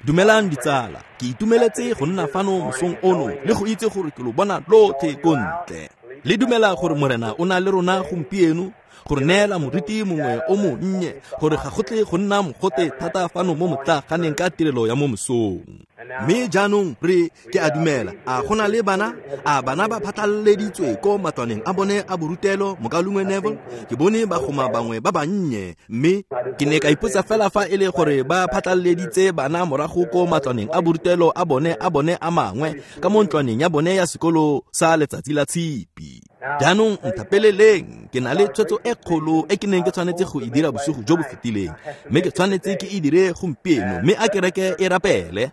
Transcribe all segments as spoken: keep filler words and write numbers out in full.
Dumelang ditsala, ke itumeletse go nna fano mosong ono le go itse gore ke lo bona lotlhe ko ntle. Le dumela gore Morena o na le rona gompieno, gore neela moriti mongwe o monnye, gore ga go tle go nna mogote thata fano mo motlaganeng ka tirelo ya mo mosong. Mme jaanong re ke a dumela, a go na le bana, a bana ba phatlaleditswe ko matlwaneng a bone a borutelo, mokaulengwe Neville, ke bone bagoma bangwe ba bannye, mme ke ne ka ipotsa fela fa e le gore ba phatlaleditse bana morago ko matlwaneng a borutelo a bone a bone a mangwe ka mo ntlwaneng ya bone ya sekolo sa letsatsi la tshipi. Jaanong nthapeleleng, ke na le tshwetso e kgolo e ke neng ke tshwanetse go e dira bosigo jo bo fetileng, mme ke tshwanetse ke e dire gompieno, mme a kereke e rapele.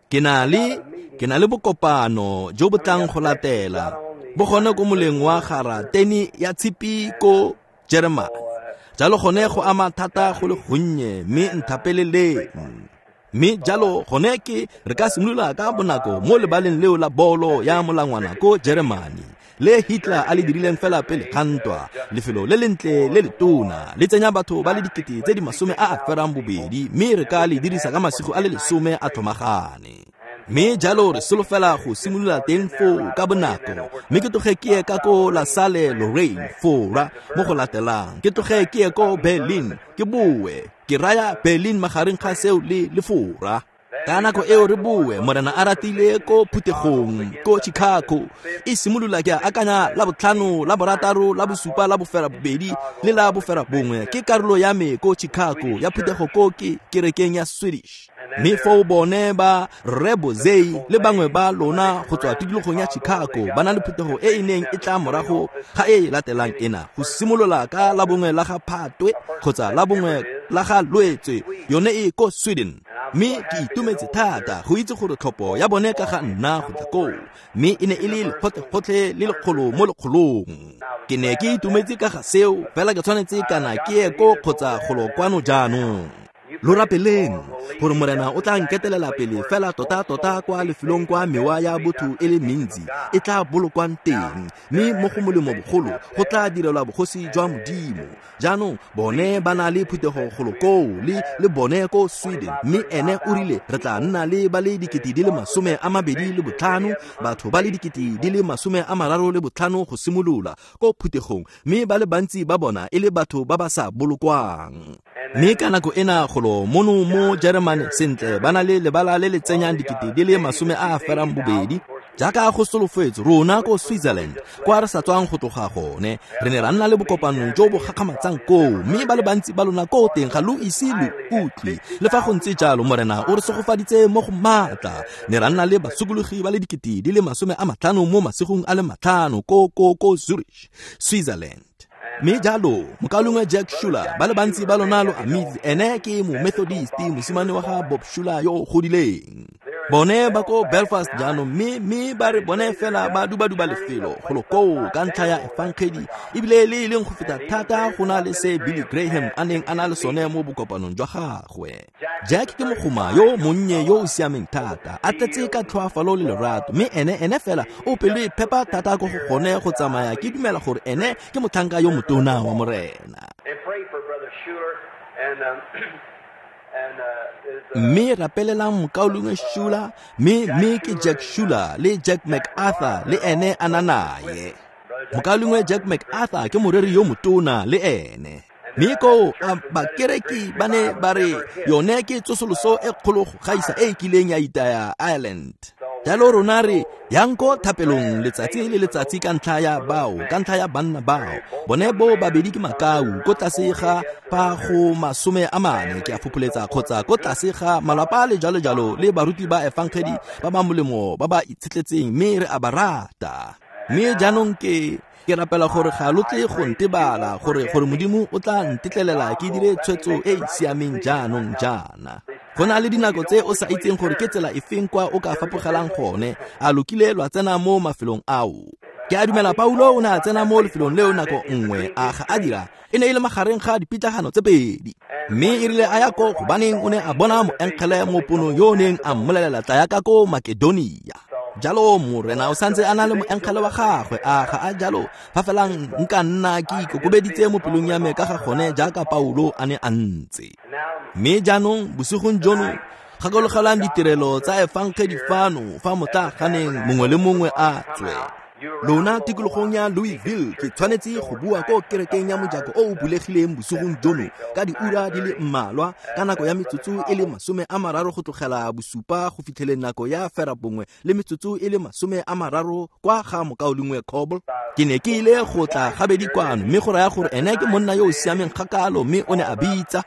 Ke na le ke na le bokopano jo bo tlang go latela bo gone ko moleng wa garateni ya tshipi ko Jeremane. Jalo gone go ama thata go le gonnye, mme nthapeleleng. Mme jalo gone ke re ka simolola ka bonako mo lebaleng leo la bolo ya molangwana ko Jeremane, le Hitler a le dirileng fela pele ga ntwa, lefelo le lentle le letona le tsenya batho ba le dikete tse di masome a a ferang bobedi, mme re ka le dirisa ka masigo a le lesome a tlhomagane. Mme jalo re solofela go simolola teng foo ka bonako, mme ke tloge ke ye ka ko La Salle Lorraine Fora mo go latelang, ke tloge ke ye ko Berlin, ke boe ke raya Berlin magareng ga seo le le Fora. Ka nako eo re boe Morena a ratile ko phuthegong ko Chicago, e simolola ke akanya la botlhano, la borataro, la bosupa, la bofera bobedi le la bofera bongwe ke karolo ya me ko Chicago ya phuthego ko ke kerekeng ya Swedish. Mme foo bone ba Rre Bozei le bangwe ba lona go tswa tikologong ya Chicago ba na le phuthego e e neng e tla morago ga e e latelang ena, go simolola ka la bongwe la ga Phatwe kgotsa la bongwe la ga Lwetse, yone e ko Sweden. Mme ke itumetse thata go itse gore tlhopho ya bone ka ga nna go tla koo, mme e ne e le lekgotlekgotlhe le lekgolo mo lekgolong. Ke ne ke itumetse ka ga seo, fela ke tshwanetse kana ke ye ko kgotsa golo kwano jaanong. Lo rapeleng gore Morena o tla nketelela pele fela tota-tota kwa lefelong kwa mewa ya botho e le mentsi e tla bolokwang teng, mme mo go molemo bogolo go tla direlwa bogosi jwa Modimo. Jaanong bone ba na le phuthego golo koo le le bone ko Sweden, mme ene o rile re tla nna le ba le dikete di le masome a mabedi le botlhano, batho ba le dikete di le masome a mararo le botlhano go simolola ko phuthegong, mme ba le bantsi ba bona e le batho ba ba sa bolokwang. Mme ka nako ena golo mono mo Jeremane sentle ba na le lebala le le tsenyang dikete di le masome a a ferang bobedi, jaaka go solofetswe rona ko Switzerland kwa re sa tswang go tloga gone, re ne ra nna le bokopano jo bo gakgamatsang koo, mme ba le bantsi ba lona ko teng ga lo ise lo utlwe. Le fa go ntse jalo Morena o re segofaditse mo go maatla, ne ra nna le basokologi ba le dikete di le masome a matlhano mo masigong a le matlhano ko ko ko Zurich, Switzerland. Mme jalo mokaulengwe Jack Schuler, ba le bantsi ba lona lo amitse, ene ke mo-Methodist, mosimane wa ga Bob Schuler yo o godileng. Bone ba ko Belfast jaanong, mme mme ba re bone fela ba duba-duba lefelo golo koo ka ntlha ya efangedi, ebile le e leng go feta thata go na le se Billy Graham a neng a na le sone mo bokopanong jwa gagwe. Jack ke mogoma yo monnye yo o siameng thata, a tletse ka tlhoafalo le lerato, mme ene ene fela o pelo e phepa thata ko go gone go tsamaya. Ke dumela gore ene ke motlhanka yo motona wa Morena. Mme rapelelang mokaulengwe Schuler, mme mme ke Jack Schuler le Jack MacArthur le ene a na naye. Mokaulengwe Jack MacArthur ke moreri yo motona le ene. Mme koo a bakereki ba ne ba re yone ke tsosoloso e kgolo go gaisa e e kileng ya itaya Ireland. Jalo rona re yang ko thapelong letsatsi le letsatsi ka ntlha ya bao, ka ntlha ya banna bao. Bone bo babedi ke makau ko tlase ga pa go masome a mane ke a fopholetsa, kgotsa ko tlase ga malapa le jalo jalo le baruti ba efangedi ba ba molemo ba ba itshetletseng, mme re a ba rata. Mme jaanong ke ke rapela gore ga lo tle go ntebala, gore gore Modimo o tla ntetlelela ke dire tshwetso e e siameng jaanong jaana. Go na le dinako tse o sa itseng gore ke tsela efeng kwa o ka fapogelang gone, a lo kile lwa tsena mo mafelong ao. Ke a dumela Paulo o ne a tsena mo lefelong leo nako nngwe, a ga a dira, e ne e le magareng ga dipitlagano tse pedi. Mme e rile a ya ko gobaneng o ne a bona moengele mo ponong yo o neng a mmolelela tla ya ka ko Makedonia. Jalo Morena o santse a na le moengele wa gagwe, a ga a jalo? Fa fela nka nna ke ikokobeditse mo pelong ya me ka ga gone jaaka Paulo a ne a ntse. Mme jaanong bosigong jono gakologelang ditirelo tsa efangedi fano fa motlaganeng mongwe le mongwe a tswe. Lona tikologong ya Louisville ke tshwanetse go bua ko kerekeng ya mojako o o bulegileng bosigong jono ka diura di le mmalwa ka nako ya metsotso e le masome a mararo go tlogela bosupa go fitlheleng nako ya ferabongwe le metsotso e le masome a mararo kwa ga mokaulengwe Coble. Ke ne ke ile go tla gabedi kwano, mme go raya gore ene ke monna yo o siameng kgakalo, mme o ne a bitsa.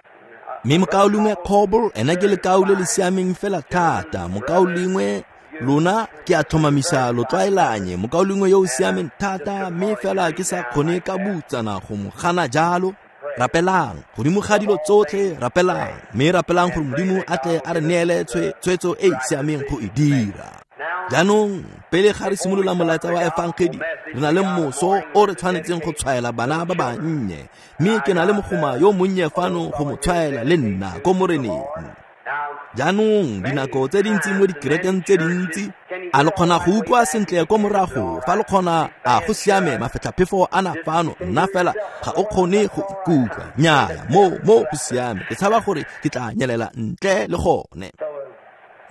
Mme mokaulengwe Coble ene ke lekau le le siameng fela thata. Mokaulengwe lona ke a tlhomamisa lo tlwaelanye, mokaulengwe yo o siameng thata, mme fela ke sa kgone ka butsana go mo gana jalo. Rapelang godimo ga dilo tsotlhe, rapelang, mme rapelang gore Modimo a tle a re neele tshwetso e e siameng go e dira. Jaanong pele ga re simolola molaetsa wa efangedi, re na le moso o re tshwanetseng go tshwaela bana ba bannye, mme ke na le mogoma yo monnye fano go mo tshwaela le nna ko Moreneng. Jaanong dinako tse dintsi mo dikerekeng tse dintsi, a lo kgona go utlwa sentle ko morago? Fa lo kgona, a go siame, mafetlhaphefo a na fano, nna fela ga o kgone go ikutlwa. Nnyaya, mo mo go siame, ke tshaba gore ke tla nyelela ntle le gone.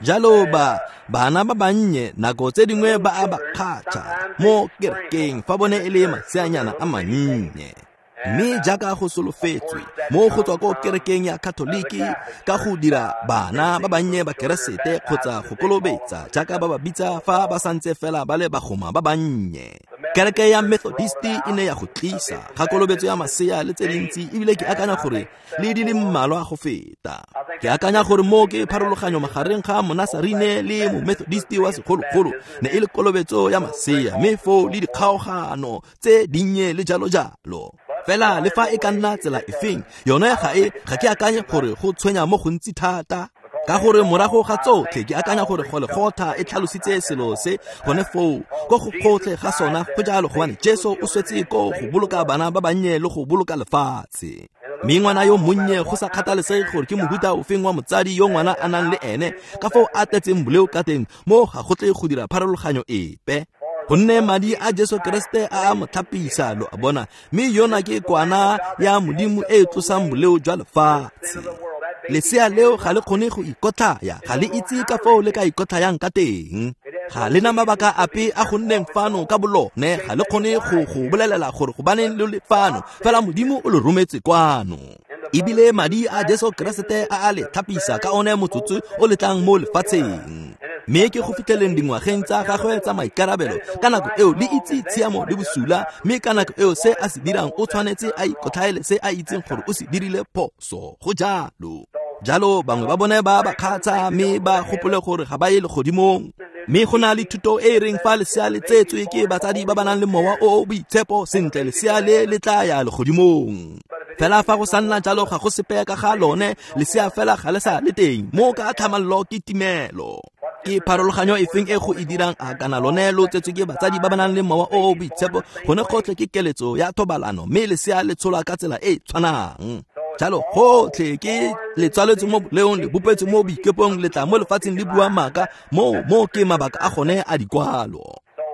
Jalo ba bana ba bannye nako tse dingwe ba a ba kgatšha mo kerekeng fa bone e le maseanyana a mannye. Mme jaaka go solofetswe mo go tswa ko kerekeng ya Katoliki ka go dira bana ba bannye ba Keresete kgotsa go kolobetsa jaaka ba ba bitsa fa ba santse fela ba le bagoma ba bannye. Kereke ya Methodist e ne ya go tlisa ga kolobetso ya masea le tse dintsi, ebile ke akanya gore le di le mmalwa go feta. Ke akanya gore mo ke pharologanyo magareng ga Monasarine le Momethodist wa segologolo ne e le kolobetso ya masea, mme foo le dikgaogano tse dinnye le jalo jalo. Fela le fa e ka nna tsela efeng, yone ga e ga ke akanye gore go tshwenya mo gontsi thata, ka gore morago ga tsotlhe ke akanya gore Golegotha e tlhalositse selo se gone foo ko go gotlhe ga sona go jalo, gobane Jesu o swetse ko go boloka bana ba bannye le go boloka lefatshe. Mme ngwana yo monnye, go sa kgathalesege gore ke mohuta ofeng wa motsadi yo ngwana a nang le ene, ka foo a tletseng boleo ka teng, mo ga go tle go dira pharologanyo epe, gonne madi a Jesu Kreste a a mo tlhapisa, lo a bona. Mme yona ke kwana ya Modimo e e tlosang boleo jwa lefatshe. Lesea leo ga le kgone go ikotlhaya, ga le itse ka foo le ka ikotlhayang ka teng. Ga le na mabaka ape a go nneng fano ka bolone, ga le kgone go go bolelela gore gobaneng lo le fano, fela Modimo o le rometse kwano. Ebile madi a Jesu Kreste a a le tlhapisa ka one motsotso o le tlang mo lefatsheng. Mme ke go fitlheleng dingwageng tsa gagwe tsa maikarabelo, ka nako eo le itse tshiamo le bosula, mme ka nako eo se a se dirang o tshwanetse a ikotlhaele se a itseng gore o se dirile phoso. Go jalo. Jalo bangwe ba bone ba ba kgatsha, mme ba gopole gore ga ba ye legodimong. Mme go na le thuto e e reng fa lesea le tsetswe ke batsadi ba ba nang le mowa o o boitshepo, sentle lesea le le tla ya legodimong. Fela fa go sa nna jalo ga go sepe ka ga lone, lesea fela ga le sa le teng, mo ka tlhamallo ke timelo. Ke pharologanyo efeng e go e dirang a kana lone lo tsetswe ke batsadi ba ba nang le mowa o o boitshepo? Gone gotlhe ke keletso ya thobalano, mme lesea le tsholwa ka tsela e e tshwanang. Jalo gotlhe ke le tswaletswe mo boleong, le bopetswe mo boikepong, le tla mo lefatsheng le bua maaka, mo mo ke mabaka a gone a dikwalo.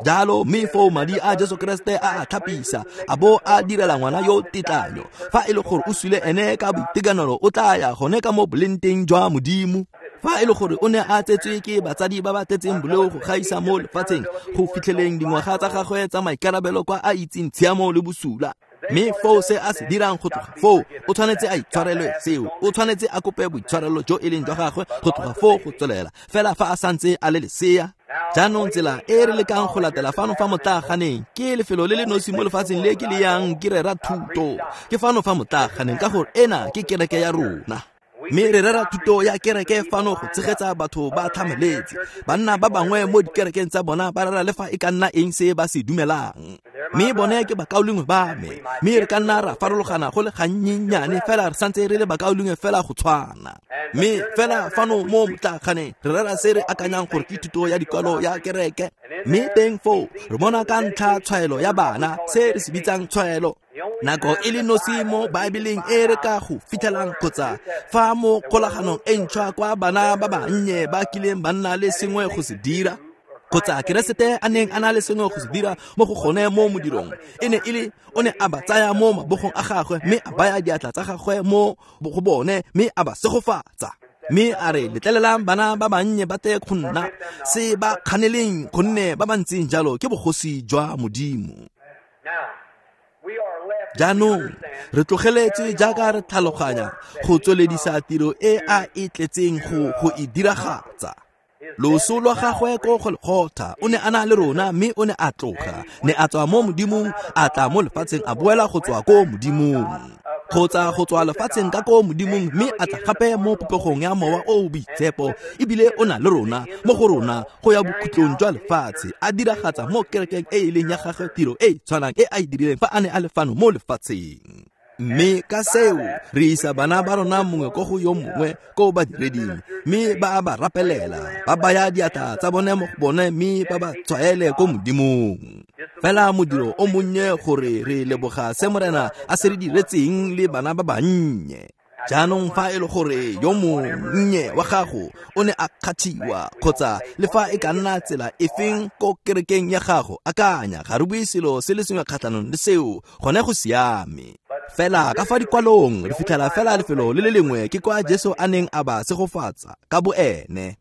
Jalo mme foo madi a Jesu Kreste a a tlhapisa, a bo a direla ngwana yo tetlanyo. Fa e le gore o sule ene ka boitekanelo, o tla ya gone ka mo bolengteng jwa Modimo. Fa e le gore o ne a tsetswe ke batsadi ba ba tletseng boleo go gaisa mo lefatsheng, go fitlheleng dingwaga tsa gagwe tsa maikarabelo kwa a itseng tshiamo le bosula, mme foo se a se dirang go tloga foo, o tshwanetse a itshwarelwe seo, o tshwanetse a kope boitshwarelo jo e leng jwa gagwe go tloga foo go tswelela, fela fa a santse a le lesea. Jaanong tsela e re lekang go latela fano fa motlaganeng ke lefelo le le nosi mo lefatsheng le ke le yang ke rera thuto. Ke fano fa motlaganeng ka gore ena ke kereke ya rona. Mme re rera thuto ya kereke fano go tshegetsa batho ba tlhamaletse. Banna ba bangwe mo dikerekeng tsa bona ba rera le fa e ka nna eng se ba se dumelang. Mme bone ke bakaulengwe ba me, mme re ka nna ra farologana go le gannyenyane, fela re santse re le bakaulengwe fela go tshwana. Mme fela fano mo motlaganeng re rera se re akanyang gore ke thuto ya dikwalo ya kereke. Mme teng foo re bona ka ntlha tshwaelo ya bana, se re se bitsang tshwaelo. Nako e le nosi mo Baebeleng e re ka go fitlhelang kgotsa fa mo kgolaganong e ntšhwa kwa bana ba bannye ba kileng ba nna le sengwe go se dira. Kgotsa Keresete a neng a na le sengwe go se dira mo go gone mo modirong e ne e le o ne a ba tsaya mo mabogong a gagwe mme a baya diatla tsa gagwe mo go bone mme a ba segofatsa. Mme a re letlelelang bana ba bannye ba tle go nna, se ba kganeleng gonne ba ba ntseng jalo ke bogosi jwa Modimo. Jaanong re tlogeletse jaaka re tlhaloganya go tsweledisa tiro e a e tletseng go go e diragatsa. Loso lwa gagwe ko Golgotha o ne a na le rona mme o ne a tloga, ne a tswa mo Modimong a tla mo lefatsheng a boela go tswa ko Modimong, kgotsa go tswa lefatsheng ka ko Modimong mme a tla gape mo popegong ya Mowa o o Boitshepo, ebile o na le rona mo go rona go ya bokhutlong jwa lefatshe, a diragatsa mo kerekeng e e leng ya gagwe tiro e e tshwanang e a e dirileng fa a ne a le fano mo lefatsheng. Mme ka seo re isa bana ba rona mongwe ko go yo mongwe ko badireding, mme ba a ba rapelela, ba baya diatla tsa bone mo go bone mme ba ba tshwaele ko Modimong. Fela modiro o monnye gore re leboga se Morena a se re diretseng le bana ba bannye. Jaanong fa e le gore yo monnye wa gago o ne a kgathiwa kgotsa le fa e ka nna tsela efeng ko kerekeng ya gago, akanya ga re bue selo se le sengwe kgatlhanong le seo, gone go siame. Fela ka fa dikwalong re fitlhela fela lefelo le le lengwe ke kwa Jesu a neng a ba segofatsa ka boene.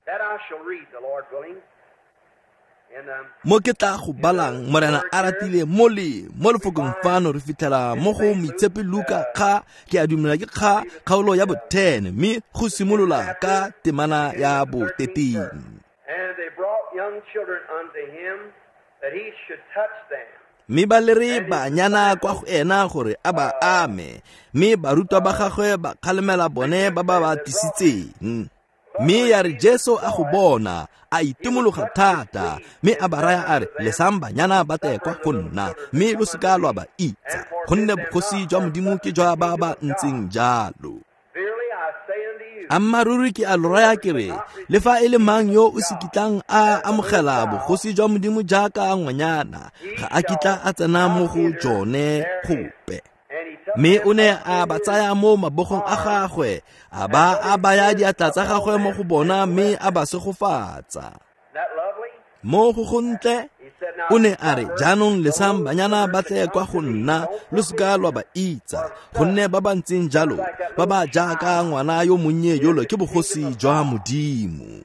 Mo ke tla go balang Morena a ratile mo le mo lefokong fano re fitlhela mo go Moitshepi Luka kga ke a dumela ke kga kgaolo ya bo ten mme go simolola ka temana ya bo thirteen. And they brought young children unto him that he should touch them. Mme ba lere banyana kwa go ena gore a ba ame, mme barutwa ba gagwe ba kgalemela bone ba ba ba tlisitseng. Mme ya re Jesu a go bona a itumologa thata, mme a ba raya a re lesang banyana ba tle kwa go nna, mme lo seka lwa ba itsa, gonne bogosi jwa Modimo ke jwa ba ba ntseng jalo. Ammaaruri ke a lo raya ke re, le fa e le mang yo o se kitlang a amogela bogosi jwa Modimo jaaka ngwanyana, ga a kitla a tsena mo go jone gope. Mme o ne a ba tsaya mo mabogong a gagwe, a ba a baya diatla tsa gagwe mo go bona mme a ba segofatsa. Mo go gontle o ne a re jaanong lesang banyana ba tle kwa go nna, lo seka lwa ba itsa, gonne ba ba ntseng jalo ba ba jaaka ngwana yo monnye yolo ke bogosi jwa Modimo.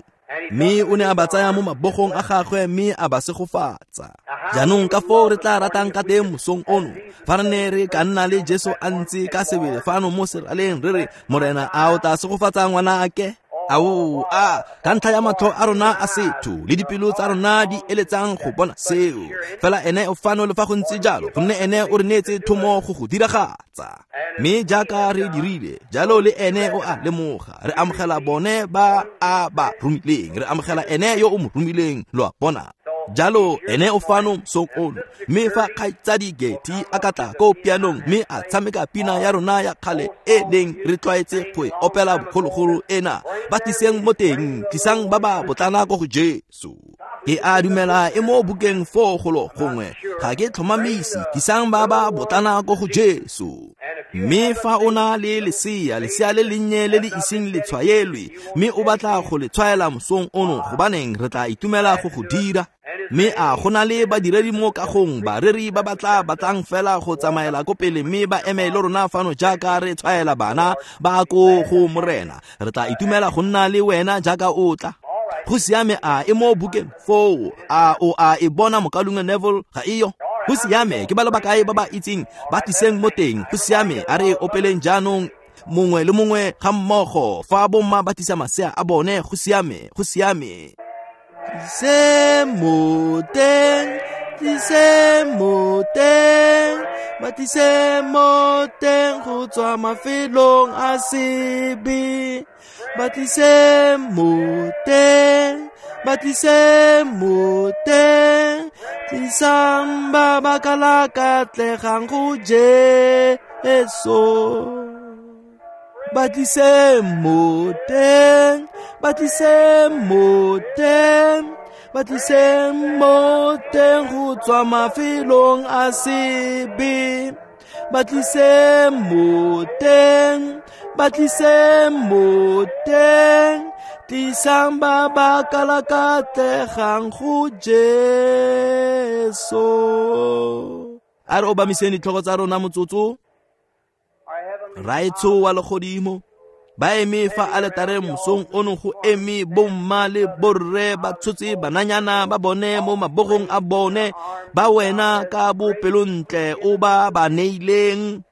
Mme o ne a ba tsaya mo mabogong a gagwe mme a ba segofatsa. Jaanong ka foo re tla ratang ka teng mosong ono, fa re ne re ka nna le Jesu a ntse ka sebele fano mo seraleng re re, Morena a o tla segofatsa ngwana ake? Ao, a ka ntlha ya matlho a rona a setho le dipelo tsa rona di eletsang go bona seo. Fela ene o fano le fa go ntse jalo, gonne ene o re neetse thomo go go diragatsa. Mme jaaka re dirile jalo le ene o a lemoga, re amogela bone ba a ba romileng, re amogela ene yo o mo romileng, lo a bona. Jalo ene o fano mosong ono, mme fa kgaitsadi Getty a ka tla ko pianong mme a tshameka pina ya rona ya kgale e leng re tlwaetse go e opela bogologolo ena, ba tliseng mo teng, tlisang ba ba botlana ko go Jesu. Ke a dumela e mo bukeng foo golo gongwe, ga ke tlhomamise, tlisang ba ba botlana ko go Jesu. Mme fa o na le lesea, lesea le lennye le le iseng le tshwaelwe, mme o batla go le tshwaela mosong ono, gobaneng re tla itumela go go dira. Mme a go na le badiredi mo kagong, bareri ba ba tla batlang fela go tsamaela ko pele mme ba eme le rona fano jaaka re tshwaela bana ba ko go Morena. Re tla itumela go nna le wena jaaka o tla. Go siame, a e mo bukeng foo, a o a e bona mokalunga Neville ga eyo? Go siame, ke ba le bakae ba ba itseng, ba tliseng mo teng. Go siame, a re opeleng jaanong mongwe le mongwe ga mmogo, fa bomma ba tlisa masea a bone. Go siame, go siame. Tlise mo teng, tlise mo teng, ba tlise mo teng go tswa mafelong a sebe. Ba tlise mo teng, ba tlise mo teng, tlisang ba ba kalakatlegang go Jesu. Ba tlise mo teng, ba tlise mo teng, ba tlise mo teng go tswa mafelong a sebe. ba tlise mo teng, ba tlise mo teng, tlisang ba ba kalakatlegang go Jesu. A re obamiseng ditlhogo tsa rona motsotso. Raetsho wa legodimo, ba eme fa aletareng mosong ono go eme bomma le borre ba tshotse bananyana ba bone mo mabogong a bone, ba wena ka bopelontle o ba ba neileng.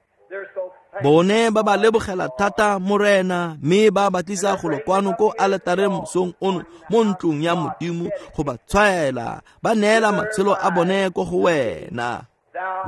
Bone ba ba lebogela thata Morena, mme ba ba tlisa golo kwano ko aletareng mosong ono mo ntlong ya Modimo go ba tshwaela, ba neela matshelo a bone ko go wena.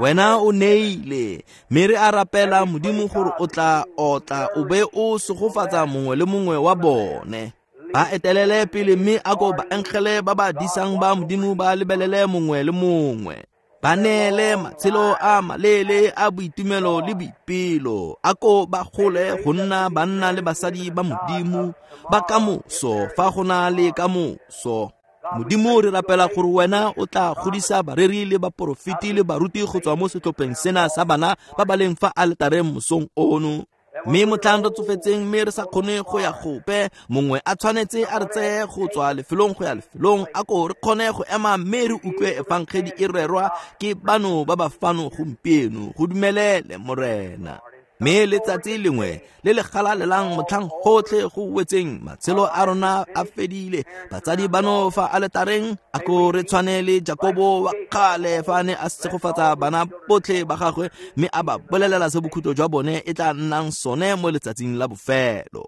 Wena o neile, mme re a rapela Modimo gore o tla otla o be o segofatsa mongwe le mongwe wa bone. Ba etelele pele mme a ko baengele ba ba disang ba Modimo ba lebelele mongwe le mongwe. Ba neele matshelo a maleele a boitumelo le boipelo, a ko ba gole go nna banna le basadi ba Modimo ba kamoso fa go na le kamoso. Modimo re rapela gore wena o tla godisa bareri le baporofeti le baruti go tswa mo setlhopheng sena sa bana ba ba leng fa aletareng mosong ono. Mme motlhang re tsofetseng mme re sa kgone go ya gope, mongwe a tshwanetse a re tseye go tswa lefelong go ya lefelong, a ko re kgone go ema mme re utlwe efangedi e rerwa ke bano ba ba fano gompieno. Go dumelele Morena. Mme letsatsi lengwe le le galalelang motlhang gotlhe go wetseng matshelo a rona a fedile, batsadi bano fa aletareng a ko re tshwane le Jakobo wa kgale fa a ne a segofatsa bana botlhe ba gagwe mme a ba bolelela se bokhutlo jwa bone e tla nnang sone mo letsatsing la bofelo.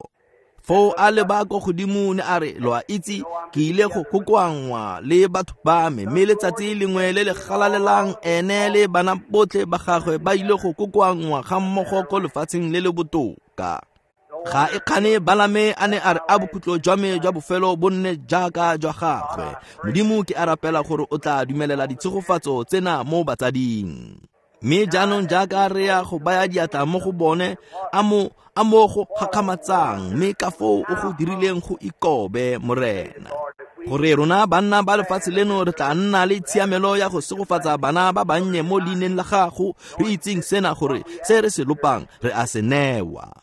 Foo a leba ko godimo ne a re, lo a itse ke ile go kokoanngwa le batho ba me, mme letsatsi lengwe le le galalelang ene le bana botlhe ba gagwe ba ile go kokoanngwa ga mmogo ko lefatsheng le le botoka. Ga e kgane Balame a ne a re a bokhutlo jwa me jwa bofelo bo nne jaaka jwa gagwe. Modimo ke a rapela gore o tla dumelela ditshegofatso tsena mo batsading. Mme jaanong jaaka re ya go baya diatla mo go bone, a mo a mo go gakgamatsang, mme ka foo o go dirileng go ikobe Morena, gore rona banna ba lefatshe leno re tla nna le tshiamelo ya go segofatsa bana ba bannye mo leineng la gago, re itseng sena gore se re se lopang re a se newa.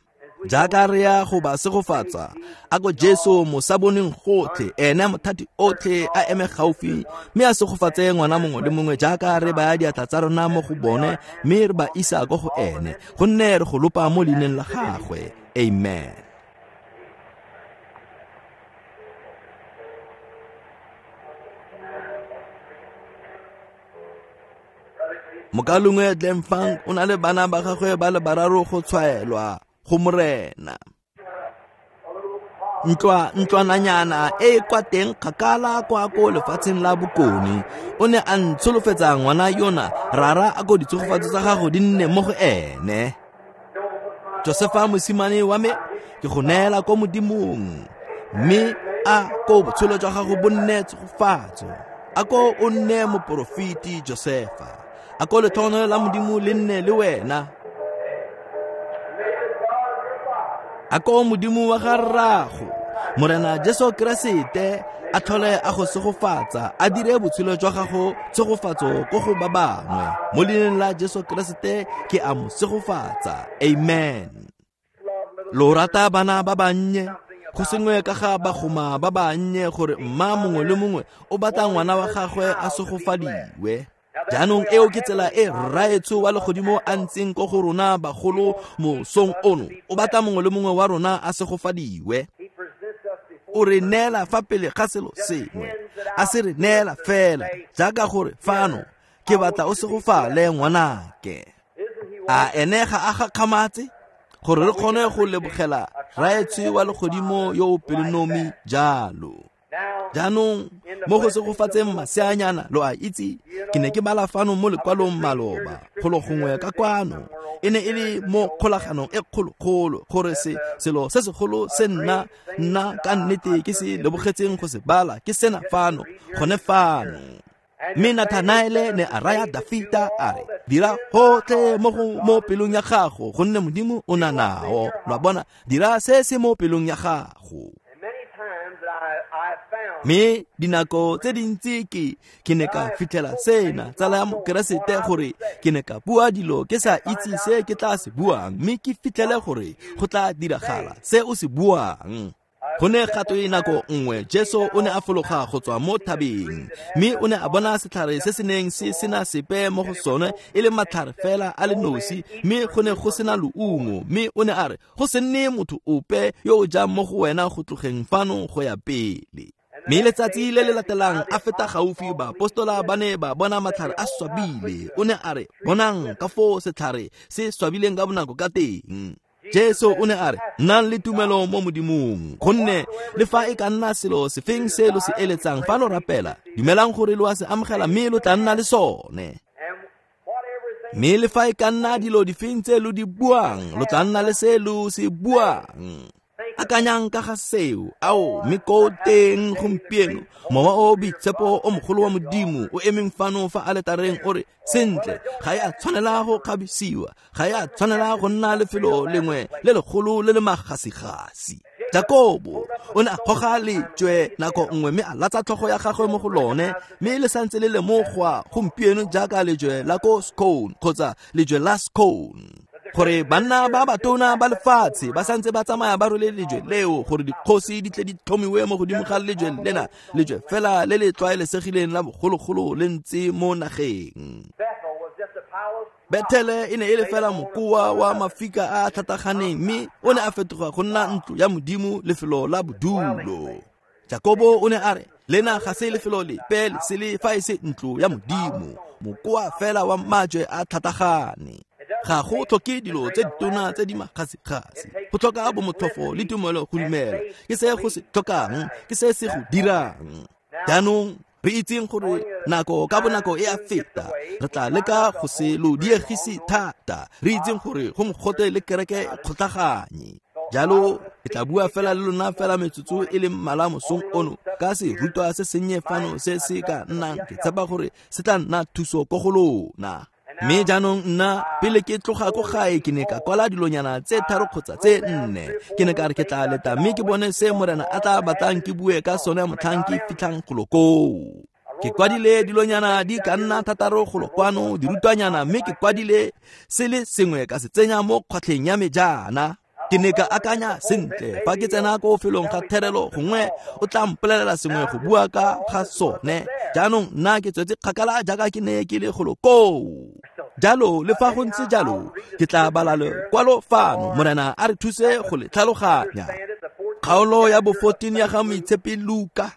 Jaaka re ya go ba segofatsa, a ko Jesu mosaboneng gotlhe, ene mothati otlhe a eme gaufi mme a segofatse ngwana mongwe le mongwe jaaka re baya diatla tsa rona mo go bone mme re ba isa ko go ene, gonne re go lopa mo leineng la gagwe. Amen. Mokalongwe Glenfang o na le bana ba gagwe ba le bararo go tshwaelwa go Morena. Ntlwa ntlwananyana e kwa teng kgakala kwa ko lefatsheng la bokone, o ne a ntsholofetsa ngwana yona, rara a ko ditshegofatso tsa gago di nne mo go ene. Josefa mosimane wa me, ke go neela ko Modimong, mme a ko botshelo jwa gago bo nne tshegofatso. A ko o nne moporofeti Josefa, a ko letlhogonolo la Modimo le nne le wena. A ko Modimo wa ga rrago Morena Jesu Keresete a tlhole a go segofatsa, a dire botshelo jwa gago tshegofatso ko go ba bangwe. Mo leineng la Jesu Keresete ke a mo segofatsa. Amen. Lo rata bana ba bannye, go sengwe ka ga bagoma ba bannye gore mma mongwe le mongwe o batla ngwana wa gagwe a segofadiwe. Jaanong eo ke tsela e Rraetsho wa legodimo a ntseng ko go rona bagolo mosong ono. O batla mongwe le mongwe wa rona a segofadiwe. O re neela fa pele ga selo sengwe, a se re neela fela jaaka gore fano ke batla o segofale ngwanake. A ene ga a gakgamatse gore re kgone go lebogela Rraetsho wa legodimo yo o pelonomi jalo. Jaanong mo go segofatseng maseanyana, lo a itse ke ne ke bala fano mo lekwalong maloba golo gongwe ka kwano, e ne e le mo kgolaganong e kgolokgolo gore se selo se segolo se nna nna ka nnete ke se lebogetseng go se bala ke sena fano gone fano. Mme Nathanaele ne a raya Dafita a re, dira gotlhe mo go mo pelong ya gago, gonne Modimo o na nao. Lo a bona, dira se se mo pelong ya gago. Mme dinako tse dintsi ke ke ne ka fitlhela sena tsala ya Mokeresete gore ke ne ka bua dilo ke sa itse se ke tla se buang, mme ke fitlhele gore go tla diragala se o se buang. Go ne ga twe nako nngwe Jesu o ne a fologa go tswa mo thabeng, mme o ne a bona setlhare se se neng se sena sepe mo go sone e le matlhare fela a le nosi, mme go ne go sena leungo. Mme o ne a re go se nne motho ope yo o jang mo go wena go tlogeng fano go ya pele. Mme letsatsi le le latelang a feta gaufi, baapostola ba ne ba bona matlhare a swabile. O ne a re bonang ka foo setlhare se swabileng ka bonako ka teng. Jesu o ne a re nnang le tumelo mo Modimong, gonne le fa e ka nna selo sefeng se lo se eletsang fa lo rapela, dumelang gore lo a se amogela mme lo tla nna le sone. Mme le fa e ka nna dilo difeng tse lo di buang, lo tla nna le se lo se buang. Akanyang ka ga seo, ao mme ko teng gompieno mowa o boitshepo o mogolo wa Modimo o emeng fano fa aletareng o re sentle, ga e a tshwanela go kgabisiwa, ga e a tshwanela go nna lefelo lengwe le legolo le le magasigasi. Jakobo o ne a goga lejwe nako nngwe mme a latsa tlhogo ya gagwe mo go lone, mme le santse le lemogwa gompieno jaaka lejwe la ko Scone kgotsa lejwe la Scone, gore banna ba batona ba lefatshe ba santse ba tsamaya ba rwele lejwe leo, gore dikgosi di tle di tlhomiwe mo godimo ga lejwe lena, lejwe fela le le tlwaelesegileng la bogologolo le ntse mo nageng. Bethele e ne e le fela mokoa wa mafika a a tlhataganeng, mme o ne a fetoga go nna ntlo ya Modimo, lefelo la bodulo. Jakobo o ne a re lena ga se lefelo lepe le sele fa e se ntlo ya Modimo, mokoa fela wa majwe a tlhatagane. Ga go tlhoke dilo tse ditona tse di magasigasi, go tlhoka bomotlhofo le tumelo go dumela. Ke se go se tlhokang, ke se se go dirang. Jaanong re itseng gore nako ka bonako e a feta, re tla leka go se lo diegise thata. Re itseng gore go mogote le kereke e kgotlhaganye. Jalo ke tla bua fela le lona fela metsotso e le mmalwa mosong ono ka serutwa se sennye fano se se ka nnang, ke tshepa gore se tla nna thuso ko go lona. Mme jaanong nna pele ke tloga ko gae ke ne ka kwala dilonyana tse tharo kgotsa tse nne. Ke ne ka re ke tla leta mme ke bone se Morena a tla batlang ke bue ka sone motlhang ke fitlhang golo koo. Ke kwadile dilonyana di ka nna thataro golo kwano, dirutwanyana, mme ke kwadile se le sengwe ka se tsenya mo kgwatlheng ya me jaana. Ke ne ka akanya sentle fa ke tsena ko felong ga therelo, gongwe o tla mpolelela sengwe go bua ka ga sone. Jaanong nna ke tswetse kgakala jaaka ke ne ke le golo koo. Jalo le fa go ntse jalo, ke tla bala lekwalo fano, Morena a re thuse go le tlhaloganya. Kgaolo ya bo fourteen ya ga Moitshepi Luka,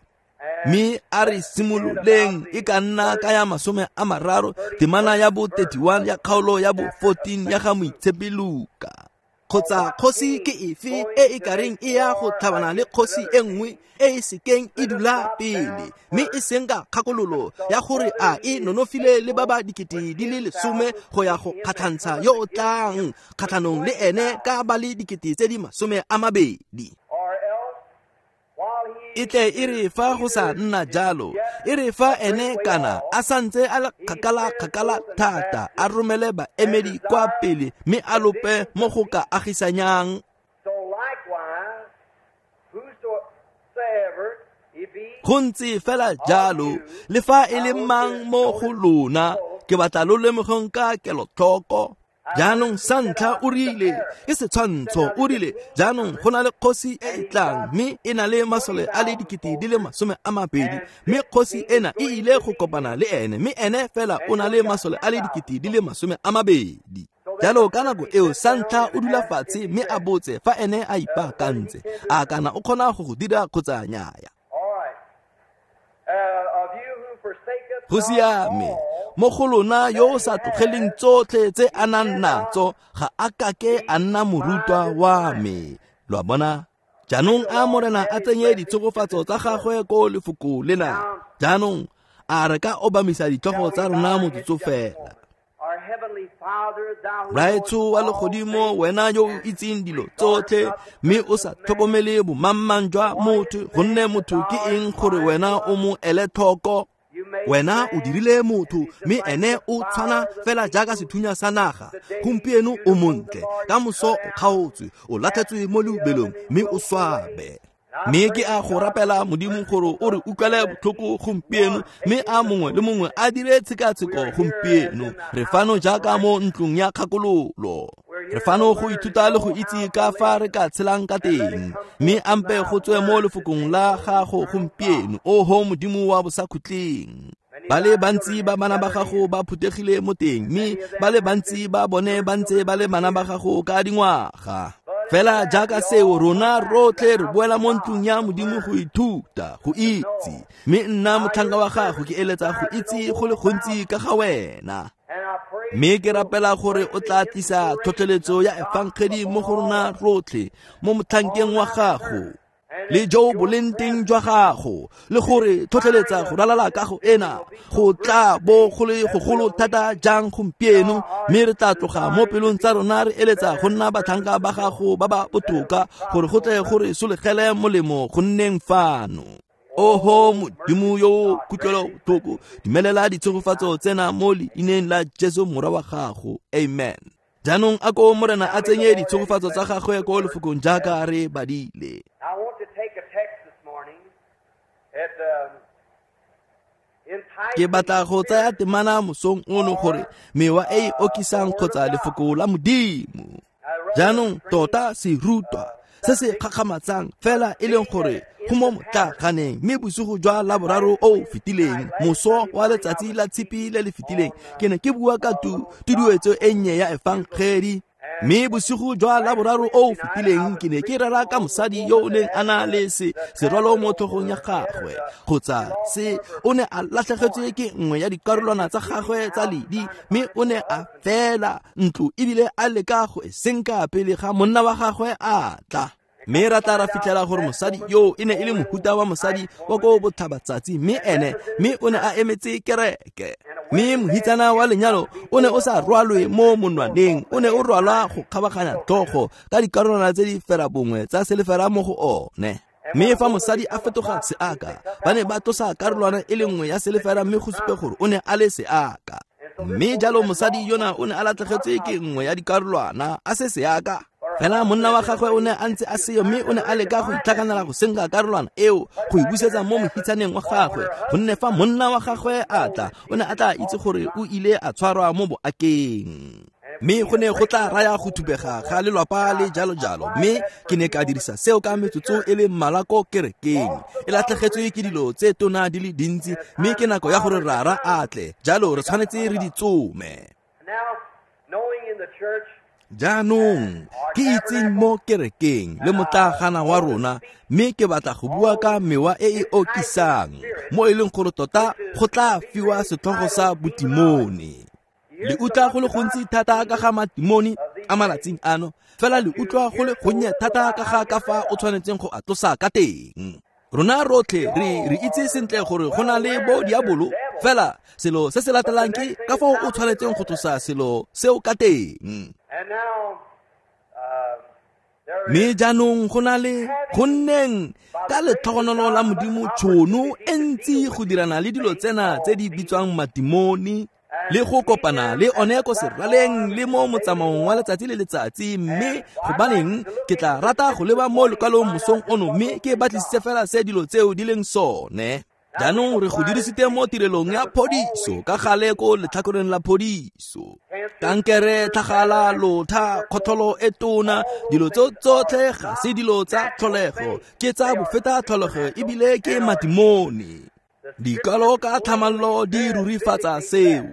mme a re simololeng e ka nna ka ya masome a mararo, temana ya bo thirty-one ya kgaolo ya bo fourteen ya ga Moitshepi Luka. Kgotsa kgosi ke efe e e kareng e ya go tlhabana le kgosi e nngwe e e sekeng e dula pele, mme e seng ka kgakololo ya gore a e nonofile le ba ba dikete di le lesome go ya go kgatlhantsha yo o tlang kgatlhanong le ene ka ba le dikete tse di masome a mabedi. E tle e re fa go sa nna jalo, e re fa ene kana a santse a le kgakala kgakala thata, a romele baemedi kwa pele mme a lope mo go ka agisanyang. Go ntse fela jalo le fa e le mang mo go lona, ke batla lo lemogeng ka kelotlhoko. Jaanong sa ntlha o rile, ke setshwantsho, o rile jaanong go na le kgosi e e tlang mme e na le masole a le dikete di le masome a mabedi, mme kgosi ena e ile go kopana le ene, mme ene fela o na le masole a le dikete di le masome a mabedi. Jalo ka nako eo sa ntlha o dula fatshe mme a botse fa ene a ipaakantse, a kana o kgona go go dira kgotsa nnyaya. Go siame, mo go lona yo o sa tlogeleng tsotlhe tse a nang natso ga a kake a nna morutwa wa me. Lo a bona? Jaanong a Morena a tsenye ditshegofatso tsa gagwe ko lefoko lena. Jaanong a re ka obamisa ditlhogo tsa rona motsotso fela. Raetsho wa legodimo, wena yo o itseng dilo tsotlhe mme o sa tlhokomele bomangmang jwa motho, gonne motho ke eng gore wena o mo ele tlhoko? Wena o dirile motho mme ene o tshwana fela jaaka sethunya sa naga. Gompieno o montle, ka moso o kgaotswe, o latlhetswe mo leubelong mme o swabe. Mme ke a go rapela Modimo gore o re utlwele botlhoko gompieno, mme a mongwe le mongwe a dire tshekatsheko gompieno. Re fano jaaka mo ntlong ya kgakololo. Re fano go ithuta le go itse ka fa re ka tshelang ka teng, mme ampe go tswe mo lefokong la gago gompieno, oho Modimo wa bosakhutleng. Ba le bantsi ba bana ba gago ba phuthegile mo teng, mme ba le bantsi ba bone ba ntse ba le bana ba gago ka dingwaga. Fela jaaka seo, rona rotlhe re boela mo ntlong ya Modimo go ithuta, go itse. Mme nna motlhanka wa gago ke eletsa go itse go le gontsi ka ga wena. Mme ke rapela gore o tla tlisa tlhotlheletso ya efangedi mo go rona rotlhe mo motlhankeng wa gago, le jo bo leng teng jwa gago, le gore tlhotlheletsa go ralala kago ena go tla bo go le gogolo thata jang gompieno, mme re tla tloga mo pelong tsa rona re eletsa go nna batlhanka ba gago ba ba botoka, gore go tle gore solegele molemo go nneng fano. Oho Modimo yo kutlwelobotlhoko, dumelela ditshegofatso tsena mo leineng la Jesu Morwa wa gago. Amen. Jaanong a ko Morena a tsenye ditshegofatso tsa gagwe ko lefokong jaaka re badile. I want to take a text this morning at um, Ke batla go tsaya temana mosong ono gore mewa e e okisang kgotsa lefoko la Modimo. Jaanong tota serutwa se se kgakgamatsang fela e leng gore go mo motlaganeng, mme bosigo jwa Laboraro o o fetileng, moso wa letsatsi la Tshipi le le fetileng, ke ne ke bua ka tu tuduetso e nnye ya efangedi. Mme bosigo jwa Laboraro o o fetileng ke ne ke rera ka mosadi yo o neng a na le se serwalo mo tlhogong ya gagwe, kgotsa se o ne a latlhegetswe ke nngwe ya dikarolwana tsa gagwe tsa ledi, mme o ne a fela ntlo ebile a leka go e senka pele ga monna wa gagwe a tla. Mme ra tla ra fitlhela gore mosadi yo e ne e le mohuta wa mosadi wa ko botlhabatsatsi, mme ene mme o ne a emetse kereke. Mme mohitsana wa lenyalo o ne o sa rwalwe mo monwaneng, o ne o rwalwa go kgabaganya tlhogo ka dikarolwana tse di ferabongwe tsa selefera mo go one. Mme fa mosadi a fetoga seaka, ba ne ba tlosa karolwana e le nngwe ya selefera mme go supe gore o ne a le seaka. Mme jalo mosadi yona o ne a latlhegetswe ke nngwe ya dikarolwana a se seaka. Fela monna wa gagwe o ne a ntse a seyo, mme o ne a leka go itlhakanela go senka karolwana eo go e busetsa mo mohitsaneng wa gagwe, gonne fa monna wa gagwe a tla, o ne a tla itse gore o ile a tshwarwa mo boakeng. Mme go ne go tla raya go thubega ga lelwapa le jalo jalo. Mme ke ne ka dirisa seo ka metsotso e le mmalwa ko kerekeng. E latlhegetswe ke dilo tse tona di le dintsi, mme ke nako ya gore rara a tle, jalo re tshwanetse re di tsome. Now, knowing in the church Jaanong ke itseng mo kerekeng le motlagana wa rona, mme ke batla go bua ka mewa e e okisang, mo e leng gore tota go tla fiwa setlhogo sa botimone. Le utlwa go le gontsi thata ka ga matimone a malatsing ano, fela le utlwa go le gonnye thata ka ga ka fa o tshwanetseng go a tlosa ka teng. Rona rotlhe re re itse sentle gore go na le bo diabolo, fela selo se se latelang ke ka fao o tshwanetseng go tlosa selo seo ka teng. And now, uh, there Mme jaanong go na le go nneng ka letlhogonolo la Modimo tšhono e ntsi go dirana le dilo tsena tse di bitswang matimone, le go kopana le one ko seraleng le mo motsamaong wa letsatsi le letsatsi. Mme gobaneng ke tla rata go leba mo lekwalong mosong ono, mme ke batlisise fela se dilo tseo di leng sone. Jaanong re go dirisitse mo tirelong ya phodiso ka gale ko letlhakoreng la phodiso. Kankere, tlhagala, lotha, kgotlholo e tona, dilo tseo tsotlhe ga se dilo tsa tlholego, ke tsa bofeta tlholego ebile ke matimone. Dikalo ka tlhamallo di rurifatsa seo.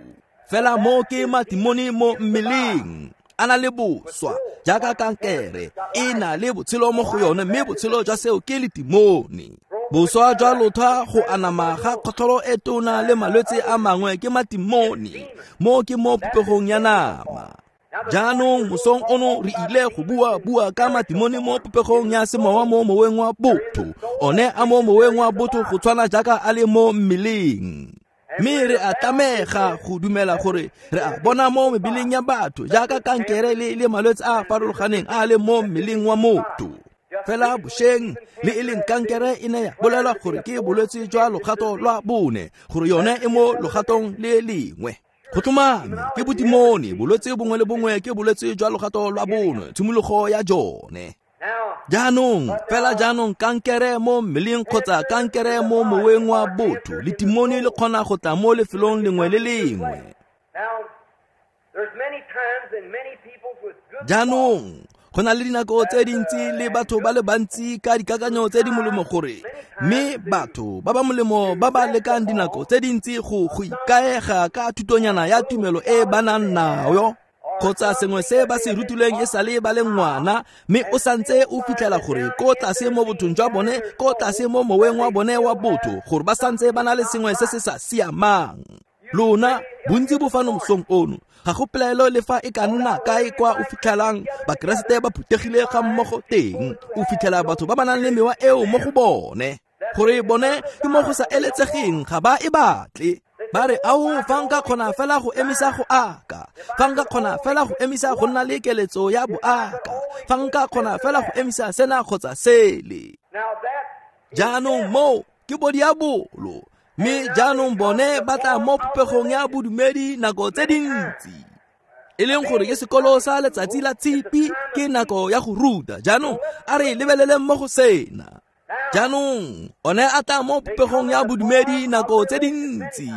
Fela mo ke matimone mo mmeleng, a na le boswa jaaka kankere e na le botshelo mo go yone, mme botshelo jwa seo ke letimone. Boswa jwa lotha, go anama ga kgotlholo e tona le malwetse a mangwe ke matimone, mo ke mo popegong ya nama. Jaanong mosong ono re ile go bua bua ka matimone mo popegong ya semowa mo moweng wa botho, one a mo moweng wa botho go tshwana jaaka a le mo mmeleng. Mme re a tlamega go dumela gore re a bona mo mebeleng ya batho jaaka kankere le le malwetse a a farologaneng a le mo mmeleng wa motho. Fela bošeng le e leng kankere e ne ya bolelwa gore ke bolwetse jwa logato lwa bone, gore yone e mo logatong le lengwe. Go tlhomame ke botimone, bolwetse bongwe le bongwe ke bolwetse jwa logato lwa bone, tshimologo ya jone. Jaanong fela jaanong kankere mo mmeleng kgotsa kankere mo moweng wa botho letimone le kgona go tla mo lefelong lengwe le lengwe. Jaanong go na le dinako tse dintsi le batho ba le bantsi ka dikakanyo tse di molemo gore mme batho ba ba molemo ba ba lekang dinako tse dintsi go go ikaega ka thutonyana ya tumelo e ba nang nayo kgotsa sengwe se ba se rutilweng e sale ba le ngwana, mme o santse o fitlhela gore ko tlase mo bothong jwa bone, ko tlase mo moweng wa bone wa botho, gore ba santse ba na le sengwe se se sa siamang. Lona bontsi bo fano mosong ono, ga go pelaelo le fa e ka nna kae kwa o fitlhelang Bakeresete ba phuthegile ga mmogo teng, o fitlhela batho ba ba nang le mewa eo mo go bone, gore bone ke mo go sa eletsegeng, ga ba e batle. Ba re, ao, fa nka kgona fela go emisa go aka, fa nka kgona fela go emisa go nna le keletso ya boaka, fa nka kgona fela go emisa sena kgotsa sele. Jaanong moo ke bodiabolo, mme jaanong bone ba tla mo popegong ya bodumedi nako tse dintsi, e leng gore ke sekolo sa letsatsi la tshipi, ke nako ya go ruta. Jaanong a re lebeleleng mo go sena. Jaanong one a tla mo popegong ya bodumedi nako tse dintsi.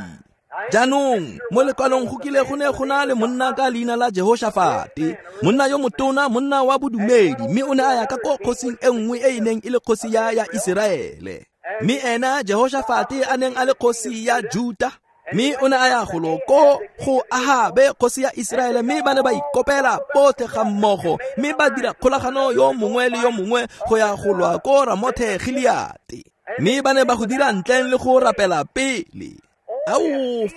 Jaanong mo lekwalong go kile go ne go na le monna ka leina la Jehoshafate, monna yo motona, monna wa bodumedi, mme o ne a ya ka ko kgosing e nngwe e e neng e le kgosi ya ya Iseraele. Mme ena Jehoshafate a neng a le kgosi ya Juta, mme o ne a ya golo ko go Ahabe kgosi ya Iseraele, mme ba ne ba ikopela botlhe ga mmogo, mme ba dira kgolagano yo mongwe le yo mongwe go ya go lwa ko Ramothe Gileate, mme ba ne ba go dira ntleng le go rapela pele. Ao,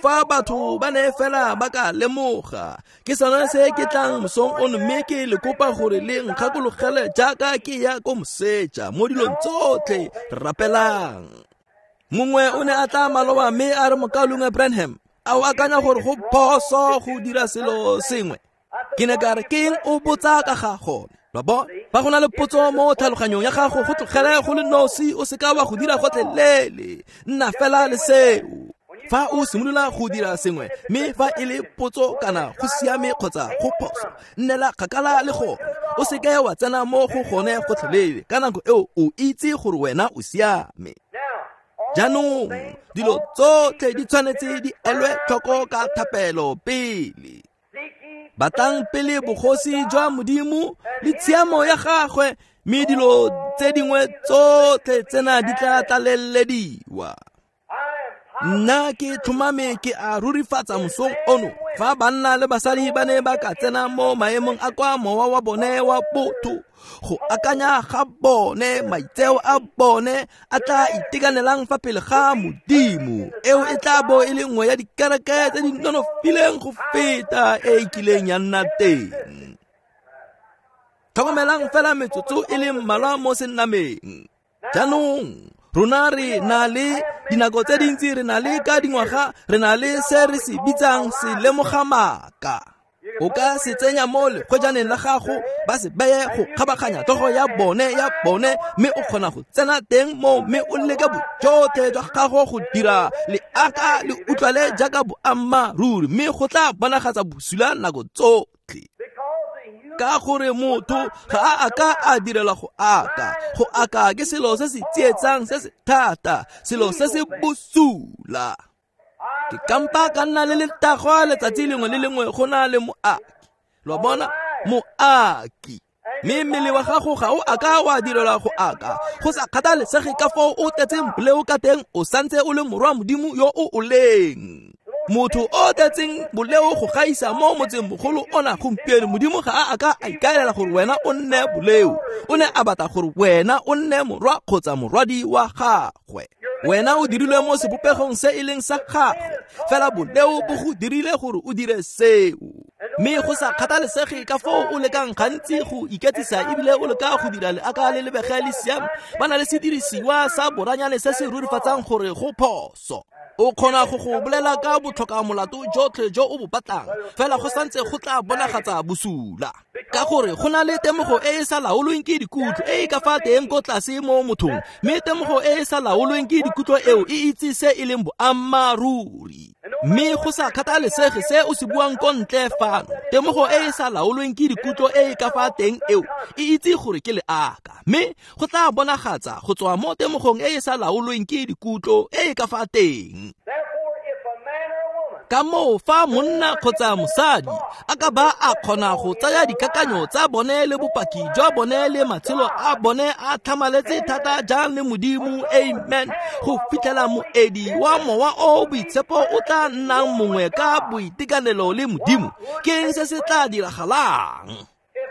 fa batho ba ne fela ba ka lemoga, ke sone se ke tlang mosong ono mme ke le kopa gore le nkgakologele jaaka ke ya ko moseja mo dilong tsotlhe rapelang. Mongwe o ne a tla maloba mme a re, Mokaulengwe Branham, a o akanya gore go phoso go dira selo sengwe? Ke ne ka re, ke eng o botsa ka ga gone? Lo bona, fa go na le potso mo tlhaloganyong ya gago, go tlogele go le nosi, o seka wa go dira gotlhelele, nna fela le seo. Fa o simolola go dira sengwe, mme fa e le potso kana go siame kgotsa go phoso, nnela kgakala le gone, o seke wa tsena mo go gone gotlhelele. Ka nako eo o itse gore wena o siame. Jaanong dilo tsotlhe di tshwanetse di elwe tlhoko ka thapelo pele. Batlang pele bogosi jwa Modimo le tshiamo ya gagwe, mme dilo tse dingwe tsotlhe tsena di tla tlalelediwa. Nna ke tlhomame ke a rurifatsa mosong ono, fa banna le basadi ba ne ba ka tsena mo maemong a kwa mowa wa bone wa botho, go akanya ga bone, maitseo a bone a tla itekanelang fa pele ga Modimo, eo e tla bo e le nngwe ya dikereke tse di nonofileng go feta e e kileng ya nna teng. Tlhokomelang fela metsotso e le mmalwa mo sennameng. Jaanong rona re na le dinako tse dintsi, re na le ka dingwaga, re na le se re se bitsang selemogamaka. O ka se tsenya mo lekgwejaneng la gago, ba se beye go kgabaganya tlhogo ya bone ya bone, mme o kgona go tsena teng mo, mme o leke bojotlhe jwa gago go dira leaka le utlwale jaaka boammaaruri, mme go tla bonagatsa bosula nako tsotlhe. Ka gore motho ga a aka a direlwa go aka, go aka ke selo se se tsietsang, se se thata, selo se se bosula. Ke kampa ka nna le letagwa letsatsi lengwe le lengwe go na le moaki. Lo bona, moaki. Mme mmele wa gago ga o aka wa direlwa go aka, go sa kgathalesege ka foo o tletseng boleo ka teng, o santse o le morwa Modimo yo o o leng. Motho o tletseng boleo go gaisa mo motseng mogolo ona gompieno, Modimo ga a aka a ikaelela gore wena o nne boleo, o ne a batla gore wena o nne morwa kgotsa morwadi wa gagwe. Wena o dirilwe mo sebopegong se e leng sa gagwe, fela boleo bo go dirile gore o dire seo. Mme go sa kgathalesege ka foo o lekang gantsi go iketsisa ebile o leka go dira leaka le lebege le siame, ba na le sedirisiwa sa boranyane se se rurifatsang gore go phoso. O kgona go go bolela ka botlhoka molato jotlhe jo o bo batlang, fela go santse go tla bonagatsa bosula. Ka gore go na le temogo e e sa laolweng ke dikutlo e e ka fa teng ko tlase mo mothong, mme temogo e e sa laolweng ke dikutlo eo e itse se e leng boammaaruri. Mme go sa kgathalesege se o se buang ko ntle fano, temogo e e sa laolweng ke dikutlo e e ka fa teng eo e itse gore ke leaka, mme go tla bonagatsa go tswa mo temogong e e sa laolweng ke dikutlo e e ka fa teng. Ka moo fa monna kgotsa mosadi a ka ba a kgona go tsaya dikakanyo tsa bone le bopaki jwa bone le matshelo a bone a tlhamaletse thata jang le Modimo, amen, go fitlhela moedi wa mowa o boitshepo o tla nnang mongwe ka boitekanelo le Modimo, ke eng se se tla diragalang?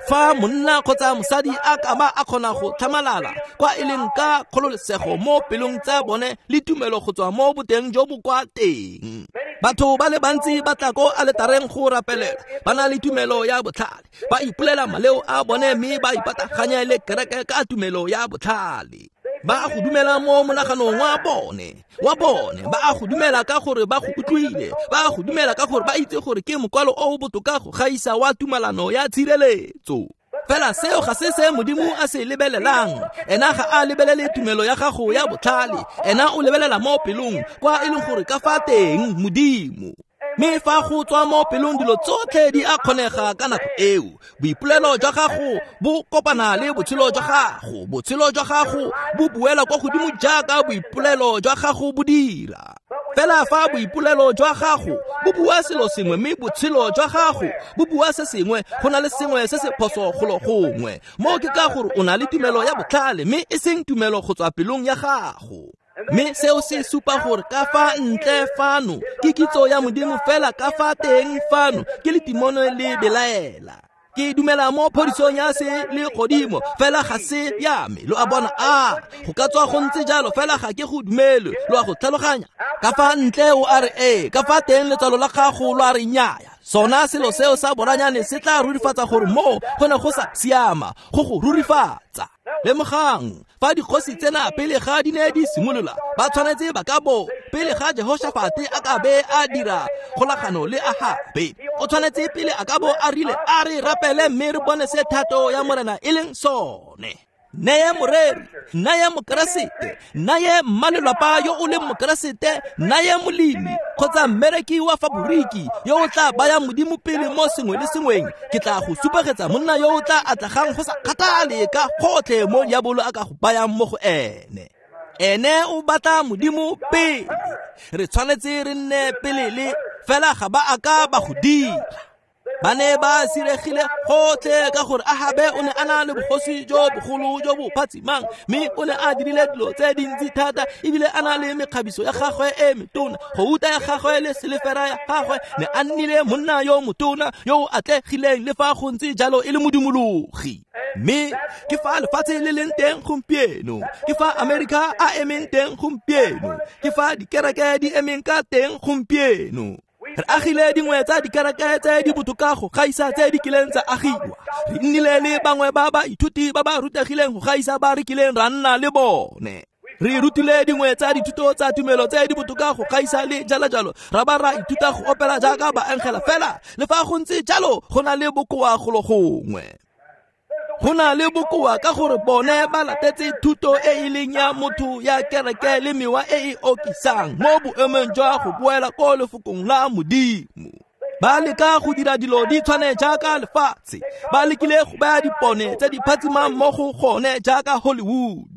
Fa monna kgotsa mosadi a ka ba a kgona go tlhamalala kwa e leng ka kgololesego mo pelong tsa bone le tumelo go tswa mo boteng jo bo kwa teng. Batho ba le bantsi ba tla ko aletareng go rapelela, ba na le tumelo ya botlhale, ba ipolela maleo a bone mme ba ipataganya le kereke ka tumelo ya botlhale. Ba a go dumela mo monaganong wa bone, wa bone, ba a go dumela ka gore ba go utlwile, ba a go dumela ka gore ba itse gore ke mokwalo o o botoka go gaisa wa tumalano ya tshireletso. Fela seo ga se se Modimo a se lebelelang. Ena ga a lebelele tumelo ya gago ya botlhale, ena o lebelela mo pelong kwa e leng gore ka fa teng Modimo. Mme fa go tswa mo pelong dilo tsotlhe di a kgonega ka nako eo. Boipolelo jwa gago bo kopana le botshelo jwa gago, botshelo jwa gago bo buela kwa godimo jaaka boipolelo jwa gago bo dira. Fela fa boipolelo jwa gago bo bua selo sengwe mme botshelo jwa gago bo bua se sengwe, go na le sengwe se se phoso golo gongwe. Moo ke ka gore o na le tumelo ya botlhale mme e seng tumelo go tswa pelong ya gago. Mme seo se supa gore ka fa ntle fano ke kitso ya Modimo, fela ka fa teng fano ke letimone le belaela. Ke dumela mo phodisong ya se le godimo, fela ga se ya me. Lo a bona, a go ka tswa go ntse jalo, fela ga ke go dumele. Lo a go tlhaloganya? Ka fa ntle o a re ee, ka fa teng letswalo la gago lo a re nnyaya. Sona selo seo sa boranyane se tla rurifatsa gore moo go ne go sa siama, go go rurifatsa. Lemogang, fa dikgosi tsena pele ga di ne di simolola, ba tshwanetse ba ka bo pele ga Jehoshafate a ka be a dira kgolagano le Ahabe, o tshwanetse pele a ka bo a rile a re rapele mme re bone se thato ya Morena e leng sone. Neye moreri, neye mokeresete, neye mmalelapa yo o leng mokeresete, neye molemi kgotsa mmereki wa faboriki yo o tla bayang Modimo pele mo sengwe le sengweng. Ke tla go supegetsa monna yo o tla atlegang go sa kgathale ka gotlhe mo diabolo a ka go bayang mo go ene. Ene o batla Modimo pele. Re tshwanetse re nne pele le fela ga ba a ka ba go dira. Ba ne ba siregile gotlhe ka gore Ahabe o ne a na le bogosi jo bogolo jo bo phatsimang, mme o ne a dirile dilo tse dintsi thata, ebile a na le mekgabiso ya gagwe e metona, gouta ya gagwe le selefera ya gagwe. Ne a nnile monna yo motona yo o atlegileng le fa go ntse jalo e le modumologi. Mme ke fa lefatshe le leng teng gompieno, ke fa Amerika a emeng teng gompieno, ke fa dikereke di emeng ka teng gompieno. Re agile dingwe tsa dikereke tse di botoka go gaisa tse di kileng tsa agiwa. Re nnile le bangwe ba baithuti ba ba rutegileng go gaisa ba re kileng ra nna le bone. Re rutile dingwe tsa dithuto tsa tumelo tse di botoka go gaisa le jalo jalo, ra ba ra ithuta go opela jaaka baengela. Fela le fa go ntse jalo, go na le bokoa golo gongwe. Go na le bokoa ka gore bone ba latetse thuto e e leng ya motho ya kereke le mewa e e okisang mo boemong jwa go boela ko lefokong la Modimo. Ba leka go dira dilo di tshwane jaaka lefatshe, ba lekile go baya dipone tse di phatsimang mo go gone jaaka Hollywood.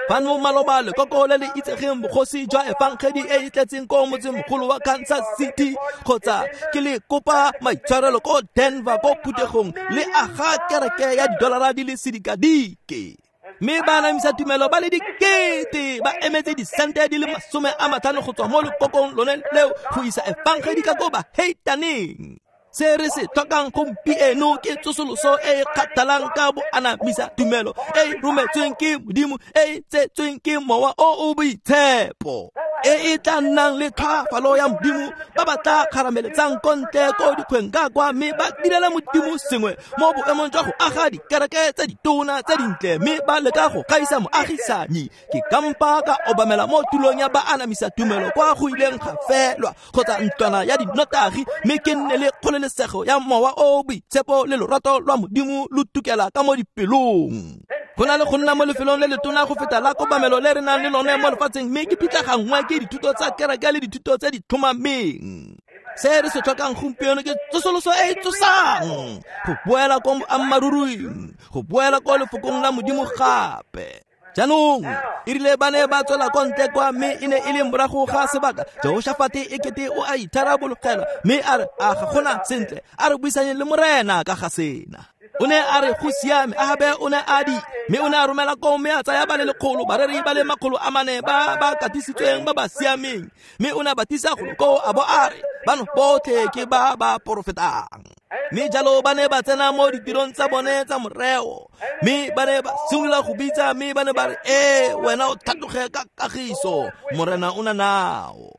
Fano maloba lekoko le le itsegeng bogosi jwa efangedi e e tletseng ko motsemogolo wa Kansas City, kgotsa ke le kopa maitshwarelo ko Denver ko phuthegong le aga kereke ya didolara di le sedikadike. Mme ba anamisa tumelo ba le dikete ba emetse disente di le masome a matlhano go tswa mo lekokong lone leo go isa efangedi ka ko bahetaneng. Se re se tlhokang gompieno ke tsosoloso e e kgathalang ka boanamisa tumelo e e rometsweng ke Modimo, e e tsetsweng ke Mowa o o Boitshepo, e e tla nnang le tlhoafalo ya Modimo, ba ba tla kgarameletsang ko ntle ko dikgweng ka kwa mme ba direla Modimo sengwe mo boemong jwa go aga dikereke tse ditona tse dintle mme ba leka go gaisa moagisanyi. Ke kampa ka obamela mo tulong ya baanamisa tumelo kwa go ileng ga felwa kgotsa ntlwana ya dinotagi, mme ke nne le kgololesego ya Mowa o Boitshepo le lorato lwa Modimo lo tukela ka mo dipelong. Go na le go nna mo lefelong le letona go feta la kobamelo le re nang le lone mo lefatsheng, mme ke pitlaganngwe ke dithuto tsa kereke le dithuto tse di tlhomameng. Se re se tlhokang gompieno ke tsosoloso e e tsosang, go boela ko boammaaruring, go boela ko lefokong la Modimo gape. Jaanong e rile ba ne ba tswela ko ntle kwa, mme e ne e le morago ga sebaka, Jehoshafate e kete o a itharabologela, mme a re, a ga gona sentle, a re buisanye le Morena ka ga sena. O ne a re go siame, Ahabe o ne a di, mme o ne a romela koo mme a tsaya ba le lekgolo, bareri ba le makgolo a mane ba ba katisitsweng ba ba siameng, mme o ne a ba tlisa golo koo a bo a re, bano botlhe ke ba ba porofetang. Mme jalo ba ne ba tsena mo ditirong tsa bone tsa moreo, mme ba ne ba simolola go bitsa, mme ba ne ba re, ee, wena o tlhatloge ka kagiso, Morena o na nao.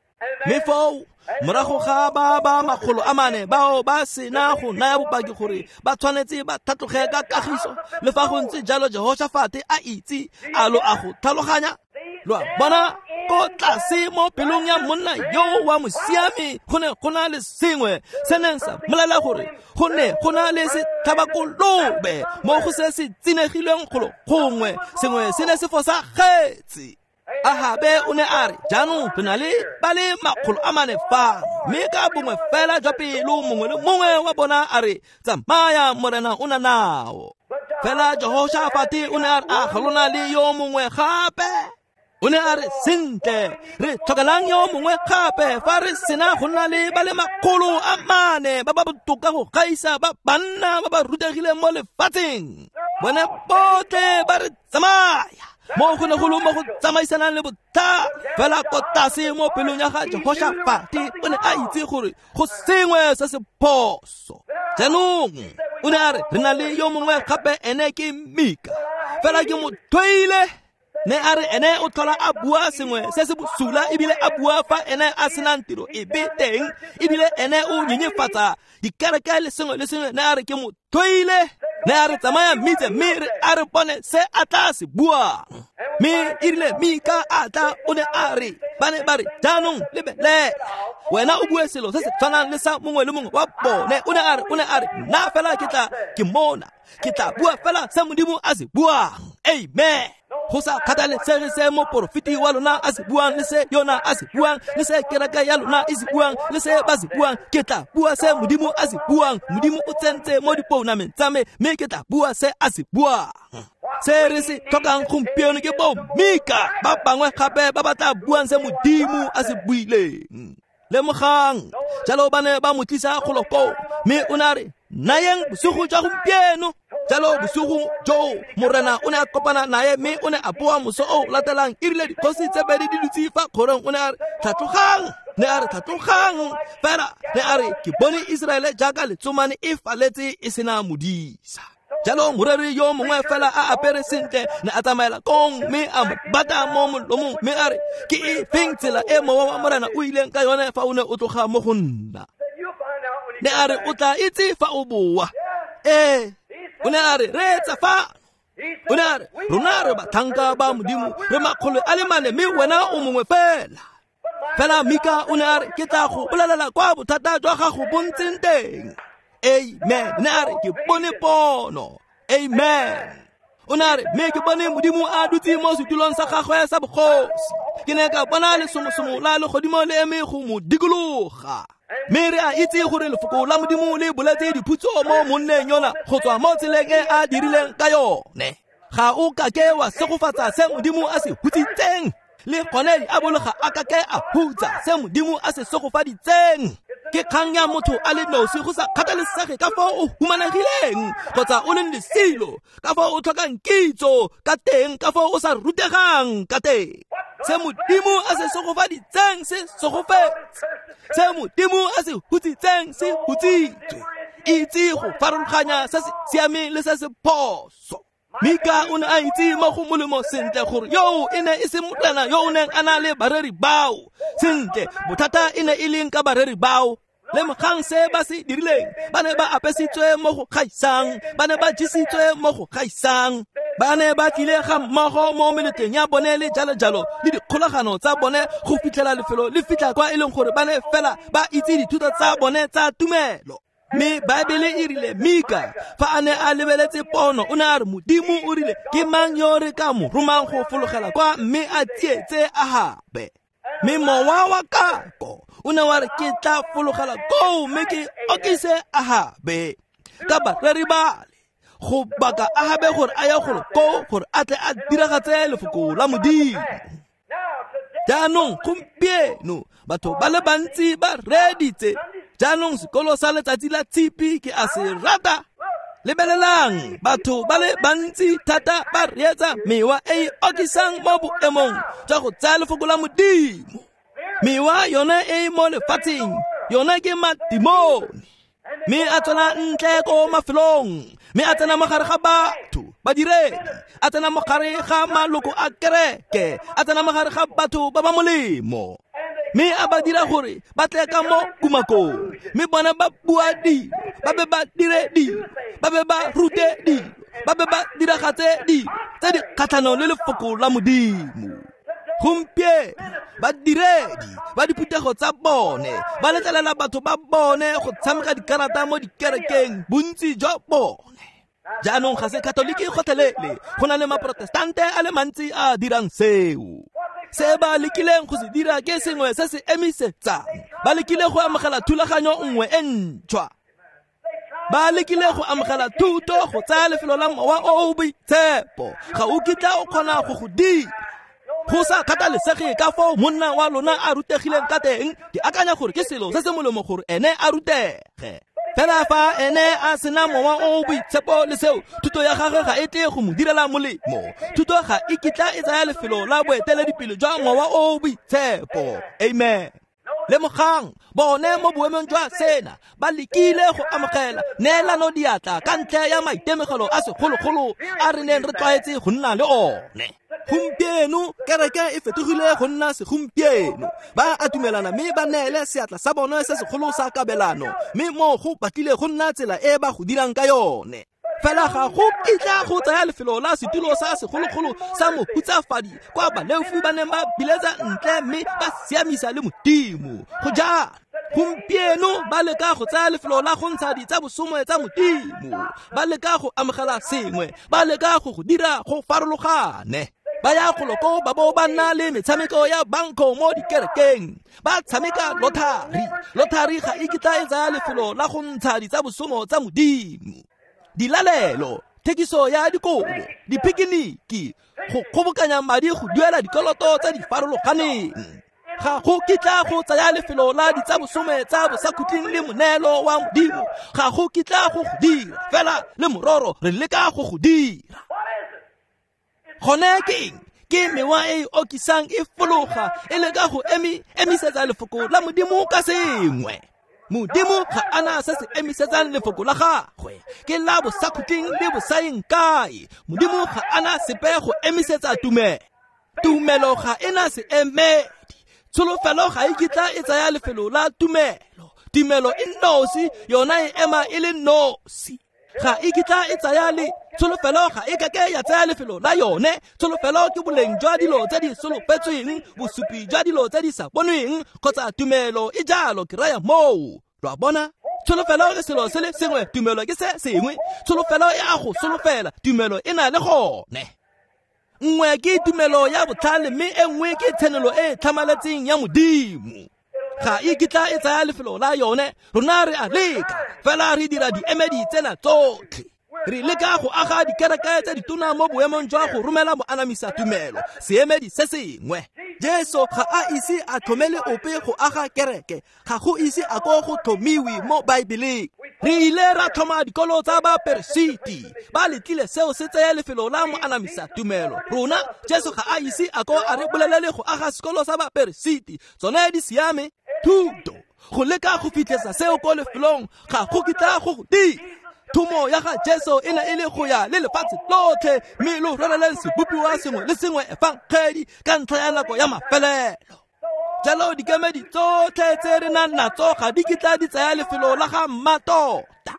Mme foo morago ga ba ba makgolo a mane bao ba sena go naya bopaki gore ba tshwanetse ba tlhatloge ka kagiso, le fa go ntse jalo Jehoshafate a itse, a lo a go tlhaloganya. Lo a bona, ko tlase mo pelong ya monna yo wa mosiami go ne go na le sengwe se neng sa mmolelela gore go ne go na le setlhabakolobe mo go se se tsinegilweng golo gongwe, sengwe se ne se fosagetse. Ahabe o ne a re, jaanong re na le ba le makgolo a mane fano, mme ka bongwe fela jwa pelo mongwe le mongwe wa bona a re, tsamaya, Morena o na nao. Fela Jehoshafate o ne a re, a ga lona le yo mongwe gape? O ne a re, sentle, re tlhokelang yo mongwe gape fa re sena go nna le ba le makgolo a mane ba ba botoka go gaisa ba banna ba ba rutegileng mo lefatsheng. Bone botlhe ba re tsamaya mo go ne go le mo go tsamaisanang le botlhale. Fela ko tlase mo pelong ya ga Jehoshafate o ne a itse gore go sengwe se se phoso. Jaanong o ne a re, re na le yo mongwe gape, ene ke Mika, fela ke mo tlhoile. Ne a re ene o tlhola a bua sengwe se se bosula, ebile a bua fa ene a senang tiro epe teng, ebile ene o nyenyefatsa dikereke le sengwe le sengwe. Ne a re ke mo tlhoile. Ne a re tsamaya mmitse, mme re a re bone se a tla se buang. Mme e rile Mika a tla, o ne a re, ba ne ba re, jaanong lebelela, wena o bue selo se se tshwanang le sa mongwe le mongwe wa bone. O ne a re, o ne a re, nna fela ke tla ke mona, ke tla bua fela se Modimo a se buang. Amen. Go sa kgathalesege se moporofeti wa lona a se buang, le se yona a se buang, le se kereke ya lona e se buang, le se ba se buang, ke tla bua se Modimo a se buang. Modimo o tsentse mo dipounameng tsa me, mme ke tla bua se a se buang. Se re se tlhokang gompieno ke bo Mika ba bangwe gape ba ba tla buang se Modimo a se buileng. Lemogang, jalo ba ne ba mo tlisa golo koo, mme o ne a re, nayeng bosigo jwa gompieno. Jalo bosigo joo Morena o ne a kopana naye, mme o ne a boa moso o latelang. E rile dikgosi tse pedi di dutse fa kgorong, o ne a re, tlhatlogang. Ne a re, tlhatlogang. Fela ne a re, ke bone Iseraele jaaka letsomane e faletse e sena modisa. Jalo moreri yo mongwe fela a apere sentle ne a tsamaela kong, mme a mo bata mo molomong, mme a re, ke e feng tsela e mowa wa Morena o ileng ka yone fa o ne o tloga mo go nna? Ne a re, o tla itse fa o boa. Ee, o ne a re, reetsa fa. O ne a re, rona re batlhanka ba Modimo, re makgolo a le mane, mme wena o mongwe fela. Fela Mika o ne a re, ke tla go bolelela kwa bothata jwa gago bo ntseng teng. Amen. Ne a re, ke bone pono. Amen. O ne a re, mme ke bone Modimo a dutse mo setulong sa gagwe sa bogosi. Ke ne ka bona lesomosomo la legodimo le eme go mo dikologa. Mme re a itse gore lefoko la Modimo le boletse diphutso mo monneng yona go tswa mo tseleng e a dirileng ka yone. Ga o kake wa segofatsa se Modimo a se hutsitseng, le gone diabolo ga a kake a hutsa se Modimo a se segofaditseng. Ke kgang ya motho a le nosi, go sa kgathalesege ka fao o humanegileng kgotsa o leng lesilo, ka fao o tlhokang kitso ka teng, ka fao o sa rutegang ka teng. Se Modimo a se segofaditseng se segofetse, se Modimo a se hutsitseng se hutsitswe. Itse go farologanya se se siameng le se se phoso. Mika o ne a itse mo go molemo sentle gore yo e ne e se morena yo o neng a na le bareri bao. Sentle, bothata e ne e leng ka bareri bao. Lemogang se ba se dirileng, ba ne ba apesitswe mo go gaisang, ba ne ba jesitswe mo go gaisang, ba ne ba tlile ga mmogo mo meletlong ya bone le jalo jalo le dikgolagano tsa bone go fitlhela lefelo le fitlha kwa e leng gore ba ne fela ba itse dithuto tsa bone tsa tumelo. Mme Baebele e rile Mika fa a ne a lebeletse pono, o ne a re, Modimo o rile, ke mang yo re ka mo romang go fologela kwa mme a tsietse Ahabe? Mme mowa wa kako o ne wa re ke tla fologela koo mme ke okise Ahabe ka bareri bale go baka Ahabe gore a ye golo koo gore a tle a diragatse lefoko la Modimo. Jaanong gompieno batho ba le bantsi ba reeditse. Jaanong sekolo sa letsatsi la tshipi ke a se rata. Lebelelang, batho ba le bantsi thata ba reetsa mewa e e okisang mo boemong jwa go tsaya lefoko la Modimo. Mewa yone e e mo lefatsheng, yone ke madimoni. Mme a tswela ntle ko mafelong, mme a tsena mo gare ga batho badiredi, a tsena mo gare ga maloko a kereke, a tsena mo gare ga batho ba ba molemo, mme a ba dira gore ba tle ka mo kumakong, mme bona ba bua dilo, ba be ba dire dilo, ba be ba rute dilo, ba be ba diragatse dilo tse di kgatlhanong le lefoko la Modimo. Gompieno badiredi ba diphuthego tsa bone ba letlelela batho ba bone go tshameka dikarata mo dikerekeng, bontsi jwa bone. Jaanong ga se Katoliki gotlhelele, go na le maprotestante a le mantsi a dirang seo. Se ba lekileng go se dira ke sengwe se se emisetsang. Ba lekile go amogela thulaganyo nngwe e ntšhwa. Ba lekile go amogela thuto go tsaya lefelo la mowa o o boitshepo. Ga o kitla o kgona go go dira. Go sa kgathalesege ka foo monna wa lona a rutegileng ka teng, ke akanya gore ke selo se se molemo gore ene a rutege. Fela fa ene a sena mowa o o boitshepo le seo, thuto ya gagwe ga e tle go mo direla molemo. Thuto ga e kitla e tsaya lefelo la boeteledipele jwa mowa o o boitshepo. Amen. Lemogang, bone mo boemong jwa sena ba lekile go amogela neelano diatla ka ntlha ya maitemogelo a segologolo a re neng re tlwaetse go nna le one. Gompieno kereke e fetogile go nna segompieno. Ba atumelana mme ba neele seatla sa bone se segolo sa kabelano, mme mo go batlile go nna tsela e ba go dirang ka yone. Fela ga go kitla go tsaya lefelo la setulo sa segologolo sa mohutsafadi kwa baleofi ba neng ba biletsa ntle mme ba siamisa le Modimo. Go jalo, gompieno ba leka go tsaya lefelo la go ntsha ditsa bosome tsa Modimo, ba leka go amogela sengwe, ba leka go go dira go farologane. Ba ya golo ko ba bo ba nna le metshameko ya banko mo dikerekeng, ba tshameka lothari. Lothari ga e kitla e tsaya lefelo la go ntsha ditsa bosomo tsa Modimo. Dilalelo, thekiso ya dikobo, dipikiniki, go kgobokanya madi go duela dikoloto tse di farologaneng. Ga go kitla go tsaya lefelo la ditsabosome tsa bosakhutleng le moneelo wa Modimo. Ga go kitla go go dira, fela le mororo re leka go go dira. Gone ke eng? Ke mewa e e okisang e fologa e leka go emi emisetsa lefoko la Modimo ka sengwe. Modimo ga ana se se emisetsang lefoko la gagwe, ke la bosakhutleng le bosaeng kae. Modimo ga ana sepe go emisetsa tumelo. Tumelo ga ena se emedi. Tsholofelo ga e kitla e tsaya lefelo la tumelo. Tumelo e nosi, yona e ema e le nosi. Ga e kitla e tsaya le tsholofelo ga e kake ya tsaya lefelo la yone. Tsholofelo ke boleng jwa dilo tse di solofetsweng, bosupi jwa dilo tse di sa bonweng, kgotsa tumelo e jalo ke raya moo. Lo a bona? Tsholofelo ke selo se le sengwe, tumelo ke se sengwe. Tsholofelo e a go solofela, tumelo e na le gone. Nngwe ke tumelo ya botlhale, mme e nngwe ke tshenolo e e tlhamaletseng ya Modimo. Ga e kitla e tsaya lefelo la yone. Rona re a leka, fela re dira diemedi tsena tsotlhe. Re leka go aga dikereke tse ditona mo boemong jwa go romela moanamisa tumelo, seemedi se sengwe. Jesu ga a ise a tlhomele ope go aga kereke, ga go ise a ko go tlhomiwe mo Baebeleng. Re ile ra tlhoma dikolo tsa baperesiti, ba letlile seo se tsaya lefelo la moanamisa tumelo. Rona Jesu ga a ise a ko a re bolelele go aga sekolo sa baperesiti, tsone di siame. Thuto go leka go fitlhesa seo ko lefelong ga go kitla go go dira. Thomo ya ga Jesu e ne e le go ya le lefatshe lotlhe, mme lo rereleng sebopiwa sengwe le sengwe efangedi ka ntlha ya nako ya mafelelo. Jalo dikemedi tsotlhe tse re nang natso ga di kitla di tsaya lefelo la ga mmatota.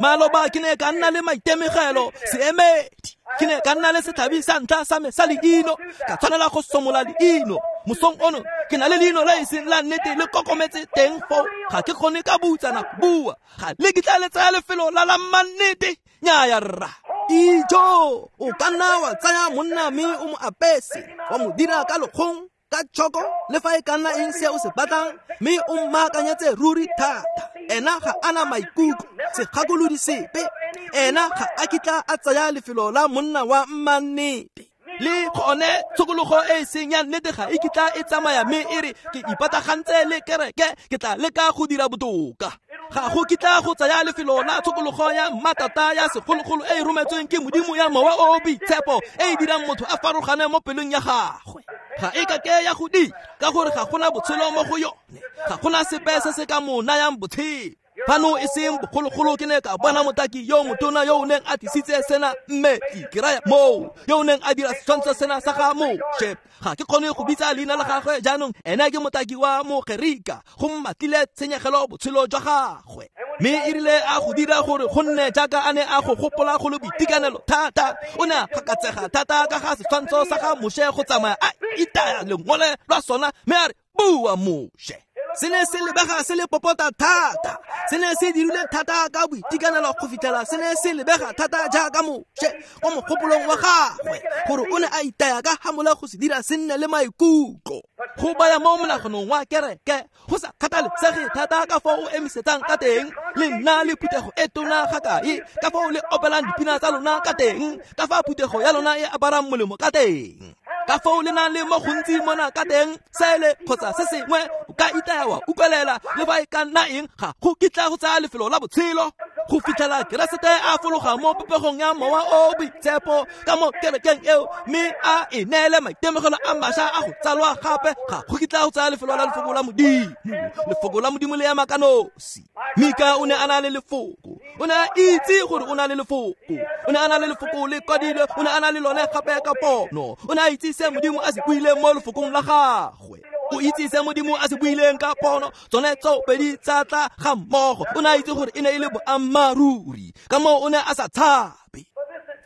Maloba ke ne ka nna le maitemogelo seemedi, ke ne ka nna le setlhabi sa ntlha sa me sa leino, ka tshwanela go somola leino. Mosong ono ke na le leino le e seng la nnete le kokometse teng foo, ga ke kgone ka butsana go bua. Ga le kitla le tsaya lefelo la la mannete. Nnyaya rra. Ijo, o ka nna wa tsaya monna mme o mo apese, wa mo dira ka lekgong, ka tšhoko le fa e ka nna eng se o se batlang, mme o mmaakanyetse ruri thata. Ena ga ana maikutlo, segakolodi sepe. Ena ga a kitla a tsaya lefelo la monna wa mmannete. Le gone tshokologo e e seng ya nnete ga e kitla e tsamaya mme e re ke ipatagantse le kereke, ke tla leka go dira botoka. Ga go kitla go tsaya lefelo la tshokologo ya mmatata ya segologolo e e rometsweng ke Modimo ya Mowa o o Boitshepo e e dirang motho a farologane mo pelong ya gagwe. Ga e kake ya go dira, ka gore ga gona botshelo mo go yone, ga gona sepe se se ka mo nayang botshelo. Fano e seng bogologolo ke ne ka bona motaki yo motona yo o neng a tlisitse sena mmetli, ke raya moo, yo o neng a dira setshwantsho sena sa ga Moshe. Ga ke kgone go bitsa leina la gagwe jaanong, ene ke motaki wa Mogerika, go mmatlile tshenyegelo botshelo jwa gagwe. Mme e rile a go dira gore go nne jaaka a ne a go gopola go le boitekanelo thata, o ne a gakatsega thata ka ga setshwantsho sa ga Moshe go tsamaya a itaya lengole lwa sona, mme a re, bua Moshe. Se ne se lebega se le popota thata, se ne se dirile thata ka boitekanelo go fitlhela se ne se lebega thata jaaka Moshe mo mogopolong wa gagwe, gore o ne a itaya ka hamola go se dira se nne le maikutlo. Go baya mo monaganong wa kereke, go sa kgathalesege thata ka fao o emisetsang ka teng, le nna le phuthego e tona ga kae, ka fao le opelang dipina tsa lona ka teng, ka fa phuthego ya lona e aparang molemo ka teng, ka fao le nang le mo gontsi mona ka teng, sele kgotsa se sengwe, o ka itaya wa utlwelela le fa e ka nna eng, ga go kitla go tsaya lefelo la botshelo go fitlhela Keresete a fologa mo popegong ya Mowa o o Boitshepo ka mo kerekeng eo, mme a e neele maitemogelo a mašwa a go tsalwa gape. Ga go kitla go tsaya lefelo la lefoko la Modimo. Lefoko la Modimo le ema ka nosi. Mika o ne a na le lefoko, o ne a itse gore o na le lefoko, o ne a na le lefoko le kwadilwe, o ne a na le lone gape ka pono, o ne a itse se Modimo a se buileng mo lefokong la gagwe. O itse se Modimo a se buileng ka pono, tsone tsopedi tsa tla ga mmogo. O ne a itse gore e ne e le boammaaruri, ka moo o ne a sa tshabe.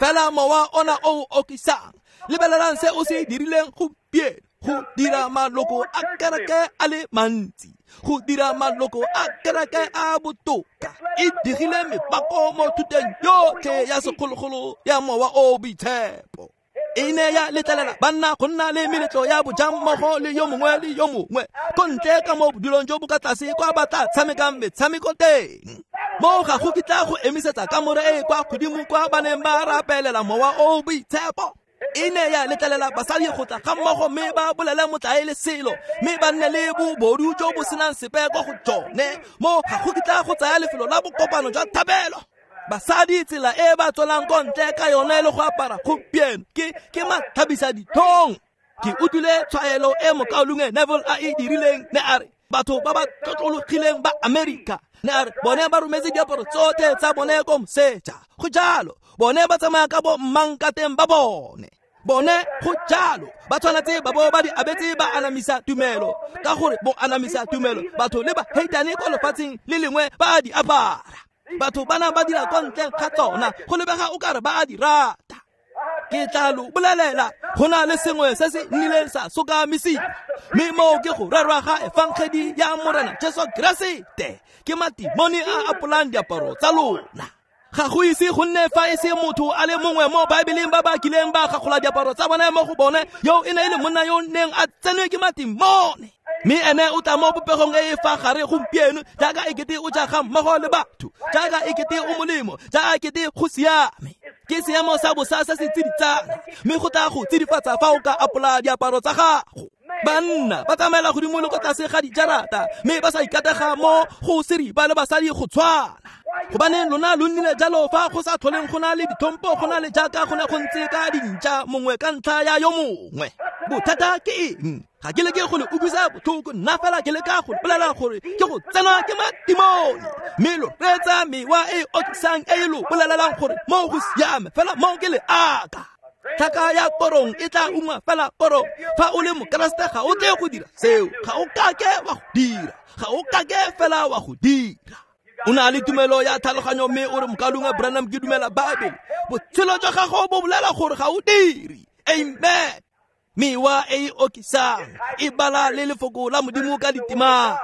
Fela mowa ona o o okisang, lebelelang se o se dirileng gompieno, go dira maloko a kereke a le mantsi, go dira maloko a kereke a botoka. E dirile mepako mo thuteng yotlhe ya segologolo ya Mowa o o Boitshepo. E ne ya letlelela banna go nna le meletlo ya bojammogo le yo mongwe le yo mongwe ko ntle ka mo bodulong jo bo ka tlase kwa ba tla tshamekang metshameko teng. Mo ga go kitla go emisetsa kamore e kwa godimo kwa ba neng ba rapelela Mowa o o Boitshepo. E ne ya letlelela basadi go tla ga mmogo mme ba bolele motlae le selo, mme ba nne le bobodu jo bo senang sepe kwa go tsone. Mo ga go kitla go tsaya lefelo la bokopano jwa thabelo. Basadi tsela e ba tswelang ko ntle ka yone le go apara gompieno ke ke mathabisa dithong. Ke utlwile tshwaelo e mokaulengwe Neville a e dirileng, ne a re batho ba ba tlotlologileng ba Amerika, ne a re bone ba rometse diaparo tsotlhe tsa bone ko moseja. Go jalo, bone ba tsamaya ka bo mmang ka teng ba bone. Bone go jalo, ba tshwanetse ba bo ba di abetse ba anamisa tumelo, ka gore bo anamisa tumelo batho le ba heitane ko lefatsheng le lengwe ba di apara. Batho bana ba dira kwa ntle ga tsona, go lebega o kare ba a di rata. Ke tla lo bolelela, go na le sengwe se se nnileng sa sokamisiwa, mme moo ke go rerwa ga efangedi ya Morena Jesu Keresete. Ke matimoni a apolang diaparo tsa lona. Ga go ise go nne fa e se motho a le mongwe mo Baebeleng ba ba kileng ba gagola diaparo tsa bone mo go bone, yo e ne e le monna yo neng a tsenwe ke matimone. Mme ene o tla mo popegong e e fa gare gompieno, jaaka ekete o ja ga mmogo le batho, jaaka ekete o molemo, jaaka ekete go siame. Ke seemo sa bosa se se tsiditsana, mme go tla go tsidifatsa fa o ka apola diaparo tsa gago. Banna ba tsamaela godimo le ko tlase ga dijarata, mme ba sa ikatega mo go seripa le basadi go tshwana. Gobaneng lona lo nnile jalo fa go sa tlholeng go na le ditlhompo, go na le jaaka go ne go ntse ka dintša mongwe ka ntlha ya yo mongwe. Bothata ke eng? Ga ke leke go le utlwisa botlhoko, nna fela ke leka go le bolela gore ke go tsenwa ke matimone. Mme lo reetsa mewa e e okisang e e lo bolelelang gore mo go siame, fela mo ke leaka. Tlhaka ya korong e tla ungwa fela korong. Fa o le Mokeresete ga o tle go dira seo, ga o kake wa go dira, ga o kake fela wa go dira. O na le tumelo ya tlhaloganyo mme o re mokaulengwe Branham ke dumela Baebele. Botshelo jwa gago bo bolela gore ga o dire. Amen. Mewa e e okisang e bala le lefoko la Modimo ka ditemana.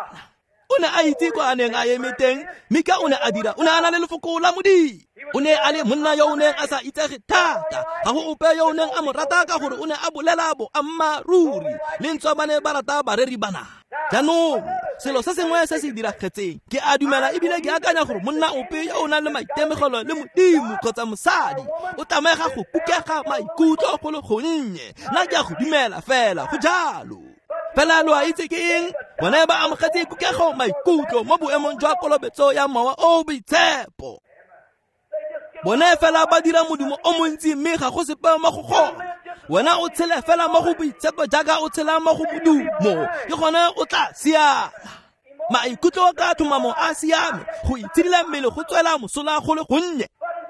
O ne a itse kwa a neng a eme teng, Mika o ne a dira, o ne a na le lefoko la Modimo. O ne a le monna yo o neng a sa itsege thata, ga go ope yo o neng a mo rata ka gore o ne a bolela boammaaruri, le ntswa ba ne ba rata bareri bana. Jaanong selo se sengwe se se diragetseng, ke a dumela ebile ke akanya gore monna ope yo o nang le maitemogelo le Modimo kgotsa mosadi o tlamega go kukega maikutlo go le gonnye. Nna ke a go dumela fela, go jalo. Fela lo a itse ke eng? Bone ba amogetse kukego maikutlo mo boemong jwa kolobetso ya Mowa o o Boitshepo. Bone fela ba dira modumo o montsi mme ga go sepe mo go gone. Wena o tshele fela mo go boitshepo jaaka o tshela mo go modumo, ke gone o tla siama. Maikutlo ka tlhomamo a siame, go itshidila mmele go tswela mosola go le gonnye.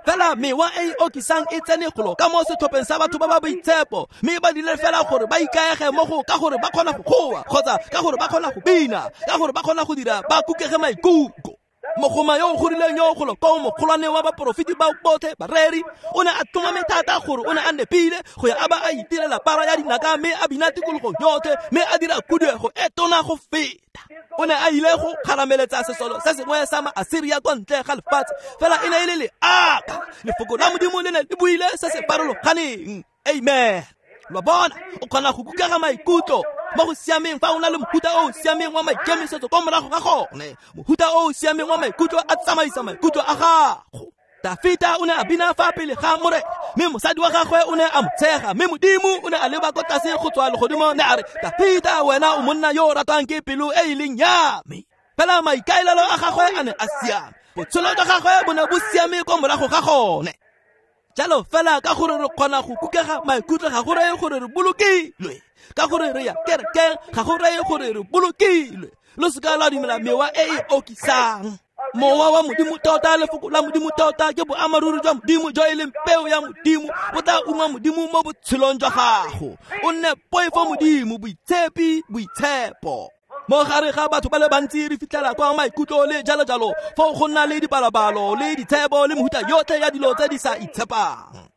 Fela mewa e e okisang e tsene golo ka mo setlhopheng sa batho ba ba boitshepo, mme ba dire fela gore ba ikaege mo go ka gore ba kgona go goa, kgotsa ka gore ba kgona go bina, ka gore ba kgona go dira ba kukege maikutlo. Mogoma yo o gorileng yo golo ko mogolwane wa baporofeti ba botlhe bareri o ne a tlhomame thata gore o ne a nepile go ya a ba a itirela para ya dinaka mme a bina tikologo yotlhe mme a dira khuduego e tona go feta. O ne a ile go kgarameletsa sesolo se sengwe sa Maasiria kwa ntle ga lefatshe, fela e ne e le leaka. Lefoko la Modimo le ne le buile se se farologaneng. Amen. Lo bona, o kgona go kukega maikutlo mo go siameng fa o na le mohuta o o siameng wa maikemisetso kwa morago ga gone. Mohuta o o siameng wa maikutlo a tsamaisa maikutlo a gago. Dafita o ne a bina fa pele ga Morena, mme mosadi wa gagwe o ne a mo tshega, mme Modimo o ne a leba ko tlase go tswa legodimo ne a re, Dafita, wena o monna yo o ratwang ke pelo e e leng ya me. Fela maikaelelo a gagwe a ne a siame, botshelo jwa gagwe bo ne bo siame kwa morago ga gone. Jalo fela ka gore re kgona go kukega maikutlo ga go reye gore re bolokilwe, ka gore re ya kerekeng ga go reye gore re bolokilwe. Lo seka la dumela mewa e e okisang. Mowa wa Modimo tota, lefoko la Modimo tota ke boammaaruri jwa Modimo jo e leng peo ya Modimo, bo tla ungwa Modimo mo botshelong jwa gago. O nne poifo Modimo, boitshepi, boitshepo. Mo gare ga batho ba le bantsi re fitlhela kwa maikutlo le jalo jalo, foo go nna le dipalabalo le ditshebo le mehuta yotlhe ya dilo tse di sa itshepang.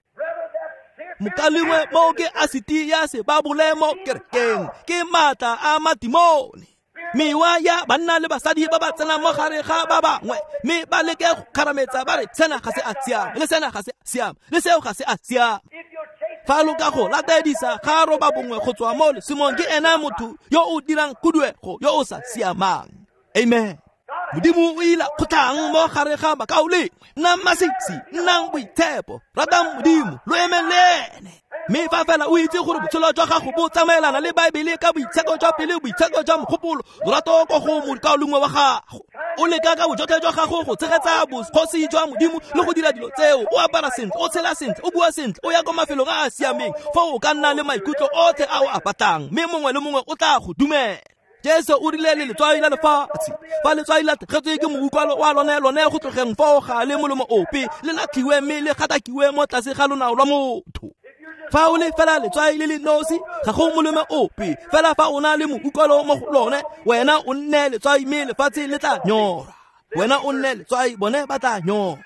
Mokalengwe mo ke asiti ya sebabole mo kerekeng, ke maatla a matimone. Mewa ya banna le basadi ba ba tsenang mo gare ga ba bangwe, mme ba leke go kgarametsa ba re sena ga se a siama, le sena ga se a siama, le seo ga se a siama. Fa lo ka go latedisa ga roba bongwe go tswa mo lesimong, ke ena motho yo o dirang khuduego yo o sa siamang. Amen. Modimo o ila kgotlhang mo gare ga bakaulengwe. Nnang masisi, nnang boitshepo, ratang Modimo, lo emeng le ene. Mme fa fela o itse gore botshelo jwa gago bo tsamaelana le Baebele ka boitsheko jwa pele, boitsheko jwa mogopolo, lorato ko go mokaulengwe wa gago, o leka ka bojotlhe jwa gago go tshegetsa bogosi jwa Modimo le go dira dilo tseo, o apara sentle, o tshela sentle, o bua sentle, o ya kwa mafelong a a siameng, foo o ka nna le maikutlo otlhe a o a batlang, mme mongwe le mongwe o tla go dumela. Jesu o rile le letswai la lefatshe, fa letswai la tlogetswe ke moutlwalo wa lone, lone go tlogeng foo ga le molomo ope, le latlhiwe mme le gatakiwe mo tlase ga lonao lwa motho. Fa o le fela letswai le le nosi, ga go molemo ope, fela fa o na le moutlwalo mo go lone, wena o nne letswai mme lefatshe le tla nyorwa. Wena o nne letswai, bone ba tla nyorwa.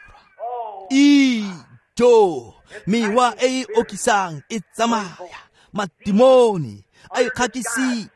Ijo, mewa e e okisang e tsamaya, matimone a ikgakisitse.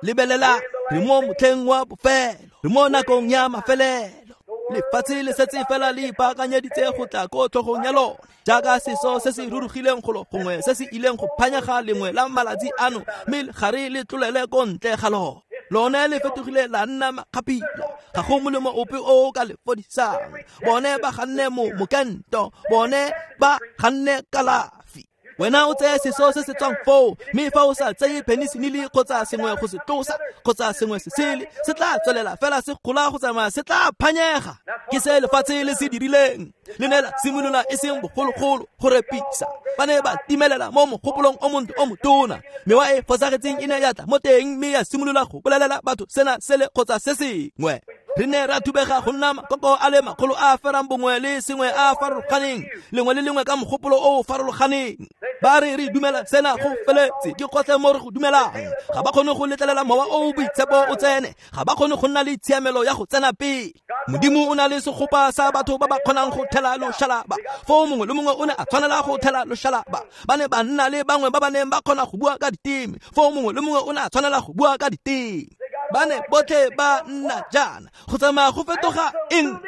Lebelela, re mo motlheng wa bofelo, re mo nakong ya mafelelo. Lefatshe le setse fela le ipaakanyeditse go tla ko tlhogong ya lone, jaaka seso se se rurugileng golo gongwe se se ileng go phanyaga lengwe la malatsi ano, mme gare le tlolele ko ntle ga lone. Lone le fetogile la nna makgapila, ga go molemo ope o o ka le fodisang. Bone ba ganne mo mokento, bone ba ganne kalafi. Wena o tseye seso se se tswang foo, mme fa o sa tseye peniselene kgotsa sengwe go se tlosa kgotsa sengwe se sele, se tla tswelela fela se gola go tsamaya, se tla phanyega. Ke se lefatshe le se dirileng, le ne la simolola e seng bogologolo go repisa. Ba ne ba timelela mo mogopolong o montle o motona, mewa e fosagetseng e ne ya tla mo teng mme ya simolola go bolelela batho sena sele kgotsa se sengwe. Re ne ra thubega go nna makoko a le makgolo a ferang bongwe le sengwe a farologaneng, lengwe le lengwe ka mogopolo o o farologaneng. Ba re re dumela sena go feletse, ke gotlhe mo re go dumelang. Ga ba kgone go letlelela mowa o o boitshepo o tsene, ga ba kgone go nna le tshiamelo ya go tsena pele. Modimo o na le segopa sa batho ba ba kgonang go thela loshalaba, foo mongwe le mongwe o ne a tshwanela go thela loshalaba. Ba ne ba nna le bangwe ba ba neng ba kgona go bua ka diteme, foo mongwe le mongwe o ne a tshwanela go bua ka diteme. Ba ne botlhe ba nna jaana go tsamaya go fetoga eng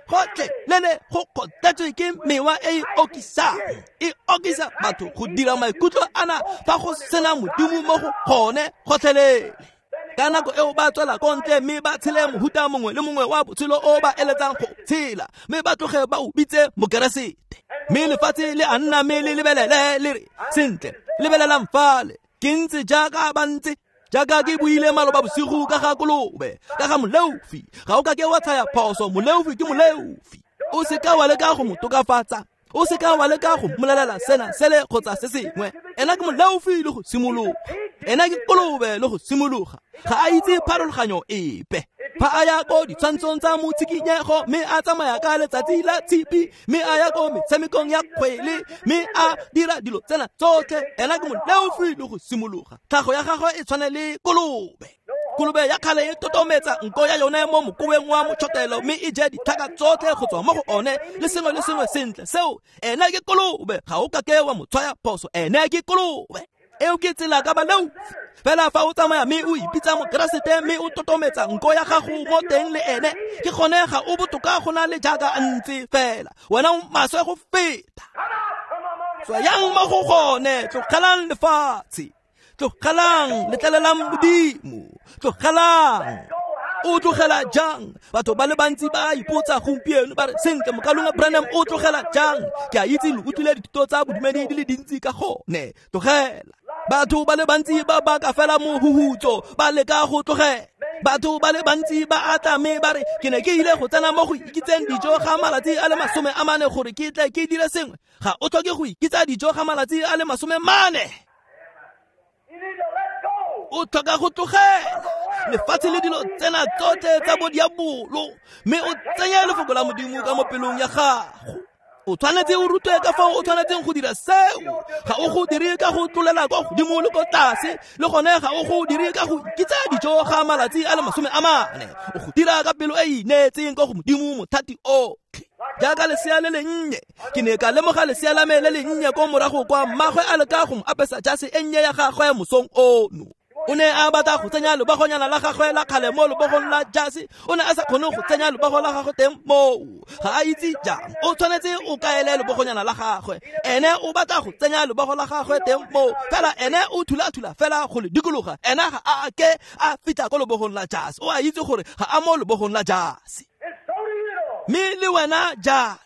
gotlhelele go kgotletswe ke mewa e e okisang e okisa batho go dira maikutlo ana fa go sena modimo mo go gone gotlhelele. Ka nako eo ba tswela ko ntle mme ba tshele mohuta mongwe le mongwe wa botshelo o ba eletsang go tshela mme ba tloge ba o bitse mokeresete. Mme lefatshe le a nna mme le lebelele le re sentle lebelelang fale ke ntse jaaka ba ntse jaaka ke buile maloba bosigo ka ga kolobe ka ga moleofi. Ga o ka ke wa tshaya phoso, moleofi ke moleofi. O seka wa leka go mo tokafatsa, o seka wa leka go mmolelela sena sele kgotsa se sengwe. Ena ke moleofi le go simologa, ena ke kolobe le go simologa. Ga a itse pharologanyo epe. Fa a ya ko ditshwantshong tsa motshikinyego mme a tsamaya ka letsatsi la tshipi mme a ya ko metshamekong ya kgwele mme a dira dilo tsena tsotlhe, ena ke moleofi le go simologa. Tlhago ya gagwe e tshwane le kolobe. Kolobe ya kgale e totometsa nko ya yone mo mokoweng wa motšhotelo mme e je ditlhaka tsotlhe go tswa mo go one le sengwe le sengwe sentle. Seo ena ke kolobe, ga o kake wa mo tshwaya phoso, ene ke kolobe. Eo ke tsela ka baleofi. Fela fa o tsamaya mme o ipitsa mokeresete mme o totometsa nko ya gago mo teng le ene, ke gone ga o botoka go na le jaaka a ntse fela. Wena o maswe go feta. Tswayang mo go gone, tlogelang lefatshe, tlogelang letlelelang modimo, tlogelang. O tlogela jang? Batho ba le bantsi ba ipotsa gompieno ba re sentle mokalonga Branham o tlogela jang? Ke a itse le utlwile dithuto tsa bodumedi di le dintsi ka gone. Tlogela. Batho ba le bantsi ba baka fela mohuhutso ba leka go tlogela. Batho ba le bantsi ba atla mme ba re ke ne ke ile go tsena mo go ikitseng dijo ga malatsi a le masome a mane gore ke tle ke dire sengwe. Ga o tlhoke go ikitsa dijo ga malatsi a le masome mane. O tlhoka go tlogela lefatshe le dilo tsena tsotlhe tsa bodiabolo mme o tsenye lefoko la modimo ka mo pelong ya gago. O tshwanetse o rutwe ka fao o tshwanetseng go dira seo. Ga o go dire ka go tlolela kwa godimo le ko tlase, le gone ga o go dire ka go ikitsa dijo ga malatsi a le masome a mane. O go dira ka pelo e e ineetseng kwa go modimo mothati otlhe. Jaaka lesea le lennye, ke ne ka lemoga lesea la me le lennye ko morago kwa mmagwe a leka go mo apesa jase e nnye ya gagwe mosong ono. O ne a batla go tsenya lebogonyana la gagwe la kgale mo lebogong la jase. O ne a sa kgone go tsenya lebogo la gagwe teng moo. Ga a itse jang. O tshwanetse o kaele lebogonyana la gagwe. Ene o batla go tsenya lebogo la gagwe teng moo. Fela ene o thula-thula fela go le dikologa. Ene ga a ke a fitlha ko lebogong la jase. O a itse gore ga a mo lebogong la jase. Mme le wena jalo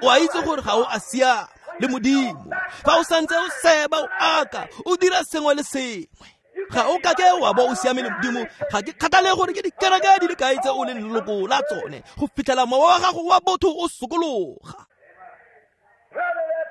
o a itse gore ga o a siama le modimo. Fa o santse o seba o aka o dira sengwe le sengwe, ga o kake wa bo o siame le modimo. Ga ke kgathale gore ke dikereke di le kae tse o leng leloko la tsone go fitlhela mowa wa gago wa botho o sokologa.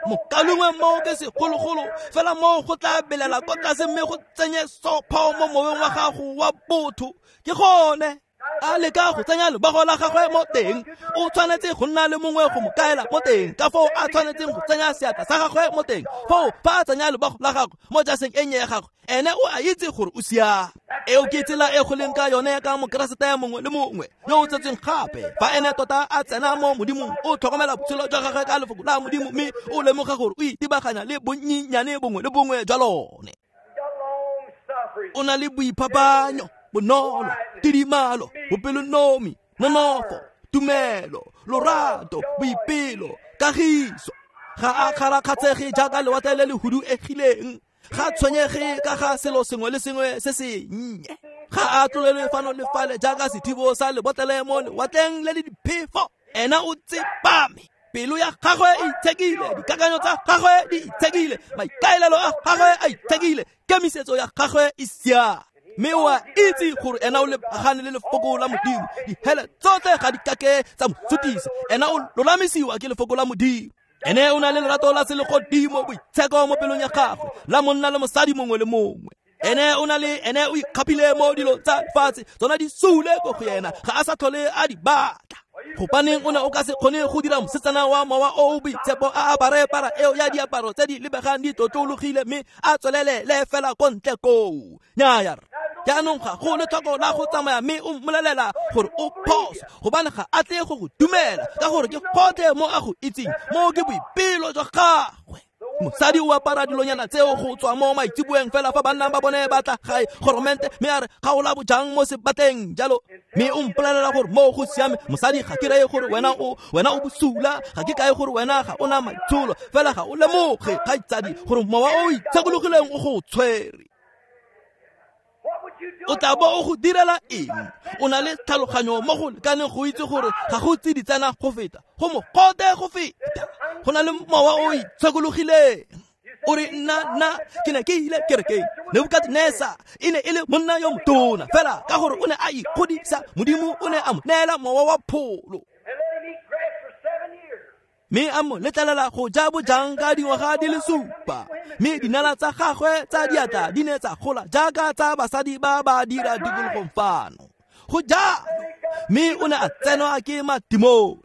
Mokalongwe moo ke segologolo fela moo go tla belela kwa tlase mme go tsenye sopho mo moweng wa gago wa botho. Ke gone a leka go tsenya lebogo la gagwe mo teng. O tshwanetse go nna le mongwe go mo kaela mo teng ka foo a tshwanetseng go tsenya seatla sa gagwe mo teng. Foo fa a tsenya lebogo la gagwe mo jaseng e nnye ya gagwe, ene o a itse gore o siame. Eo ke tsela e go leng ka yone ka mokeresete mongwe le mongwe yo o tsetsweng gape. Fa ene tota a tsena mo modimong, o tlhokomela botshelo jwa gagwe ka lefoko la modimo mme o lemoga gore o itebaganya le bonnyenyane bongwe le bongwe jwa lone. O na le boiphapanyo, bonolo, tidimalo, bopelonomi, nonofo, tumelo, lorato, boipelo, kagiso. Ga a kgarakgatshege jaaka lewatle le le huduegileng. Ga tshwenyege ka ga selo sengwe le sengwe se sennye. Ga a tlolele fano le fale jaaka sethibo sa lebotlele mo lewatleng le le diphefo. Ena o tsepame. Pelo ya gagwe e itshekile, dikakanyo tsa gagwe di itshekile, maikaelelo a gagwe a itshekile, kemisetso ya gagwe e siame. Mme o a itse gore ena o lebagane le lefoko la modimo. Dihele tsotlhe ga di kake tsa mo sutisa. Ena o lolamisiwa ke lefoko la modimo. Ene o na le lerato la selegodimo, boitsheko mo pelong ya gagwe la monna le mosadi mongwe le mongwe. Ene o na le ene o ikgapile mo dilong tsa lefatshe, tsona di sule ko go yena, ga a sa tlhole a di batla. Gobaneng o ne o ka se kgone go dira mosetsana wa mowa o o boitshepo a apare para eo ya diaparo tse di lebegang di tlotlologile mme a tswelelele fela ko ntle koo? Nnyaya, jaanong ga go letlhoko la go tsamaya mme o mmolelela gore o phoso, gobane ga a tle go go dumela ka gore ke gotlhe mo a go itseng. Moo ke boipelo jwa gagwe. Mosadi o apara dilonyana tseo go tswa mo maitseboeng fela fa banna ba bone ba tla gae goromente mme a re kgaola bojang mo sebateng jalo. Mme o mpolelela gore mo go siame. Mosadi ga ke reye gore wena o wena o bosula, ga ke kae gore wena ga o na maitsholo, fela ga o lemoge kgaitsadi gore mowa o itshekologileng o go tshwere. O tla bo o go direla eng? O na le tlhaloganyo mo go lekaneng go itse gore ga go tsiditsana go feta, go mogote go feta. Go na le mowa o itshekologileng. O re nna nna ke ne ke ile kerekeng. Nebukadnezar e ne e le monna yo motona, fela ka gore o ne a ikgodisa, Modimo o ne a mo neela mowa wa pholo. Mme a mo letlelela go ja bojang ka dingwaga di le supa. Mme dinala tsa gagwe tsa diatla di ne tsa gola jaaka tsa basadi ba ba dira tikologong fano. Go jalo, mme o ne a tsenwa ke matimone.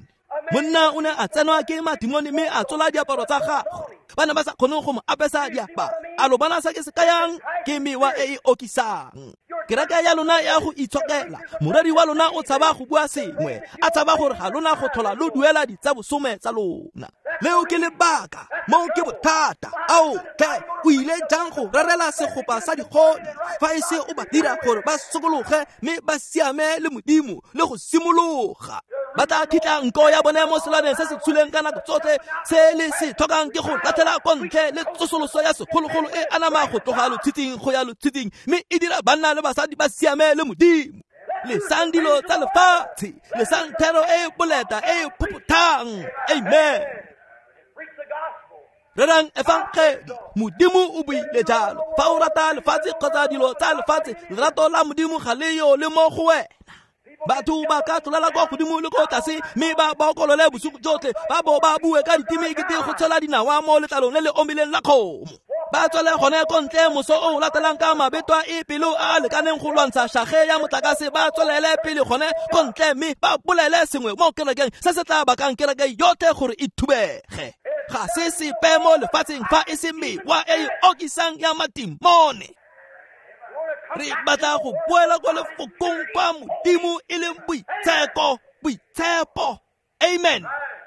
Monna o ne a tsenwa ke matimone mme a tsola diaparo tsa gagwe. Ba ne ba sa kgone go mo apesa diaparo. A lo bona se ke se kayang? Ke mewa e e okisang. Kereke ya lona ya go itshokela. Moreri wa lona o tshaba go bua sengwe, a tshaba gore ga lona go tlhola lo duela ditsabosome tsa lona. Leo ke lebaka, moo ke bothata. Ao tlhe, o ile jang go rerela segopa sa digodi fa e se o ba dira gore ba sokologe mme ba siame le Modimo le go simologa. Ba tla khitla nko ya bone mo selaneng se se tshuleng ka nako tsotlhe. Se le se tlhokang ke go latlhela ko ntle le tsosoloso ya segologolo e anama go tloga lotshitsing go ya lotshitsing, mme e dira banna le basadi ba siame le Modimo. Lesang dilo tsa lefatshe, lesang thero e boleta e phophothang. Amen. Rerang efangedi, Modimo o buile jalo. Fa o rata lefatshe kgotsa dilo tsa lefatshe, lerato la Modimo ga le yo le mo go wena. Batho ba ka tlolela kwa godimo le ko tlase, mme ba bokolole bosigo jotlhe, ba bo ba bue ka diteme ekete go tshela dinawa mo letlalong le le omileng la kgomo. Ba tswele gone ko ntle moso o latelang ka mabetwa e pelo a a lekaneng go lwantsha shage ya motlakase. Ba tswelele pele gone ko ntle mme ba bolele sengwe mo kerekeng se se tla bakang kereke yotlhe gore e thubege. Ga se sepe mo lefatsheng fa e se mewa e e okisang ya matimone. Re batla go boela kwa lefokong kwa Modimo e leng boitsheko, boitshepo. Amen.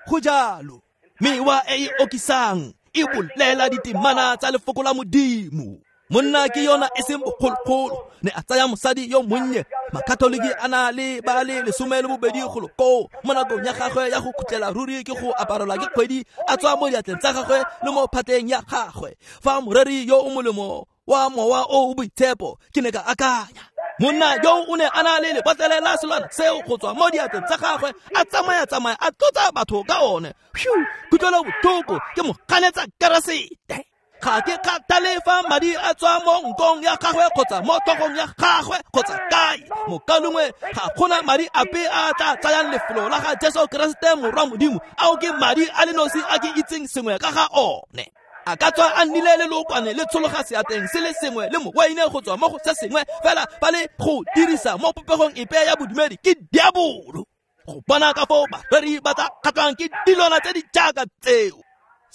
Go jalo. Mewa e e okisang e bolela ditemana tsa lefoko la Modimo. Monna ke yona e seng bogologolo, ne a tsaya mosadi yo monnye. Makatoliki a na le ba le lesome le bobedi golo koo. Mo nakong ya gagwe ya go khutlela ruri ke go aparelwa ke kgwedi, a tswa mo diatleng tsa gagwe le mo phateng ya gagwe. Fa moreri yo o molemo wa mowa o o boitshepo, ke ne ka akanya, monna yo o ne a na le lebotlele la selwana seo go tswa mo diatleng tsa gagwe, a tsamaya-tsamaya a tlotsa batho ka one. Phew, kutlwelo botlhoko, ke mo ganetsa Keresete. Ga ke kgathale fa madi a tswa mo nkong ya gagwe kgotsa mo tlhogong ya gagwe kgotsa kae. Mokalongwe ga gona madi ape a tla tsayang lefelo la ga Jesu Keresete morwa Modimo. Ao ke madi a le nosi a ke itseng sengwe ka ga one. A ka tswa a nnile le lookwane le tshologa seateng se le sengwe le mowaine go tswa mo go se sengwe, fela fa le go dirisa mo popegong epe ya bodumedi ke diabolo. Go bona ka foo bareri ba tla kgatlhwang ke dilwana tse di jaaka tseo.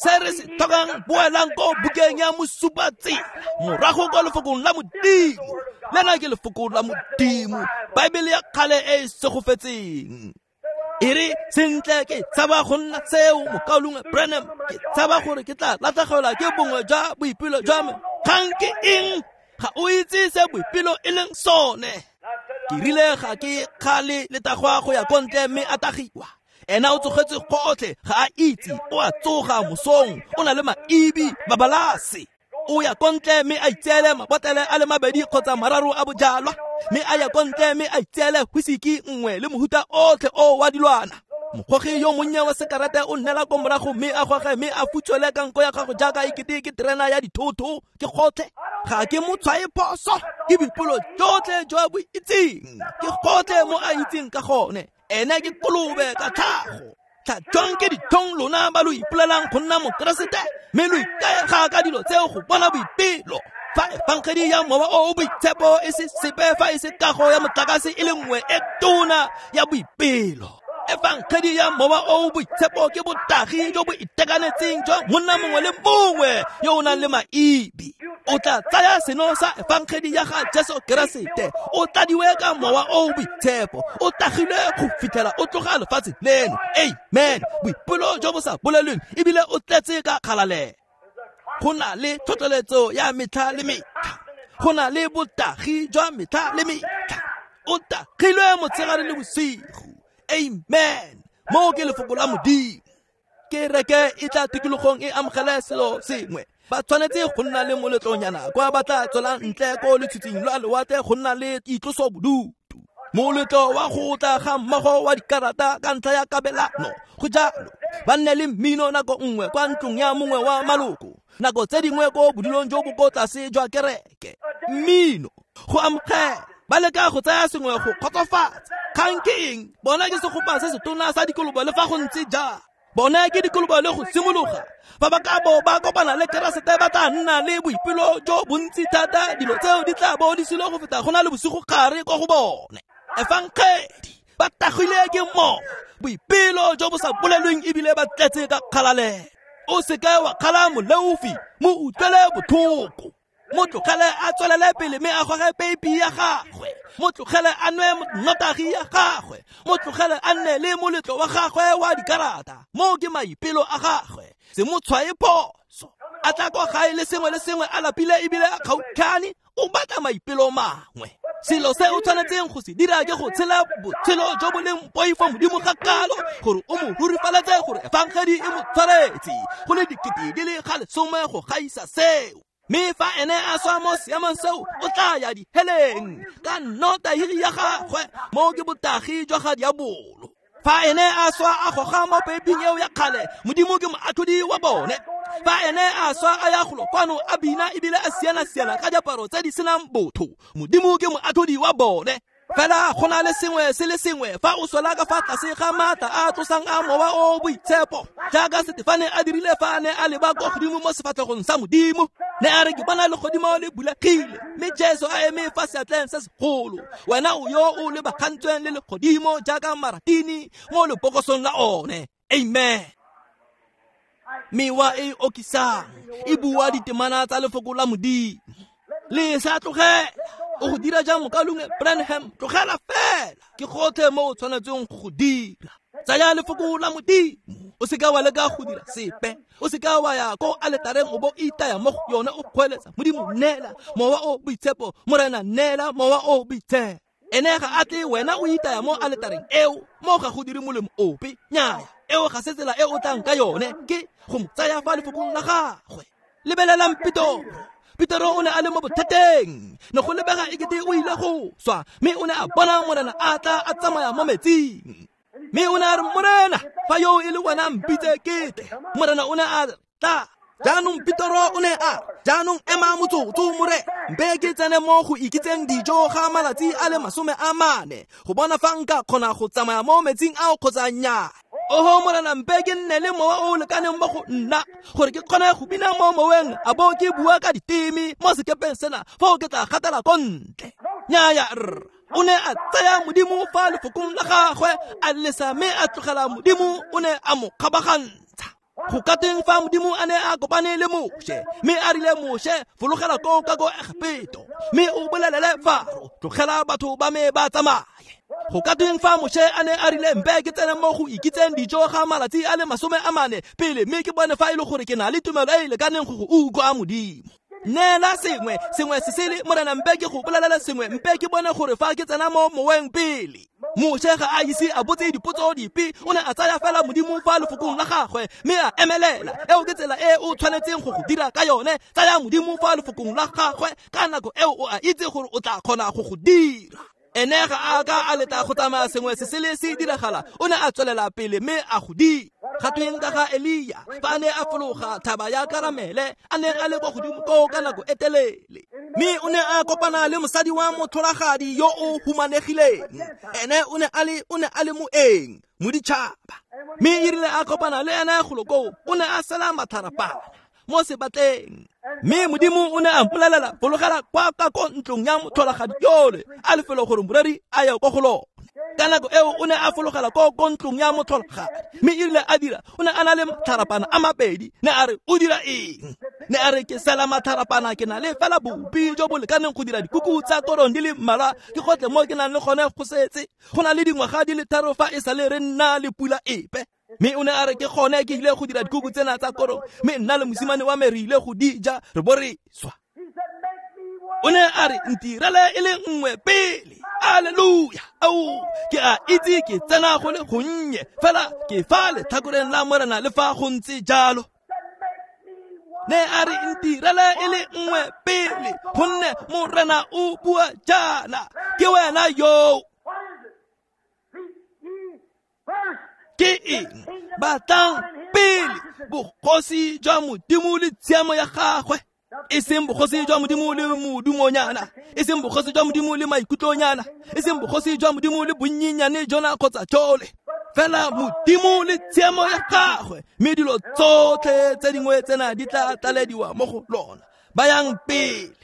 Se re se tlhokang, boelang ko bukeng ya mosupatsela, morago kwa lefokong la Modimo. Lena ke lefoko la Modimo, Baebele ya kgale e e segofetseng. E re sentle ke tshaba go nna seo, mokaulengwe Branham, ke tshaba gore ke tla latlhegelwa ke bongwe jwa boipelo jwa me. Kgang ke eng? Ga o itse se boipelo e leng sone. Ke rile ga ke kgale letagwa go ya ko ntle mme a tagiwa. Ena o tsogetse gotlhe, ga a itse, o a tsoga mosong, o na le maibi, babalase. O ya ko ntle mme a itseele mabotlele a le mabedi kgotsa mararo a bojalwa, mme a ya ko ntle mme a itseele whisky nngwe le mohuta otlhe o wa dilwana. Mogogi yo monnye wa sekarete o nnela ko morago mme a goge mme a futswele ka nko ya gago jaaka ekete ke terena ya dithoto. Ke gotlhe, ga ke mo tshwae phoso, ke boipelo jotlhe jo a bo itseng, ke gotlhe mo a itseng ka gone. Ene ke kolobe ka tlhago. Tlhatswang ke dithong lona ba lo ipolelang go nna Mokeresete, mme lo ikaega ka dilo tseo go bona boipelo. Fa efangedi ya mowa o o boitshepo e se sepe fa e se kago ya motlakase e le nngwe e tona ya boipelo. Efangedi ya mowa o o boitshepo ke botagi jo bo itekanetseng jwa monna mongwe le mongwe yo o nang le maibi. O tla tsaya seno sa efangedi ya ga Jesu Keresete, o tladiwe ka mowa o o boitshepo, o tagilwe go fitlhela o tloga lefatshe leno. Amen. Boipelo jo bo sa bolelweng ebile o tletse ka kgalalelo. Go na le tlhotlheletso ya metlha le metlha. Go na le botagi jwa metlha le metlha. O tagilwe motshegare le bosigo. Amen. Mo ke lefoko la Modimo. Kereke e tla tikologong e amogele selo sengwe. Ba tshwanetse go nna le moletlonyana kwa ba tla tswelang ntle ko letshitshing lwa lewatle go nna le itlosobodutu. Moletlo wa go tla ga mmogo wa dikarata ka ntlha ya kabelano. Go jalo ba nne le mmino nako nngwe kwa ntlong ya mongwe wa maloko, nako tse dingwe ko bodulong jo bo ko tlase jwa kereke. Mmino go amogela, ba leka go tsaya sengwe go kgotsofatsa. Kgang ke eng? Bona ke segopa se setona sa dikolobo le fa go ntse jang. Bona ke dikolobo le go simologa. Ba ba ka bo ba kopana le Keresete ba tla nna le boipelo jo bontsi thata. Dilo tseo di tla bo di sile go feta go na le bosigo gare kwa go bone. Efangedi ba tagile ke mo boipelo jo bo sa bolelweng ebile ba tletse ka kgalalelo. O seka wa kgala moleofi, mo utlwele botlhoko. Mo tlogele a tswelele pele mme a goge peipi ya gagwe. Mo tlogele a nwe nnotagi ya gagwe. Mo tlogele a nne le moletlo wa gagwe wa dikarata. Mo ke maipelo a gagwe. Se mo tshwae phoso. A tla kwa gae le sengwe le sengwe a lapile ebile a kgaukane. O batla maipelo mangwe. Selo se o tshwanetseng go se dira ke go tshela botshelo jo bo leng poifo Modimo ga kalo gore o mo rurifaletse gore efangedi e mo tshwaretse go le dikete di le ga lesome go gaisa seo. Mme fa ene a swa mo seemong seo o tla ya diheleng ka nnotagi ya gagwe. Mo ke botagi jwa ga diabolo. Fa ene a swa a goga mo peiping eo ya kgale, Modimo ke moatlhodi wa bone. Fa ene a swa a ya golo kwano a bina ebile a siana-siana ka diaparo tse di senang botho, Modimo ke moatlhodi wa bone. Fela go na le sengwe se le sengwe fa o swela ka fa tlase ga maatla a tlosang a mowa o boitshepo, jaaka Setefane a dirile fa a ne a leba kwa godimo mo sefatlhegong sa Modimo. Ne a re ke bona legodimo le bulegile mme Jesu a eme fa seatleng se segolo. Wena o yo o lebagantsweng le legodimo jaaka maratini mo lebokosong la one. Amen. Mewa e okisang e bua ditemana tsa lefoko la Modimo. Le sa tlogela. O go dira jang mokalungwe Branham? Tlogela fela. Ke gotlhe mo o tshwanetseng go go dira. Tsaya lefoko la Modimo. O seka wa leka go dira sepe. O seka wa ya ko aletareng o bo itaya mo go yone o kgweletsa Modimo neela mowa o boitshepo, Morena neela mowa o boitshepo. Ene ga a tle wena o itaya mo aletareng eo, mo ga go dire molemo ope. Nnyaya, eo ga se tsela e o tlang ka yone, ke go mo tsaya fa lefokong la gagwe. Lebelelang Petoro. Petoro o ne a le mo bothateng. Ne go lebega ekete o ile go swa, mme o ne a bona Morena a tla a tsamaya mo metsing. Mme o ne a re, Morena, fa yo e le wena mpitse ke tle. Morena o ne a tla. Jaanong Petoro o ne a, jaanong ema motsotso more, mpe ke tsene mo go ikitseng dijo ga malatsi a le masome a mane go bona fa nka kgona go tsamaya mo metsing ao kgotsa nnyaa. Oho Morena, mpe ke nne le mowa o o lekaneng mo go nna gore ke kgone go bina mo moweng a bo ke bua ka diteme mo sekepeng sena, foo ke tla gatela ko ntle. Nnyaya rra. O ne a tsaya Modimo fa lefokong la gagwe, a lesa mme a tlogela Modimo o ne a mo kgabagantsha. Go ka teng fa Modimo a ne a kopane le Moshe, mme a rile Moshe, fologela koo ka ko Egepeto, mme o bolelele Faro, tlogela batho ba me ba tsamaye. Go ka teng fa Moshe a ne a rile mpe ke tsene mo go ikitseng dijo ga malatsi a le masome a mane pele, mme ke bone fa e le gore ke na le tumelo e e lekaneng go go utlwa Modimo. Neela sengwe, sengwe se sele, Morena mpe ke go bolelela sengwe, mpe ke bone gore fa ke tsena mo moweng pele. Moshe ga a ise a botse dipotso dipe, o ne a tsaya fela Modimo fa lefokong la gagwe mme a emelela. Eo ke tsela e o tshwanetseng go go dira ka yone. Tsaya Modimo fa lefokong la gagwe ka nako eo o a itse gore o tla kgona go go dira. Ene ga a ka a leta go tsamaya sengwe se sele se diragala, o ne a tswelela pele mme a go dira. Ga tweng ka ga Elia fa a ne a fologa thaba ya Karamele, a ne a le kwa godimo koo ka nako e telele, mme o ne a kopana le mosadi wa motlholagadi yo o humanegileng. Ene o ne a le o ne a le moeng, moditšhaba. Mme e rile a kopana le ene golo koo, o ne a sela matharapana mo sebatleng. Mme Modimo o ne a mpolelela, fologela kwa ka ko ntlong ya motlholagadi yole, a lefelo gore moreri a ye kwa go lone. Ka nako eo o ne a fologela ko ko ntlong ya motlholagadi, mme e rile a dira, o ne a na le matharapana a mabedi. Ne a re, o dira eng? Ne a re, ke sela matharapana, ke na le fela bopi jo bo lekaneng go dira dikuku tsa korong di le mmalwa, ke gotlhe mo ke nang le gone go setse. Go na le dingwaga di le tharo fa e sale re nna le pula epe. Mme o ne a re ke gone ke ile go dira dikuku tsena tsa korong, mme nna le mosimane wa me re ile go di ja re bo re swa. O ne a re ntirele e le nngwe pele. Alleluia. Ao, ke a itse ke tsena go le gonnye, fela ke fa letlhakoreng la Morena le fa go ntse jalo. Ne a re ntirele e le nngwe pele, gonne Morena o bua jaana, ke wena yo. Ke eng? Batlang pele bogosi jwa Modimo le tshiamo ya gagwe, e seng bogosi jwa Modimo le modumonyana, e seng bogosi jwa Modimo le maikutlonyana, e seng bogosi jwa Modimo le bonnyenyane jona kgotsa jole, fela Modimo le tshiamo ya gagwe, mme dilo tsotlhe tse dingwe tsena di tla tlalediwa mo go lona. Bayang pele.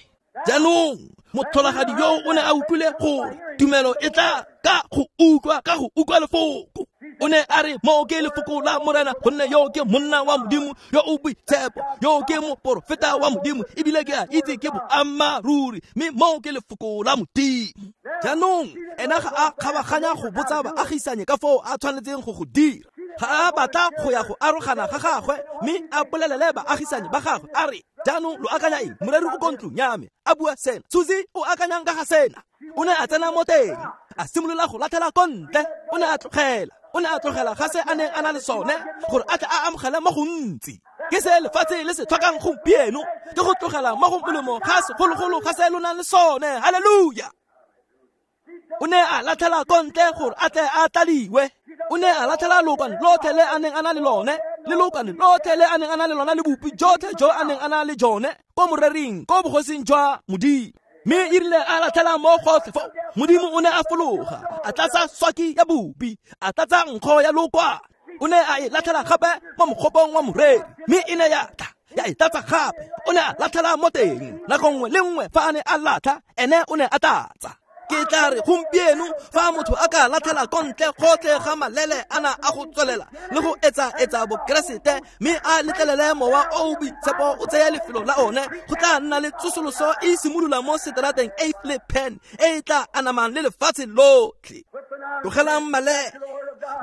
Jaanong motlholagadi yo o ne a utlwile gore tumelo e tla ka go utlwa, ka go utlwa lefoko. O ne a re mo ke lefoko la Morena, gonne yo ke monna wa Modimo yo o boitshepo, yo ke moporofeta wa Modimo, ebile ke a itse ke boammaaruri, mme mo ke lefoko la Modimo. Jaanong ena ga a kgabaganya go botsa baagisanye ka foo a tshwanetseng go go dira. Ga a batla go ya go arogana ga gagwe, mme a bolelele baagisanye ba gagwe a re, jaanong lo akanya eng? Moreri o ko ntlong ya me a bua sena, Susie o akanyang ka ga sena. O ne a tsena mo teng, a simolola go latlhela ko ntle. O ne a tlogela, o ne a tlogela ga se a neng a na le sone gore a tle a amogele mo gontsi. Ke se lefatshe le se tlhokang gompieno, ke go tlogela mo go molemo ga segologolo ga se lo nang le sone. Halleluja. O ne a latlhela ko ntle gore a tle a tladiwe. O ne a latlhela lookwane lotlhe le a neng a na le lone, le lookwane lotlhe le a neng a na le lona, le bopi jotlhe jo a neng a na le jone ko morering, ko bogosing jwa Modimo. Mme e rile a latlhela mo gotlhe foo, Modimo o ne a fologa, a tlatsa swaki ya bopi, a tlatsa nkgo ya lookwane. O ne a e latlhela gape mo mogopong wa moreri, mme e ne ya tla ya e tlatsa gape. O ne a latlhela mo teng nako nngwe le nngwe fa a ne a latlha, ene o ne a tlatsa. Ke tla re gompieno fa motho a ka latlhela ko ntle gotlhe ga malele ana a go tswelela le go etsa-etsa bokeresete, mme a letlelele mowa o o boitshepo o tseye lefelo la one, go tla nna le tsosoloso e simolola mo seterateng eighth le Penn e e tla anamang le lefatshe lotlhe. Tlogelang malele,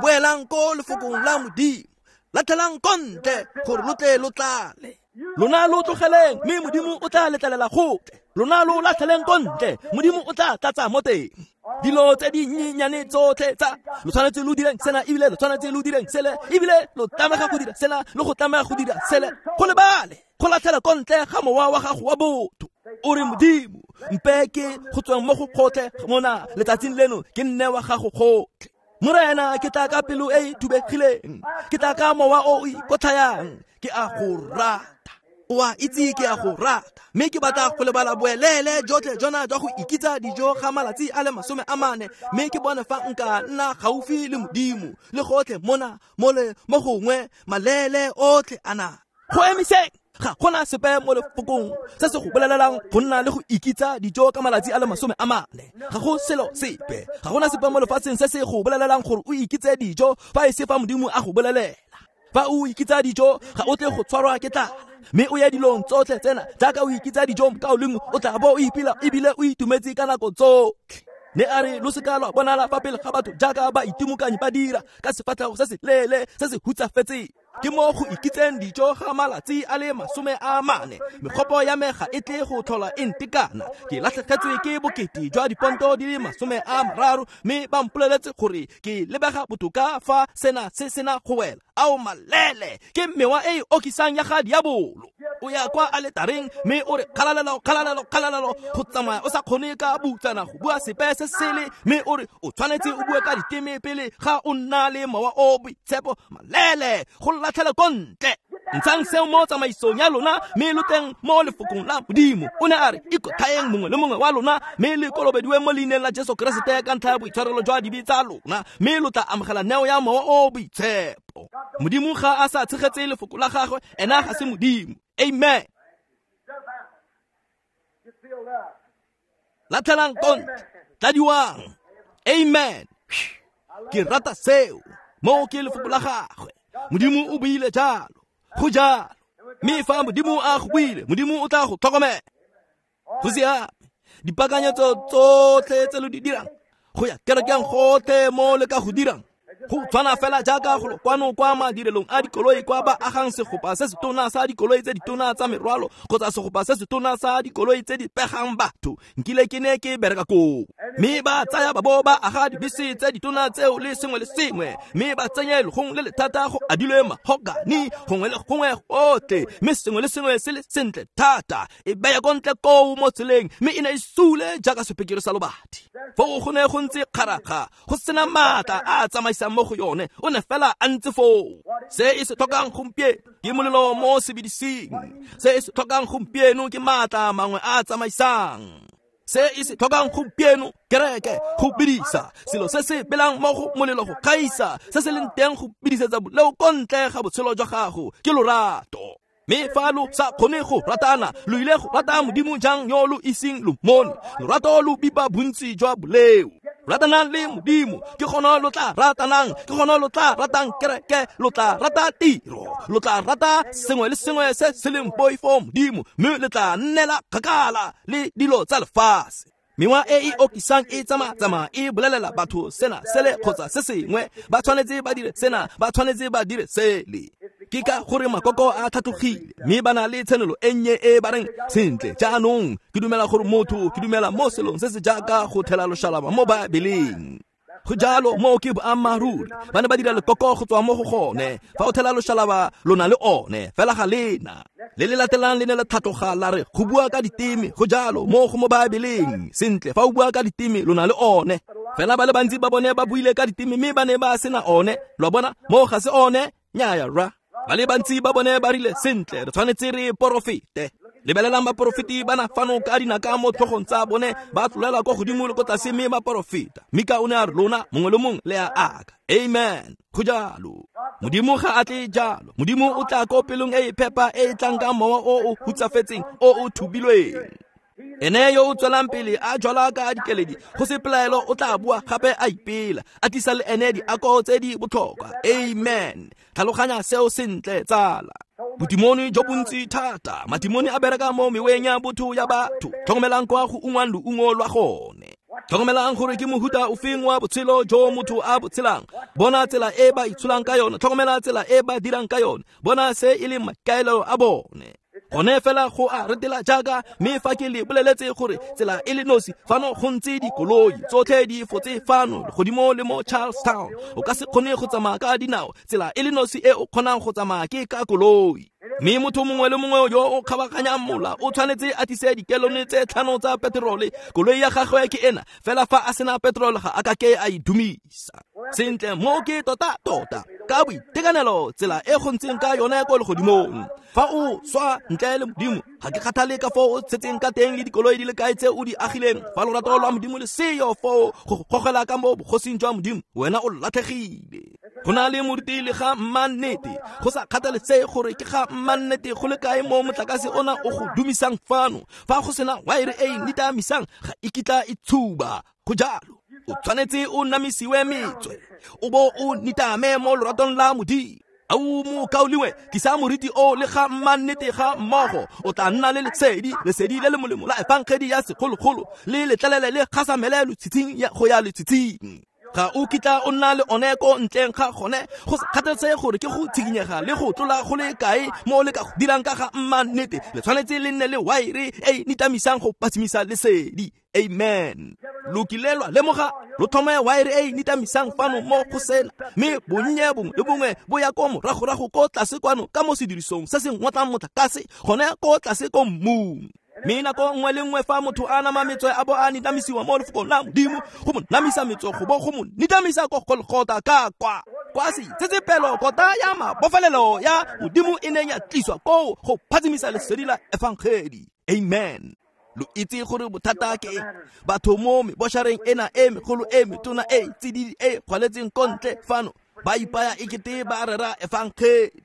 boelang ko lefokong la Modimo, latlhelang ko ntle gore lo tle lo tlale. Lona lo tlogeleng, mme Modimo o tla letlelela gotlhe. Lona lo latlheleng ko ntle, Modimo o tla tlatsa mo teng. Dilo tse dinyenyane tsotlhe tsa lo tshwanetse lo direng sena, ebile lo tshwanetse lo direng sele, ebile lo tlamega go dira sena le go tlamega go dira sele. Go lebale go latlhela ko ntle ga mowa wa gago wa botho. O re Modimo, mpe ke go tsweng mo go gotlhe mona letsatsing leno, ke nne wa gago gotlhe. Morena, ke tla ka pelo e e thubegileng, ke tla ka mowa o o ikotlhayang, ke a go rata. O a itse ke a go rata, mme ke batla go lebala boelele jotlhe jona jwa go ikitsa dijo ga malatsi a le masome a mane, mme ke bone fa nka nna gaufi le Modimo le gotlhe mona mole mo gongwe malele otlhe ana. Go emiseng, ga gona sepe mo lefokong se se go bolelelang go nna le go ikitsa dijo ka malatsi a le masome a mane. Ga go selo sepe, ga gona sepe mo lefatsheng se se go bolelelang gore o ikitse dijo fa e se fa Modimo a go bolelela. Fa o ikitsa dijo ga o tle go tshwarwa ke tlala, mme o ya dilong tsotlhe tsena jaaka o ikitsa dijo ka o lengwe, o tla bo o ipila ebile o itumetse ka nako tsotlhe. Ne a re lo seka lwa bonala fa pele ga batho jaaka ba itimokanyi ba dira ka sefatlhego se se leele se se hutsafetseng. Ke mo go ikitseng dijo ga malatsi a le masome a mane, megopo ya me ga e tle go tlhola e ntekana. Ke latlhegetswe ke bokete jwa diponto di le masome a mararo, mme ba mpoleletse gore ke lebega botoka fa sena se sena go wela. Ao malele, ke mewa e e okisang ya ga diabolo. O ya kwa aletareng mme o re kgalalelo, kgalalelo, kgalalelo, go tsamaya o sa kgone ka butsana go bua sepe se sele, mme o re o tshwanetse o bue ka diteme pele ga o nna le mowa o boitshepo. Malele, go latlhela ko ntle. Ntshang seo mo tsamaisong ya lona, mme lo teng mo lefokong la Modimo. O ne a re ikotlhaeng mongwe le mongwe wa lona, mme le kolobediwe mo leineng la Jesu Keresete ka ntlha ya boitshwarelo jwa dibe tsa lona, mme lo tla amogela neo ya mowa o boitshepo. Modimo ga a sa tshegetse lefoko la gagwe, ena ga se Modimo. Amen. Latlhelang ko ntle, tladiwang. Amen. Ke rata seo. Mo ke lefoko la gagwe. Modimo o buile jalo, go jalo. Mme fa Modimo a go buile, Modimo o tla go tlhokomela. Go siame. Dipakanyetso tsotlhe tse lo di dirang, go ya kerekeng gotlhe mo le ka go dirang, Go tshwana fela jaaka golo kwano kwa madirelong a dikoloi kwa ba agang segopa se setona sa dikoloi tse ditona tsa merwalo kgotsa segopa se setona sa dikoloi tse di pegang batho. Nkile ke ne ke bereka koo. Mme ba tsaya ba bo ba aga dibese tse ditona tseo le sengwe le sengwe, mme ba tsenye legong le le thata go adilwe mahogany gongwe le gongwe gotlhe, mme sengwe le sengwe se le sentle thata. E beya ko ntle koo mo tseleng, mme e ne e sule jaaka sepekere sa lobati. Foo go ne go ntse kgaraga, go sena maatla a a tsamaisang mo go yone, o ne fela a ntse foo. Se e se tlhokang gompieno ke molelo mo sebedising. Se e se tlhokang gompieno ke maatla mangwe a a tsamaisang. Se e se tlhokang gompieno kereke go bidisa selo se se belang mo go molelo go gaisa se se leng teng go bidisetsa boleo ko ntle ga botshelo jwa gago ke lorato. Mme fa lo sa kgone go ratana, lo ile go rata Modimo jang yo lo iseng lo mmone? Lorato lo bipa bontsi jwa boleo. Ratanang le Modimo, ke gona lo tla ratanang, ke gona lo tla ratang kereke, lo tla rata tiro, lo tla rata sengwe le sengwe se se leng poifo Modimo, mme le tla nnela kgakala le dilo tsa lefatshe. Mewa e e okisang e tsamaya-tsamaya e bolelela batho sena sele kgotsa se sengwe, ba tshwanetse ba dire sena, ba tshwanetse ba dire sele. Ke ka gore makoko a tlhatlogile, mme ba na le tshenolo e nnye e ba reng sentle jaanong ke dumela gore motho, ke dumela mo selong se se jaaka go thela loshalaba mo Baebeleng. Go jalo, moo ke boammaaruri. Ba ne ba dira lekoko go tswa mo go gone. Fa o thela loshalaba lo na le one, fela ga lena. Le le latelang le ne la tlhatloga la re go bua ka diteme, go jalo mo go mo Baebeleng. Sentle, fa o bua ka diteme lo na le one. Fela ba le bantsi ba bone ba buile ka diteme mme ba ne ba sena one. Lo a bona, moo ga se one, nnyaya rra. Ba le bantsi ba bone ba rile sentle, re tshwanetse re porofete. Lebelelang baporofeti ba na fano ka dinaka mo tlhogong tsa bone, ba tlolela kwa godimo le ko tlase mme ba porofeta. Mika o ne a re lona mongwe le mongwe le a aka. Amen. Go jalo. Modimo ga a tle jalo. Modimo o tla ko pelong e e phepa e e tlang ka mowa o o hutsafetseng o o thubilweng. Ene yo o tswelang pele a jwala ka dikeledi, go se pelaelo o tla bua gape a ipela, a tlisa le ene diako tse di botlhokwa. Amen. Tlhaloganya seo sentle tsala. Bodimoni jo bontsi thata, madimoni a bereka mo meweng ya botho ya batho. Tlhokomelang kwa go ungwang loungo lwa gone. Tlhokomelang gore ke mohuta ofeng wa botshelo jo motho a bo tshelang. Bona tsela e ba itsholang ka yone, tlhokomela tsela e ba dirang ka yone, bona se e leng maikaelelo a bone. Gone fela go a retela jaaka, mme fa ke le boleletse gore tsela e le nosi fano go ntse dikoloi tsotlhe di fotse fano legodimo le mo Charlestown. O ka se kgone go tsamaya ka dinao, tsela e le nosi e o kgonang go tsamaya ke ka koloi. Mme motho mongwe le mongwe yo o kgabaganyang mola o tshwanetse a tlise dikelone tse tlhano tsa peterole. Koloi ya gagwe ke ena, fela fa a sena peterole ga a ka ke a e dumisa. Sentle, mo ke tota-tota ka boitekanelo tsela e go ntseng ka yone ko legodimong. Fa o swa ntle le Modimo, ga ke kgathale ka foo o tshetseng ka teng le dikoloi di le kae tse o di agileng. Fa lorato lwa Modimo le seyo foo go gogela ka mo bogosing jwa Modimo, wena o latlhegile. Go na le moruti le ga mmannete, go sa kgathalesege gore ke ga mmannete go le kae mo motlakase ona o go dumisang fano. Fa go sena waere e e nitamisang, ga e kitla e tshuba. Go jalo, o tshwanetse o namisiwe metswe, o bo o nitame mo loratong la Modimo. Au mokaulengwe, tlisa moriti o le ga mmannete ga mmogo, o tla nna le lesedi, lesedi le le molemo la efangedi ya segologolo, le letlelele le gasamele lotshitshing ya go ya letshitshing. Ga o kitla o nna le one ko ntleng ga gone, go sa kgathalesege gore ke go tshikinyega le go tlola go le kae mo le ka go dirang ka ga mmannete, le tshwanetse le nne le waere e nitamisang go patsimisa lesedi. Amen. Lo kile lwa lemoga, lo thome waere e nitamisang fano mo go sena, mme bonnye bongwe le bongwe bo ya ko moragorago ko tlase kwano ka mo sedirisong se se ngotlang motlakase gone ko tlase ko mmung. Mme nako nngwe le nngwe fa motho a nama metswe a bo a nitamisiwa mo lefokong la Modimo, go mo namisa metswe go bo go mo nitamisa ko Golgotha ka kwa. Kwa seitsetsepelo kota ya mabofelelo ya Modimo e neng ya tliswa koo go phatsimisa lesedi la efangedi. Amen. Lo itse gore bothata ke eng? Batho mo meboshareng ena e megolo e metona e tsididi e kgwaletseng ko ntle fano ba ipaya ekete ba rera efangedi.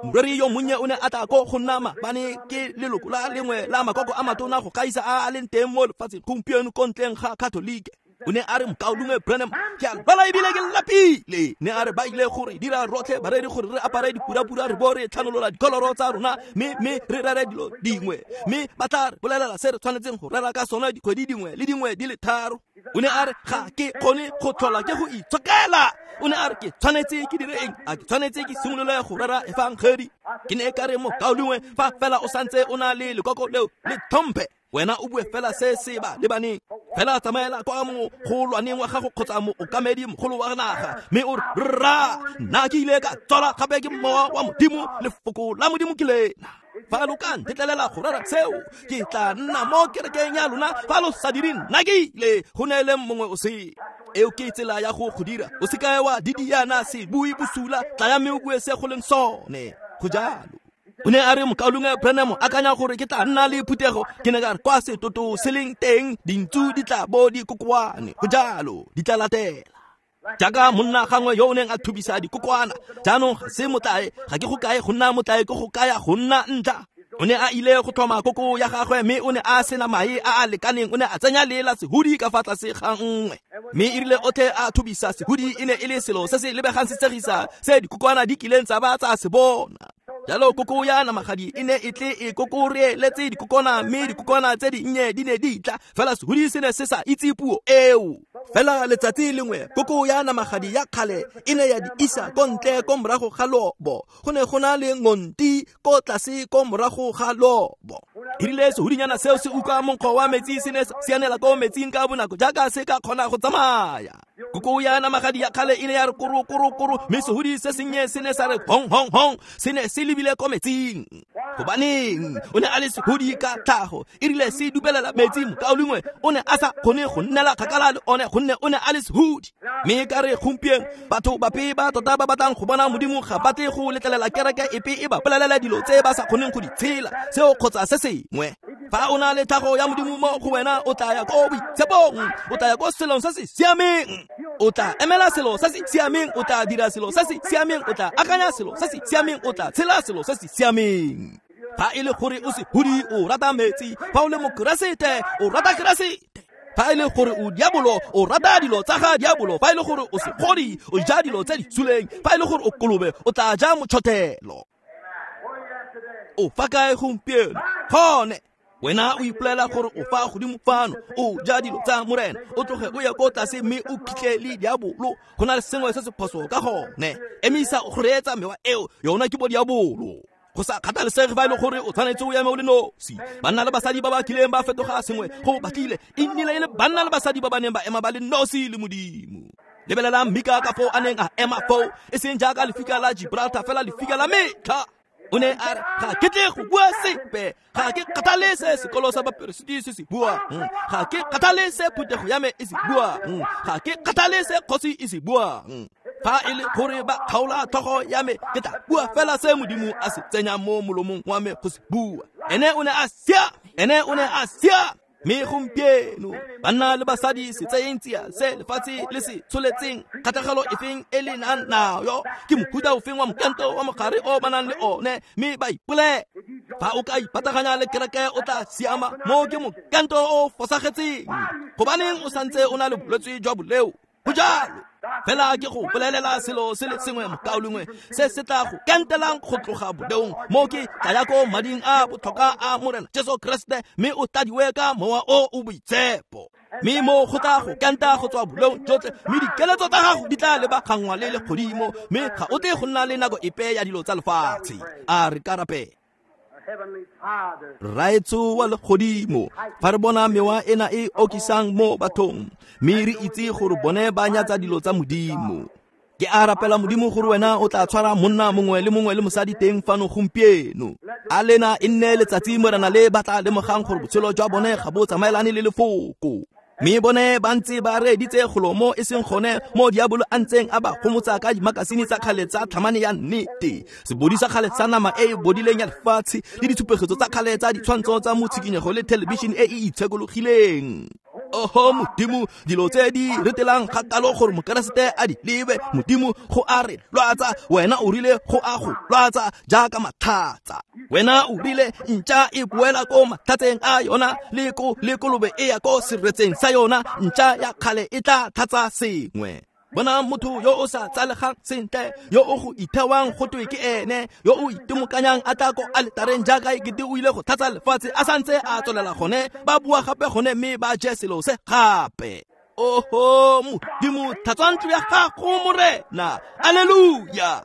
Moreri yo monnye o ne a tla ko go nna maabane ke leloko la lengwe la makoko a matona go gaisa a a leng teng mo lefatsheng gompieno ko ntleng ga Katolike. O ne a re mokaulengwe Branham, ke a lwala ebile ke lapile. Ne a re ba ile gore dira rotlhe bareri gore re apare dipurapura re bo re tlhanolola dikoloro tsa rona, mme mme re rere dilo dingwe, mme ba tla re bolelela se re tshwanetseng go rera ka sone dikgwedi dingwe le dingwe di le tharo. O ne a re ga ke kgone go tlhola ke go itshokela. O ne a re ke tshwanetse ke dire eng? A ke tshwanetse ke simolole go rera efangedi? Ke ne ka re mokaulengwe, fa fela o santse o na le lekoko leo le tlhomphe, wena o bue fela se se ba lebaneng. Fela tsamaela kwa mogolwaneng wa gago kgotsa mookamedi mogolo wa naga, mme o re, rra, nna ke ile ka tswalwa gape ke mowa wa Modimo, lefoko la Modimo ke lena. Fa lo ka ntetlelela go rera seo, ke tla nna mo kerekeng ya lona. Fa lo sa dire, nna ke ile go neele mongwe o sele. Eo ke tsela ya go go dira. O se ka wa didiana se bue bosula, tlaya mme o bue se go leng sone. Go jalo. O ne a re mokaulengwe Branham, akanya gore ke tla nna le phuthego. Ke ne ka re kwa setoto se leng teng, dintsu di tla bo di kokoane. Go jalo, di tla latela. Jaaka monna gangwe yo o neng a thubisa dikokwana. Jaanong ga se motlae, ga ke go kae go nna motlae, ke go kaya go nna ntla. O ne a ile go tlhoma koko ya gagwe, mme o ne a sena mae a a lekaneng. O ne a tsenya lela sehudi ka fa tlase ga nngwe, mme e rile otlhe a thubisa sehudi, e ne e le selo se se lebegang se tshegisa se dikokwana di kileng tsa ba tsa se bona. Jalo koko ya namagadi e ne e tle e kokoreletse dikokwana, mme dikokwana tse dinnye di ne di tla, fela sehudi se ne se sa itse puo eo. Fela letsatsi lengwe koko ya namagadi ya kgale e ne ya di isa ko ntle ko morago ga lobo. Go ne go na le ngonti ko tlase ko morago ga lobo. E rile sehudinyana seo se utlwa monkgo wa metsi, se ne sa sianela ko metsing ka bonako jaaka se ka kgona go tsamaya. Koko ya namagadi ya kgale e ne ya re koro koro koro, mme sehudi se sennye se ne sa re hong hong hong, se ne se lebile ko metsing. Gobaneng? O ne a le sehudi ka tlhago. E rile se dubelela metsi, mokaulengwe o ne a sa kgone go nnela kgakala le one, gonne o ne a le sehudi. Mme ka re gompieno batho bape ba tota ba batlang go bona Modimo ga ba tle go letlelela kereke epe e ba bolelela dilo tse ba sa kgoneng go di tshela, seo kgotsa se sengwe. Fa o na le tlhago ya Modimo mo go wena, o tla ya ko boitshepong, o tla ya ko selong se se siameng, o tla emela selo se se siameng, o tla dira selo se se siameng, o tla akanya selo se se siameng, o tla tshela selo se se siameng. Fa e le gore o sehudi, o rata metsi. Fa o le mokeresete, o rata Keresete. Fa e le gore o diabolo, o rata dilo tsa ga diabolo. Fa e le gore o segodi, o ja dilo tse di suleng. Fa e le gore o kolobe, o tla ja motšhotelo. O fa kae gompieno? Gone wena o ipolela gore o fa godimo fano, o ja dilo tsa Morena, o tloge o ye ko tlase mme o phitlhe le diabolo. Go na le sengwe se se phoso ka gone. Emisa go reetsa mewa eo, yona ke bo diabolo. Go sa kgathalesege fa e le gore o tshwanetse o eme o le nosi. Banna le basadi ba ba kileng ba fetoga sengwe go batlile, e nnile e le banna le basadi ba ba neng ba ema ba le nosi le Modimo. Lebelelang Mika ka foo a neng a ema foo, e seng jaaka lefika la Gibraltar, fela lefika la metlha. O ne a re, ga ke tle go bua sepe, ga ke kgathale se sekolo sa baperesiti se se buang, ga ke kgathale se phuthego ya me e se buang, ga ke kgathale se kgosi e se buang. Fa e le gore ba kgaola tlhogo ya me, ke tla bua fela se Modimo a se tsenyang mo molomong wa me go se bua. Ene o ne a siame, ene o ne a siame. Mme gompieno banna le basadi se tseyeng tsia se lefatshe le se tsholetseng, kgatlhegelo efeng e le nang nayo, ke mohuta ofeng wa mokento wa mogare o ba nang le one, mme ba ipolele. Fa o ka ipataganya le kereke, o tla siama. Mo ke mokento o fosagetseng. Gobaneng o santse o na le bolwetse jwa boleo? Go jalo. Fela ke go bolelela selo se le sengwe, mokaulengwe, se se tla go kentelang go tloga boleong. Mo ke tla ya ko mading a botlhokwa a Morena Jesu Kriste, mme o tladiwe ka mowa o o boitshepo. Mme mo go tla go kenta go tswa boleong jotlhe, mme dikeletso tsa gago di tla lebaganngwa le legodimo, mme ga o tle go nna le nako epe ya dilo tsa lefatshe. A re ka rapela. Rraetsho wa legodimo, fa re bona mewa ena e okisang mo bathong, mme re itse gore bone ba nyatsa dilo tsa Modimo. Ke a rapela Modimo gore wena o tla tshwara monna mongwe le mongwe le mosadi teng fano gompieno. A lena e nne letsatsi Morena le ba tla lemogang gore botshelo jwa bone ga bo tsamaelane le lefoko. Mme bone ba ntse ba reeditse golo mo e seng gone mo diabolo a ntseng a ba gomotsa ka dimakasine tsa kgale tsa tlhamane ya nnete, sebodi sa kgale sa nama e e bodileng ya lefatshe, le ditshupegetso tsa kgale tsa ditshwantsho tsa motshikinyego le thelebišene e e itshekologileng. Oho Modimo, dilo tse di retelang kgakalo gore mokeresete a di lebe. Modimo, go a re lwatsa, wena o rile go a go lwatsa jaaka matlhatsa. Wena o rile ntša e boela ko matlhatseng a yona, le ko le kolobe e ya ko seretseng sa yona, ntša ya kgale e tla tlhatsa sengwe. Bona motho yo o sa tsalegang sentle, yo o go ithewang go twe ke ene, yo o itimokanyang a tla ko aletareng jaaka ekete o ile go tlhatsa lefatshe, a santse a tswelela gone, ba bua gape gone mme ba je selo se gape. Oho Modimo, tlhatswa ntlo ya gago Morena. Alleluia.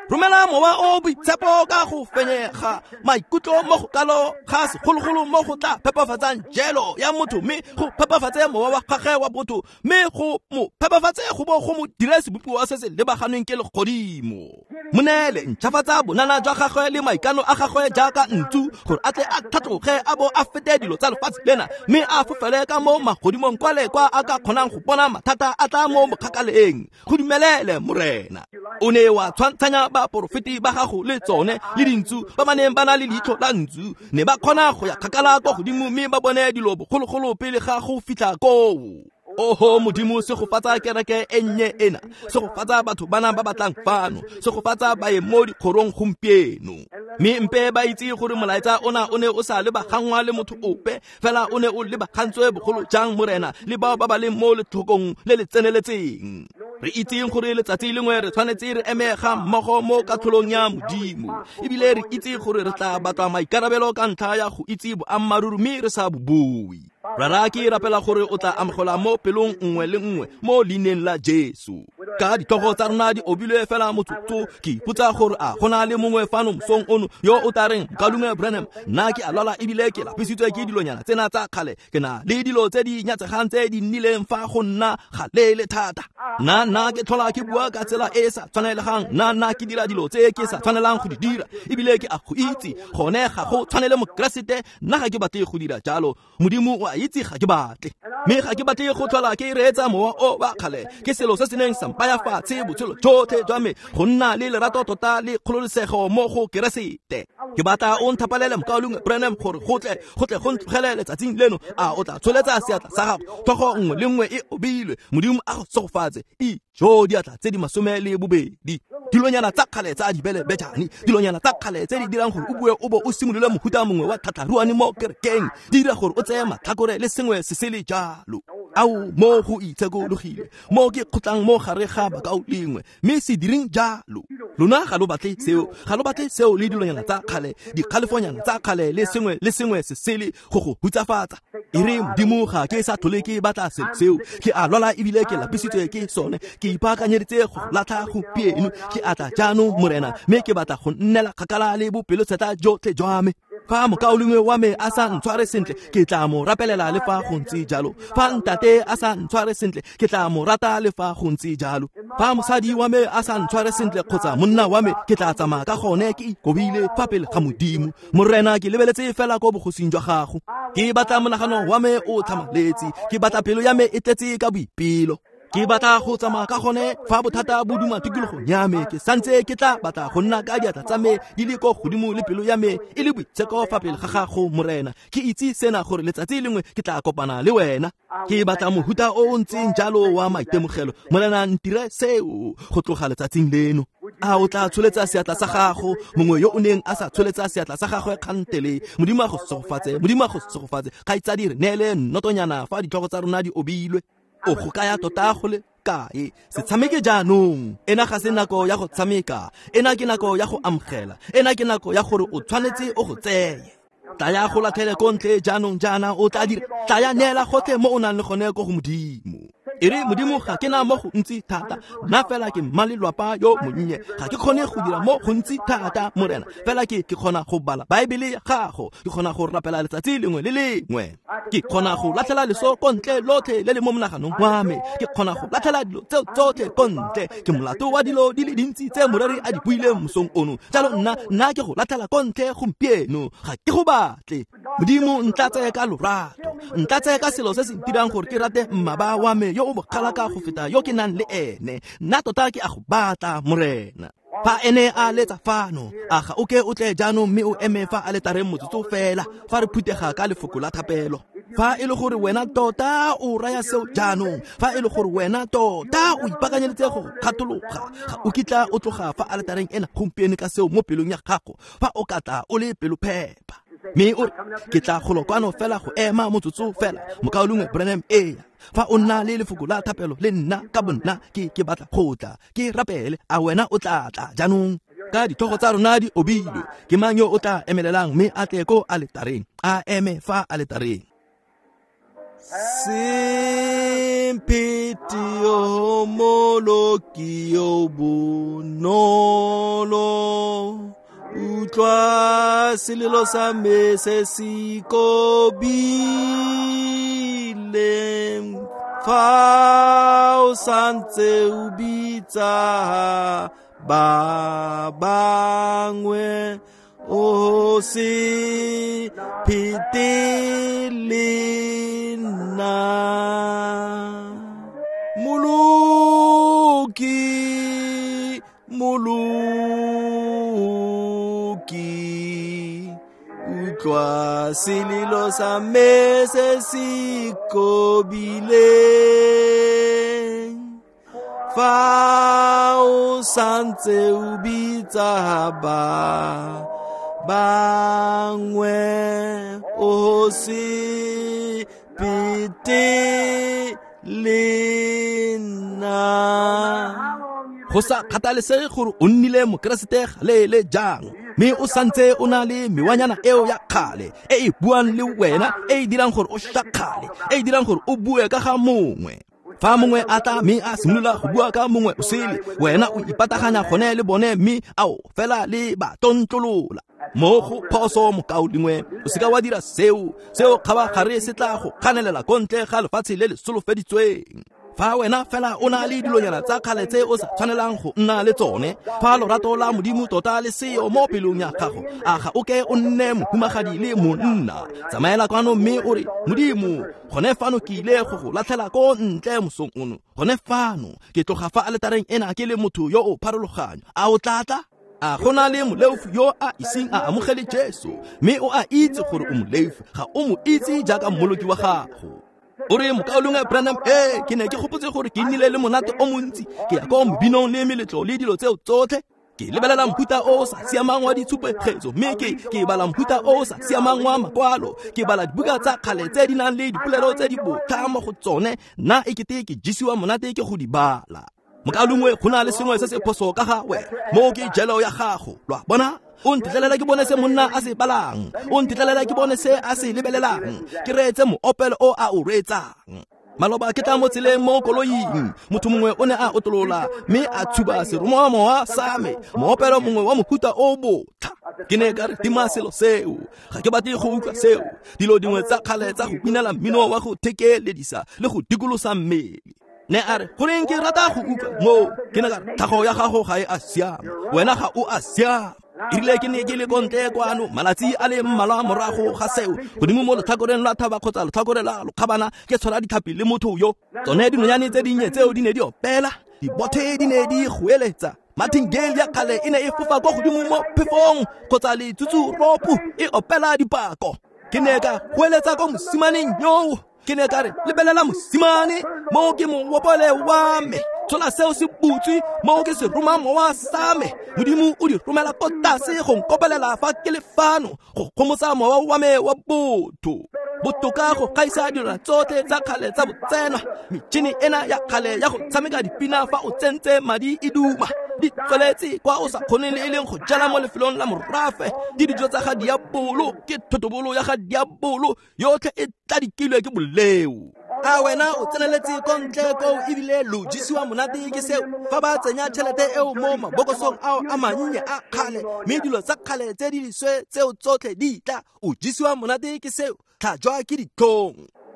Romela mowa o boitshepo ka go fenyega maikutlo mo go kalo ga segologolo mo go tla phepafatsang jelo ya motho, mme go phepafatse mowa wa gagwe wa botho, mme go mo phepafatse go bo go mo dire sebopiwa se se lebaganeng ke legodimo. Mo neele ntšhafatsa bonana jwa gagwe le maikano a gagwe jaaka ntsu, gore a tle a tlhatloge a bo a fete dilo tsa lefatshe lena, mme a fofele ka mo magodimong kwale kwa a ka kgonang go bona mathata a tla mo mokgakaleng. Go dumelele Morena. O ne wa tshwantshanya baporofeti ba gago le tsone le dintsu ba ba neng ba na le leitlho la ntsu, ne ba kgona go ya kgakala kwa godimo mme ba bone dilo bogologolo pele ga go fitlha koo. Oho Modimo, segofatsa kereke e nnye ena, segofatsa batho bana ba batlang fano, segofatsa baeng mo dikgorong gompieno. Mme mpe ba itse gore molaetsa ona o ne o sa lebagangwa le motho ope fela, o ne o lebagantswe bogolo jang Morena le bao ba ba leng mo letlhokong le le tseneletseng. Re itseng gore letsatsi lengwe re tshwanetse re eme ga mmogo mo katlholong ya Modimo, ebile re itse gore re tla batla maikarabelo ka ntlha ya go itse boammaaruri mme re sa bo bue. Rara, ke rapela gore o tla amogela mo pelong nngwe le nngwe mo leineng la Jesu. Ka ditlhogo tsa rona di obilwe fela motsotso, ke ipotsa gore a go na le mongwe fano mosong ono yo o tla reng, Mokaulengwe Branham, nna ke a lwala ebile ke lapisitswe ke dilonyana tsena tsa kgale, ke na le dilo tse di nyatsegang tse di nnileng fa go nna galeele thata. Nna nna ke tlhola ke bua ka tsela e e sa tshwanelegang, nna nna ke dira dilo tse ke sa tshwanelang go di dira, ebile ke a go itse gone ga go tshwanele Mokeresete, nna ga ke batle go dira jalo. Modimo o a itse ga ke batle, mme ga ke batle go tlhola ke reetsa mowa o wa kgale. Ke selo se se neng sa mpaya fatshe botshelo jotlhe jwa me go nna le lerato tota le kgololosego mo go Keresete. Ke batla o nthapalele Mokaulengwe Branham gore go tle go tle go ntlogele letsatsing leno. A o tla tsholetsa seatla sa gago? Tlhogo nngwe le nngwe e obilwe. Modimo a go segofatse. Ijo diatla tse di masome le bobedi. Dilonyana tsa kgale tsa dibelebejane, dilonyana tsa kgale tse di dirang gore o bue o bo o simolole mohuta mongwe wa tlhatlharuane mo kerekeng, di dira gore o tseye matlhakore le sengwe se se le jalo. Ao mo go itshekologile mo ke kgotlang mo gare ga bakaulengwe, mme se direng jalo. Lona ga lo batle seo, ga lo batle seo le dilonyana tsa kgale, dikgalefonyana tsa kgale le sengwe le sengwe se sele go go hutsafatsa. E re Modimo, ga ke sa tlhole ke batla selo seo, ke a lwala ebile ke lapisitswe ke sone, ke ipaakanyeditse go latlha gompieno, ke a tla jaanong Morena, mme ke batla go nnela kgakala le bopelotshetlha jotlhe jwa me. Fa mokaulengwe wa me a sa ntshware sentle, ke tla mo rapelela le fa go ntse jalo. Fa ntate a sa ntshware sentle, ke tla mo rata le fa go ntse jalo. Fa mosadi wa me a sa ntshware sentle kgotsa monna wa me, ke tla tsamaya ka gone ke ikobile fa pele ga Modimo. Morena, ke lebeletse fela ko bogosing jwa gago. Ke batla monagano wa me o tlhamaletse, ke batla pelo ya me e tletse ka boipelo. Ke batla go tsamaya ka gone fa bothata bo duma tikologong ya me, ke santse ke tla batla go nna ka diatla tsa me di le ko godimo le pelo ya me e le boitsheko fa pele ga gago Morena. Ke itse sena gore letsatsi lengwe ke tla kopana le wena. Ke batla mohuta o o ntseng jalo wa maitemogelo. Morena, ntire seo go tloga letsatsing leno. A o tla tsholetsa seatla sa gago? Mongwe yo o neng a sa tsholetsa seatla sa gagwe kgantele. Modimo a go segofatse, Modimo a go segofatse. Kgaitsadi, re neele nnotonyana fa ditlhogo tsa rona di obilwe. O go kaya tota go le kae? Se tshameke jaanong. Ena ga se nako ya go tshameka, ena ke nako ya go amogela, ena ke nako ya gore o tshwanetse o go tseye. Tlaya go latlhele ko ntle jaanong jaana, o tla dira. Tlaya neela gotlhe mo o nang le gone ko go Modimo. E re Modimo, ga ke na mo go ntsi thata, nna fela ke mmalelwapa yo monnye, ga ke kgone go dira mo gontsi thata Morena, fela ke ke kgona go bala Baebele ya gago, ke kgona go rapela letsatsi lengwe le lengwe, ke kgona go latlhela leso ko ntle lotlhe le le mo monaganong wa me, ke kgona go latlhela dilo tseo tsotlhe ko ntle. Ke molato wa dilo di le dintsi tse moreri a di buileng mosong ono. Jalo nna nna ke go latlhela ko ntle gompieno, ga ke go batle. Modimo, ntlatse ka lorato, ntlatse ka selo se se ntirang gore ke rate mmaba wa me yo o bogala ka go feta yo ke nang le ene. Nna tota ke a go batla Morena. Fa ene a letsa fano, a ga o ke o tle jaanong mme o eme fa aletareng motsotso fela fa re phutega ka lefoko la thapelo. Fa e le gore wena tota o raya seo jaanong, fa e le gore wena tota o ipaakanyeditse go kgathologa, ga o kitla o tloga fa aletareng ena gompieno ka seo mo pelong ya gago, fa o ka tla o le pelophepa mme o re, ke tla golo kwano fela go ema motsotso fela, Mokaulengwe Branham. Ea, fa o nna le lefoko la thapelo le nna ka bonna, ke ke batla go tla ke rapele, a wena o tla tla jaanong? Ka ditlhogo tsa rona di obilwe, ke mang yo o tla emelelang mme a tle ko aletareng? A eme fa aletareng. Se mphete yo Mmoloki yo bonolo, utlwa selelo sa me se se kobileng. Fa o santse o bitsa ba bangwe, o se phete le nna. Mmoloki, Mmoloki, utlwa selelo sa me se se kobileng. Fa o santse o bitsa ba bangwe, o se phete le nna. Go sa kgathalesege gore o nnile mokeresete gale jang, mme o santse o na le mewanyana eo ya kgale e e buang le wena, e e dirang gore o shakgale, e e dirang gore o bue ka ga mongwe. Fa mongwe a tla mme a simolola go bua ka mongwe o sele, wena o ipataganya gone le bone mme ao fela le ba tontlolola. Mo go phoso mokaulengwe, o seka wa dira seo, seo kgabagare se tla go kganelela ko ntle ga lefatshe le le solofeditsweng. Fa wena fela o na le dilonyana tsa kgale tse o sa tshwanelang go nna le tsone, fa lorato la Modimo tota le seo mo pelong ya gago, a ga o ke o nne mohumagadi le monna. Tsamaela kwano mme o re, Modimo, gone fano ke ile go go latlhela ko ntle mosong ono. Gone fano ke tloga fa aletareng ena ke le motho yo o pharologanyo. A o tla tla? A go na le moleofi yo a iseng a amogele Jesu, mme o a itse gore o moleofi, ga o mo itse jaaka mmoloki wa gago. O re, mokaulengwe Branham, ee, ke ne ke gopotse gore ke nnile le monate o montsi, ke ya ko mebinong le meletlo le dilo tseo tsotlhe. Ke lebelela mohuta o o sa siamang wa ditshupegetso, mme ke ke bala mohuta o o sa siamang wa makwalo, ke bala dibuka tsa kgale tse di nang le dipolelo tse di botlha mo go tsone, nna e kete ke jesiwa monate ke go di bala. Mokaulengwe, go na le sengwe se se phoso ka ga wena, moo ke jelo ya gago, lo a bona? O ntetlelela ke bone se monna a se balang, o ntetlelela ke bone se a se lebelelang, ke reetse moopelo o a o reetsang. Maloba ke tla mo tseleng mo koloing, motho mongwe o ne a otlolola mme a tshuba seromamowa sa me, moopelo mongwe wa mohuta o botlha. Ke ne ka re, tima selo seo, ga ke batle go utlwa seo. Dilo dingwe tsa kgale tsa go binela mmino wa go thekeledisa le go dikolosa mmele. Ne a re, goreng ke rata go utlwa moo? Ke ne ka re, tlhago ya gago ga e a siama, wena ga o a siama. Erile ke ne ke le kontle kwano malatsi a le mmalwa morago ga seo, godimo mo letlhakoreng la thaba kgotsa letlhakore la lokgabana, ke tshwara ditlhapi le motho yo. Tsone dinonyane tse dinnye tseo di ne di opela, dibothe di ne di goeletsa, martingale ya kgale e ne e fofa kwa godimo mo phefong, kgotsa letsutsuropo e opela dipako. Ke ne ka goeletsa ko mosimaneng yoo, ke ne ka re, lebelela mosimane, moo ke moopole wa me, tshola seo se butswe, moo ke seromamowa sa me. Modimo o di romela ko tlase go nkopelela fa ke le fano, go gomotsa mowa wa me wa botho. Botoka go gaisa dilwana tsotlhe tsa kgale tsa botsenwa, metšhini ena ya kgale ya go tshameka dipina fa o tsentse madi e duma, di tsweletse kwa o sa kgoneng le e leng go jala mo lefelong la morafe. Di dijo tsa ga diabolo, ke thotobolo ya ga diabolo, yotlhe e tladikilwe ke boleo. A wena o tseneletse ko ntle koo ebile lo jesiwa monate ke seo, fa ba tsenya tšhelete eo mo mabokosong ao a mannye a kgale, mme dilo tsa kgale tse di leswe tseo tsotlhe di tla, o jesiwa monate ke seo, tlhajwa ke ditlhong.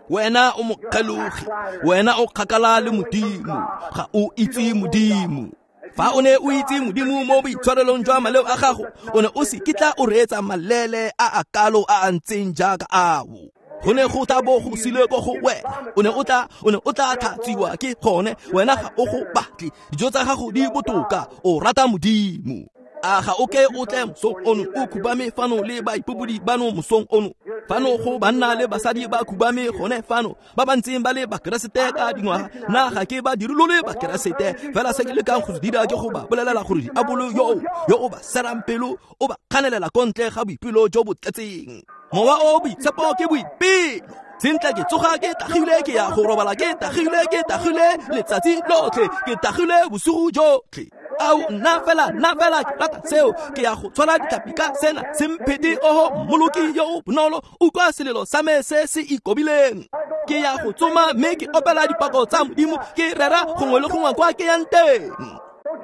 Wena o mokgelogi, wena o kgakala le Modimo, ga o itse Modimo. Fa o ne o itse Modimo mo boitshwarelong jwa maleo a gago, o ne o se kitla o reetsa malele a a kalo a a ntseng jaaka ao. Go ne go tla bo go sile ko go wena, o ne o tla o ne o tla tlhatsiwa ke gone, wena ga o go batle, dijo tsa gago di botoka, o rata Modimo. A ga o ke o tle mosong ono o khubame fano le baipobodi bano mosong ono, fano go banna le basadi ba khubame gone fano, ba ba ntseng ba le bakeresete ka dingwaga. Nna ga ke ba dirolole bakeresete, fela se ke lekang go se dira ke go ba bolelela gore diabolo yo yo o ba serang pelo, o ba kganelela ko ntle ga boipelo jo bo tletseng. Mowa o boitshepo ke boipelo. Sentle ke tsoga ke tagile, ke ya go robala ke tagile, ke tagile letsatsi lotlhe, ke tagile bosigo jotlhe. Ao nna fela, nna fela ke rata seo, ke ya go tshwara ditlhapi ka sena. Se mphete oho Mmoloki yo o bonolo, utlwa selelo sa me se se ikobileng. Ke ya go tsoma mme ke opela dipako tsa Modimo, ke rera gongwe le gongwe kwa ke yang teng.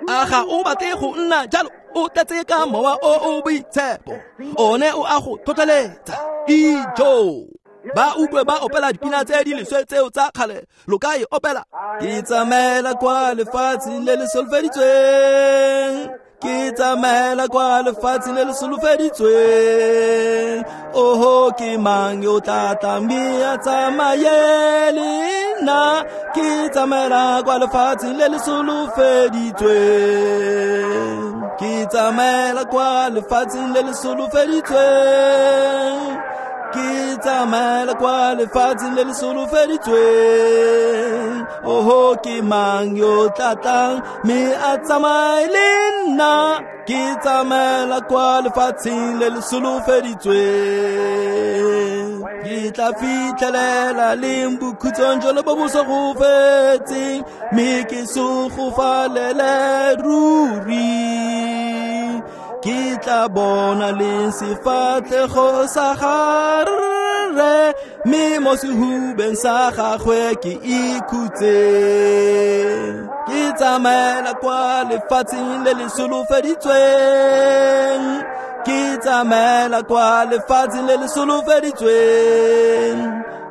A ga o batle go nna jalo? O tletse ka mowa o o boitshepo, one o a go tlhotlheletsa. Ijo! Ba utlwe ba opela dipina tse di leswe tseo tsa kgale, lo ka e opela. Ke tsamaela kwa lefatsheng le le solofeditsweng, ke tsamaela kwa lefatsheng le le solofeditsweng. Oho, ke mang yo tla tlang mme a tsamaye le nna? Ke tsamaela kwa lefatsheng le le solofeditsweng, ke tsamaela kwa lefatsheng le le solofeditsweng, ke tsamaela kwa lefatsheng le le solofeditsweng. Oho, ke mang yo tla tlang mme a tsamaye le nna? Ke tsamaela kwa lefatsheng le le solofeditsweng. Ke tla fitlhelela leng bokhutsong jalo bo bo sa go fetseng, mme ke segofalele ruri. Ke tla bona leng sefatlhego sa gagwe, mme mo sehubeng sa gagwe ke ikhutse. Ke tsamaela kwa lefatsheng le le solofeditsweng, ke tsamaela kwa lefatsheng le le solofeditsweng.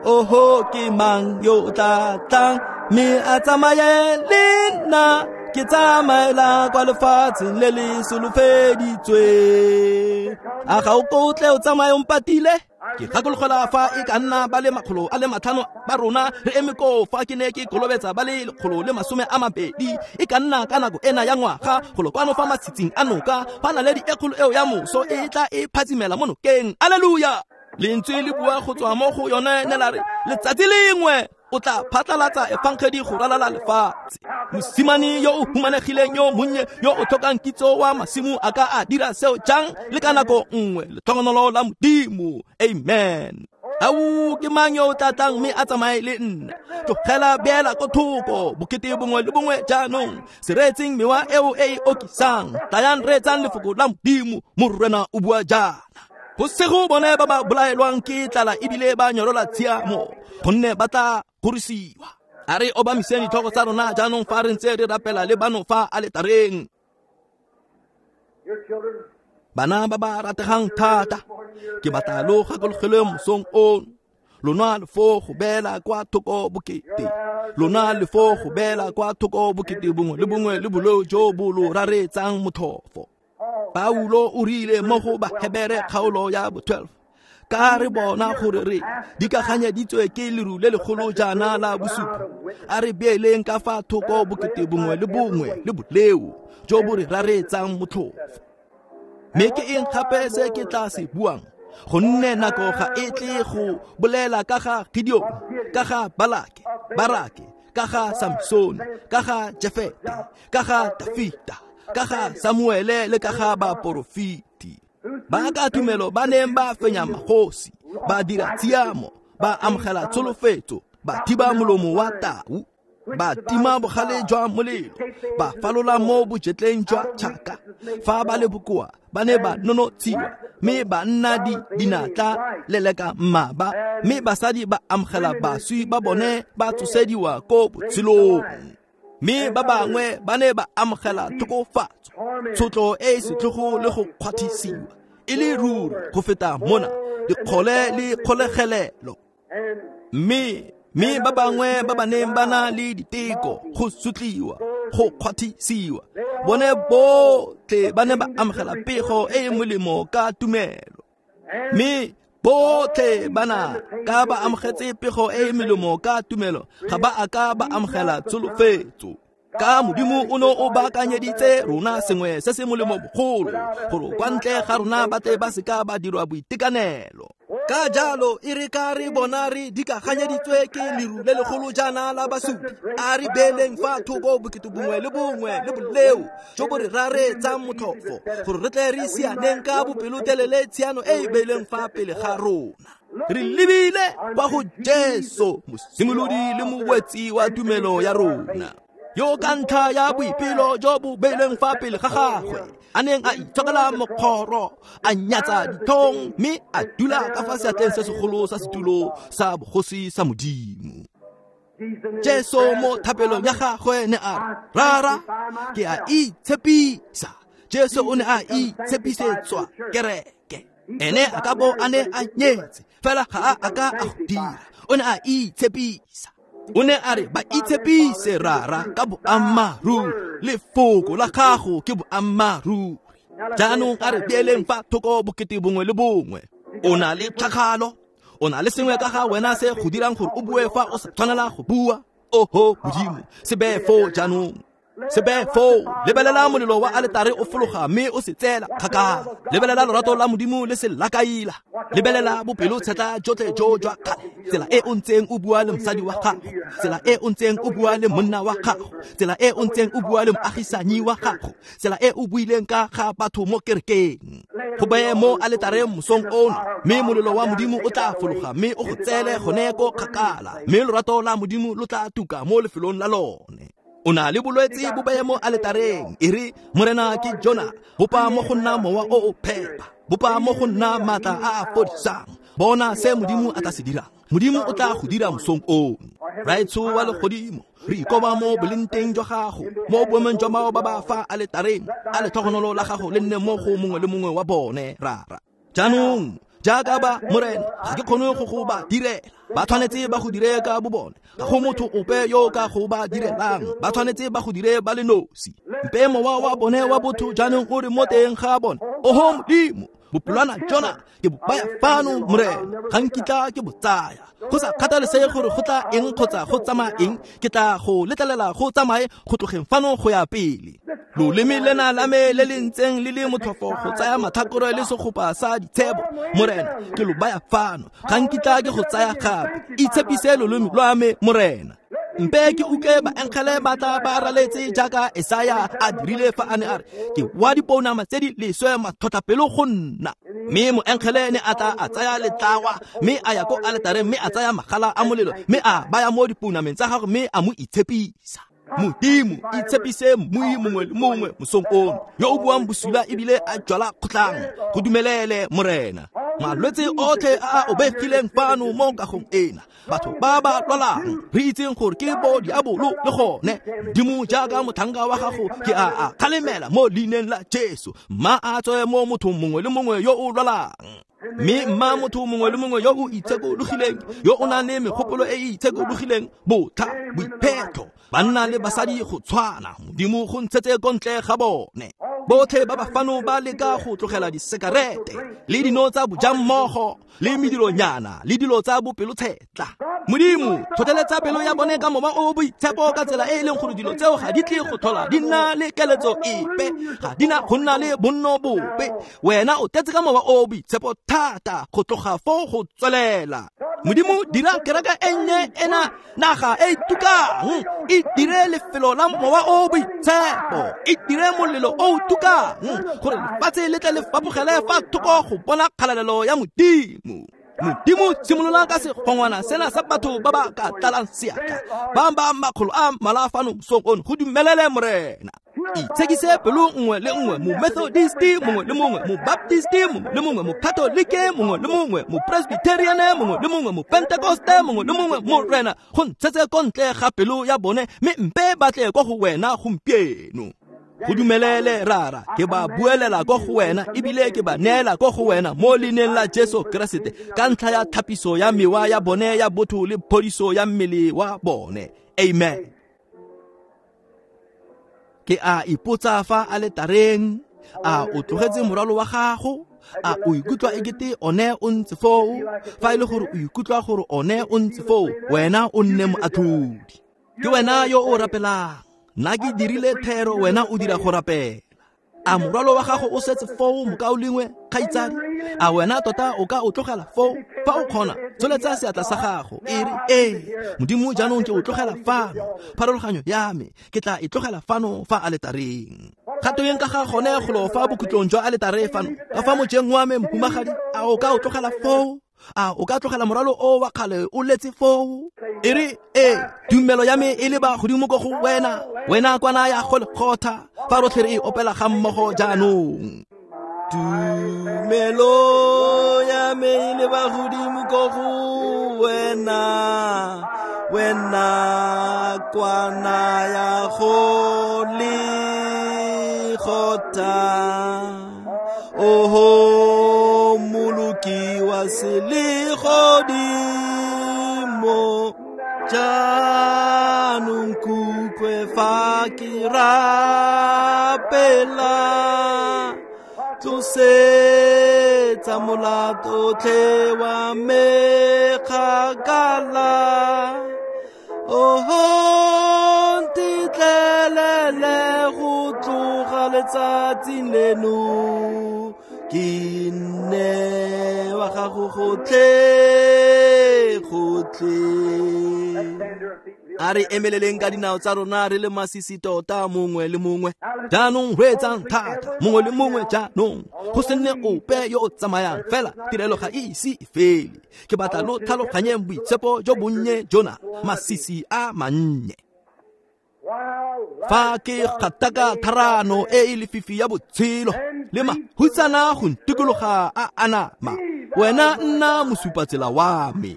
Oho, ke mang yo o tla tlang mme a tsamaye le nna? Ke tsamaela kwa lefatsheng le le solofeditsweng. A ga o ko o tle o tsamaye o mpatile? Ke gakologelwa fa e ka nna ba le makgolo a le matlhano ba rona re eme koo fa ke ne ke kolobetsa ba le lekgolo le masome a mabedi. E ka nna ka nako ena ya ngwaga, golo kwano fa matshitsing a noka, fa naledi e kgolo eo ya moso e tla e phatsimela mo nokeng. Aleluya! Lentswe le bua go tswa mo go yone ne la re, letsatsi lengwe o tla phatlalatsa efangedi go ralala lefatshe. Mosimane yo o humanegileng yo monnye yo o tlhokang kitso wa masimo a ka a dira seo jang le ka nako nngwe? Letlhogonolo la Modimo. Amen. Au, ke mang yo o tla tlang mme a tsamaye le nna? Tlogela beela ko thoko bokete bongwe le bongwe jaanong, se reetseng mewa eo e e okisang. Tlayang reetsang lefoko la Modimo, Morena o bua jaana. Go sego bone ba ba bolaelwang ke tlala ebile ba nyorola tshiamo, gonne ba tla gorisiwa. A re obamiseng ditlhogo tsa rona jaanong fa re ntse re rapela le bano fa aletareng. Bana ba ba rategang thata, ke batla lo gakologelwe mosong ono. Lona le fo go beela kwa thoko bokete, lona le fo go beela kwa thoko bokete bongwe le bongwe le boleo jo bo lo raretsang motlhofo. Paulo o rile mo go Bahebere kgaolo ya bo twelve, ka re bona gore re dikaganyeditswe ke leru le legolo jaana la bosupi, a re beeleng ka fa thoko bokete bongwe le bongwe le boleo jo bo re raretsang motlhofo. Mme ke eng gape se ke tla se buang? Gonne nako ga e tle go bolela ka ga Gideon, ka ga Balake, Barake, ka ga Samson, ka ga Jefete, ka ga Dafita, ka ga Samuele le ka ga baporofeti. Ba ka tumelo ba neng ba fenya magosi, ba dira tshiamo, ba amogela tsholofetso, ba thiba molomo wa tau, ba tima bogale jwa molelo, ba falola mo bojetleng jwa tšhaka. Fa ba le bokoa ba ne ba nonotshiwa, mme ba nna di dinatla leleka mmaba, mme basadi ba amogela baswi ba bone ba tsosediwa ko botshelong. Mme ba bangwe ba ne ba amogela tlhokofatso, tshotlo e e setlhogo le go kgwathisiwa, e le ruri go feta mona dikgole le kgolegelelo. Mme mme ba bangwe ba ba neng ba na le diteko, go sotliwa, go kgwathisiwa, bone botlhe ba ne ba amogela pego e e molemo ka tumelo. Mme botlhe bana ka ba amogetse pego e e melemo ka tumelo, ga ba a ka ba amogela tsholofetso. Ka Modimo o ne o baakanyeditse rona sengwe se se molemo bogolo, gore kwa ntle ga rona ba tle ba seka ba dirwa boitekanelo. Ka jalo e re ka re bona re dikaganyeditswe ke leru le legolo jaana la basupi, a re beeleng fa thoko bokete bongwe le bongwe le boleo jo bo re raretsang motlhofo, gore re tle re sianeng ka bopelotelele tshiano e e beilweng fa pele ga rona. Re lebile kwa go Jesu, mosimolodi le mowetsi wa tumelo ya rona. Yo ka ntlha ya boipelo jo bo beilweng fa pele ga gagwe a neng a itshokela mokgoro a nyatsa dithong mme a dula ka fa seatleng se segolo sa setulo sa bogosi sa Modimo. Jesu mo thapelong ya gagwe ne a re, Rara, ke a itshepisa. Jesu o ne a itshepisetswa kereke. Ene a ka bo a ne a nyetse, fela ga a a ka a go dira. O ne a itshepisa. O ne a re ba itshepise Rara ka boammaaruri, lefoko la gago ke boammaaruri. Jaanong a re beeleng fa thoko bokete bongwe le bongwe. O na le tlhagalo, o na le sengwe ka ga wena se go dirang gore o bue fa o sa tshwanela go bua. Oho Modimo, se beye foo jaanong. Se beye foo. Lebelela molelo wa aletare o fologa mme o se tseela kgakala. Lebelela lorato la Modimo le se lakaila. Lebelela bopelotshetlha jotlhe jo jwa kgale. Tsela e o ntseng o bua le mosadi wa gago, tsela e o ntseng o bua le monna wa gago, tsela e o ntseng o bua le moagisanyi wa gago, tsela e o buileng ka ga batho mo kerekeng. Go beye mo aletareng mosong ono, mme molelo wa Modimo o tla fologa mme o go tseele gone ko kgakala, mme lorato la Modimo lo tla tuka mo lefelong la lone. O na le bolwetse bo beye mo aletareng, e re Morena ke jona, bopa mo go nna mowa o o phepa, bopa mo go nna maatla a a fodisang. Bona se Modimo a tla se dirang. Modimo o tla go dira mosong ono. Raetsho wa legodimo, re ikoba mo bolenteng jwa gago, mo boemong jwa bao ba ba fa aletareng. A letlhogonolo la gago le nne mo go mongwe le mongwe wa bone, Rara. Jaanong jaaka ba Morena, ga ke kgone go go ba direla. Ba tshwanetse ba go dire ka bo bone. Ga go motho ope yo ka go ba direlang. Ba tshwanetse ba go dire ba le nosi. Mpe mowa wa bone wa botho jaanong o re mo teng ga bone. Oho Modimo, bopelwana jona ke bo baya fano Morena, ga nkitla ke bo tsaya. Go sa kgathalesege gore go tla eng kgotsa go tsamaya eng, ke tla go letlelela go tsamaye go tlogeng fano go ya pele. Loleme lena la me le le ntseng le le motlhofo go tsaya matlhakore le segopa sa ditshebo, Morena, ke lo baya fano, ga nkitla ke go tsaya gape. Itshepise loleme lwa me, Morena. Mpe ke utlwe baengele ba tla ba raletse jaaka Esaya a dirile fa a ne a re, ke wa dipounama tse di leswe matlhotlhapelo go nna. Mme moengele ne a tla a tsaya letlawa mme a ya ko aletareng mme a tsaya magala a molelo mme a baya mo dipounameng tsa gagwe mme a mo itshepisa. Modimo, itshepise mmui mongwe le mongwe mosong ono yo o buang bosula ebile a jwala kgotlang. Go dumelele Morena. Malwetse otlhe a a obegileng fano mo kagong ena, batho ba ba lwalang re itseng gore ke bo diabolo le gone. Modimo, jaaka motlhanka wa gago ke a a kgalemela mo leineng la Jesu. Mma a tswe mo mothong mongwe le mongwe yo o lwalang, mme mma motho mongwe le mongwe yo o itshekologileng, yo o nang le megopolo e e itshekologileng, botlha, boiphetho, banna le basadi go tshwana. Modimo go ntshetse ko ntle ga bone. Botlhe ba ba fano ba leka go tlogela disekarete le dino tsa bojammogo le medironyana le dilo tsa bopelotshetla. Modimo, tlhotlheletsa pelo ya bone ka mowa o boitshepo ka tsela e e leng gore dilo tseo ga di tle go tlhola di nna le keletso epe, ga di na go nna le bonno bope. Wena o tletse ka mowa o boitshepo thata go tloga foo go tswelela. Modimo, dira kereke e nnye ena naga e tukang, e dire lefelo la mowa o boitshepo, e dire molelo o tukang, gore lefatshe le tle le fapogele fa thoko go bona kgalalelo ya Modimo. Modimo, simolola ka segongwana sena sa batho ba ba ka tlalang seatla, ba ba makgolo a mmalwa fano mosong ono. Go dumelele Morena. Itshekise pelo nngwe le nngwe, mo-Methodisti mongwe le mongwe, mo-Baptisti mongwe le mongwe, mo-Katolike mongwe le mongwe, mo-Presbyteriane mongwe le mongwe, mo-Pentekoste mongwe le mongwe. Morena, go ntshetse ko ntle ga pelo ya bone, mme mpe ba tle kwa go wena gompieno. Go dumelele Rara, ke ba buelela ko go wena ebile ke ba neela ko go wena mo leineng la Jesu Keresete, ka ntlha ya thapiso ya mewa ya bone ya botho le phodiso ya mmele wa bone. Amen. Ke a ipotsa fa aletareng, a o tlogetse morwalo wa gago? A o ikutlwa ekete one o ntse foo? Fa e le gore o ikutlwa gore one o ntse foo, wena o nne moatlhodi. Ke wena yo o rapelang. Nna ke dirile thero, wena o dira go rapela. A morwalo wa gago o setse foo, mokaulengwe, kgaitsadi? A wena tota o ka o tlogela foo? Fa o kgona, tsholetsa seatla sa gago e re, ee Modimo, jaanong ke o tlogela fano. Pharologanyo ya me ke tla e tlogela fano fa aletareng. Kgato ka ga gone golo fa bokhutlong jwa aletare fano, ka fa mojeng wa me mohumagadi, a o ka o tlogela foo? A o ka tlogela morwalo o wa kgale o letse foo? E re ee, tumelo ya me e leba godimo ko go wena, wena kwana ya Golgotha. Fa rotlhe re e opela ga mmogo jaanong. Tumelo ya me e leba godimo ko go wena, wena kwana ya Golgotha. Oho moloki wa selegodimo, jaanong nkutlwe fa ke rapela, tlosetsa molato otlhe wa me kgakala. Oho ntetlelele go tloga letsatsing leno, ke nne wa gago gotlhe gotlhe. A re emeleleng ka dinao tsa rona re le masisi tota mongwe le mongwe. Jaanong reetsang thata mongwe le mongwe jaanong, go se nne ope yo o tsamayang fela tirelo ga e ise e fele. Ke batla lo tlhaloganyeng boitshepo jo bonnye jona, masisi a mannye. Fa ke gataka tharano e e lefifi ya botshelo le mahutsana go ntikologa a anama, wena nna mosupatsela wa me.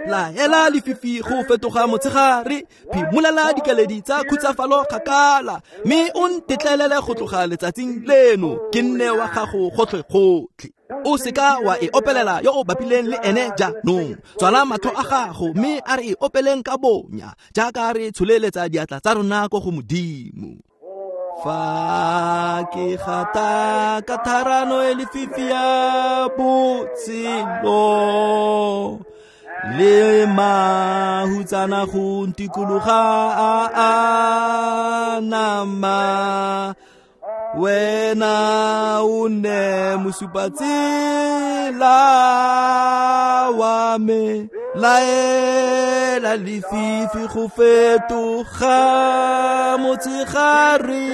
Laela lefifi go fetoga motshegare, phimolela dikeledi tsa khutsafalo kgakala, mme o ntetlelele go tloga letsatsing leno, ke nne wa gago gotlhe-gotlhe. O seka wa e opelela yo o bapileng le ene jaanong. Tswala matlho a gago mme a re e opeleng ka bonya, jaaka re tsholeletsa diatla tsa rona ko go Modimo. Fa ke gata ka tharano e lefifi ya botshelo, le mahutsana go ntikologa a anama, wena o nne mosupatsela wa me. Laela lefifi go fetoga motshegare,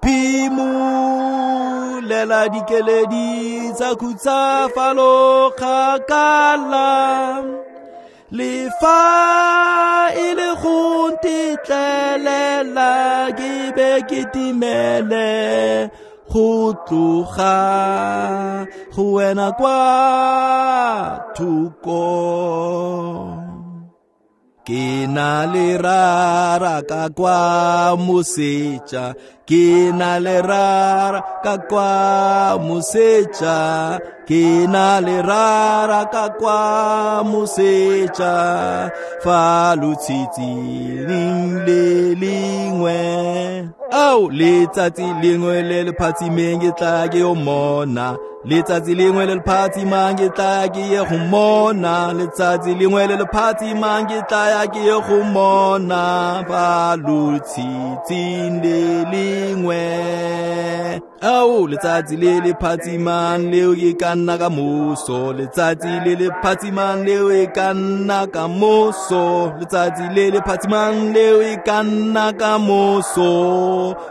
phimolela dikeledi tsa khutsafalo kgakala. Le fa e le go ntetlelela ke be ke timele, go tloga go wena kwa thoko. Ke na le rara ka kwa moseja, ke na le rara ka kwa moseja, ke na le rara ka kwa moseja, fa lotshitsing le lengwe. Ao letsatsi lengwe le le phatsimeng ke tla ke yo mona, letsatsi lengwe le le phatsimang ke tla ke ye go mona, letsatsi lengwe le le phatsimang ke tla ya ke ye go mona, fa lotshitsing le lengwe. Ao letsatsi le le phatsimang leo e ka nna ka moso, letsatsi le le phatsimang leo e ka nna ka moso, letsatsi le le phatsimang leo e ka nna ka moso,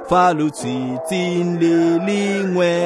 fa lotshitsing le lengwe.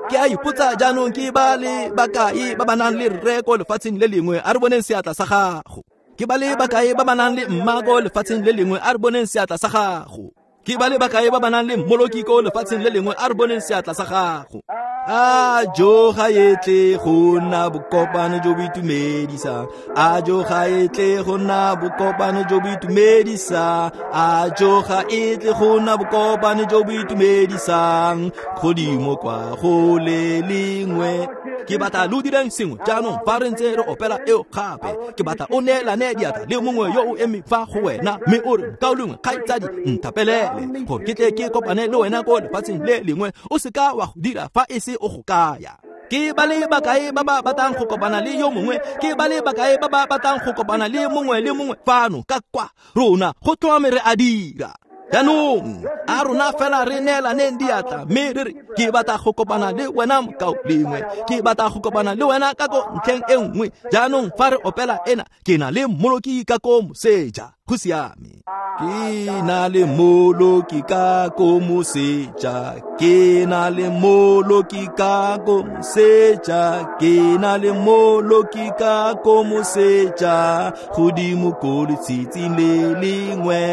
Ke a ipotsa jaanong ke ba le bakae ba ba nang le rre ko lefatsheng le lengwe, a re boneng seatla sa gago. Ke ba le bakae ba ba nang le mma ko lefatsheng le lengwe, a re boneng seatla sa gago. Ke ba le bakae ba ba nang le mmoloki ko lefatsheng le lengwe, a re boneng seatla sa gago. A jo ga e tle go nna bokopano jo bo itumedisang, a jo ga e tle go nna bokopano jo bo itumedisang, a jo ga e tle go nna bokopano jo bo itumedisang, godimo kwa go le lengwe. Ke batla lo direng sengwe jaanong fa re ntse re opela eo gape. Ke batla o neelane diatla le mongwe yo o emeng fa go wena, mme o re, mokaulengwe kgaitsadi, nthapelele gore ke tle ke kopane le wena ko lefatsheng le lengwe. O seka wa go dira fa e se o go kaya. Ke ba le bakae ba ba batlang go kopana le yo mongwe, ke ba le bakae ba ba batlang go kopana le mongwe le mongwe fano ka kwa rona go tlhomame re a dira. Jaanong a rona fela re neelaneng diatla mme re re, ke batla go kopana le wena mokaulengwe, ke batla go kopana le wena ka ko ntlheng e nngwe. Jaanong fa re opela ena, ke na le mmoloki ka ko moseja. Go siame. Ke na le moloki ka ko moseja, ke na le moloki ka ko moseja, ke na le moloki ka ko moseja, godimo ko letsatsing le lengwe.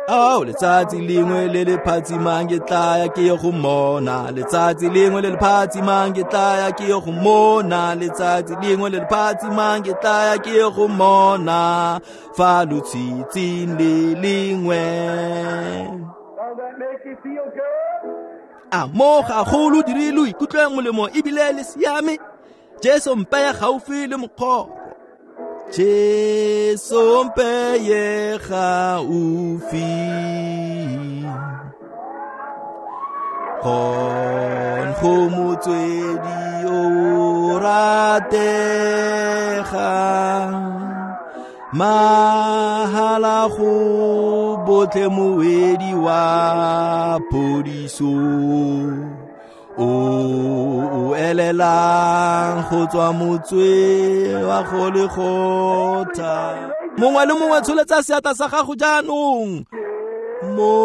Ao, letsatsi lengwe le le phatsimang ke tla ya ke ye go mona, letsatsi lengwe le le phatsimang ke tla ya ke ye go mona, letsatsi lengwe le le phatsimang ke tla ya ke ye go mona, fa lotshitshing le lengwe. A mo gagolo dire lo ikutlwe molemo ebile le siame. Jesu mpeye gaufi le mokgoro, Jesu mpeye gaufi, gon go motswedi o rategang, mahala go botlhe moedi wa phodiso, o o elelang go tswa motswe wa go le gotha. Mongwe le mongwe tsholetsa seatla sa gago jaanong. Mo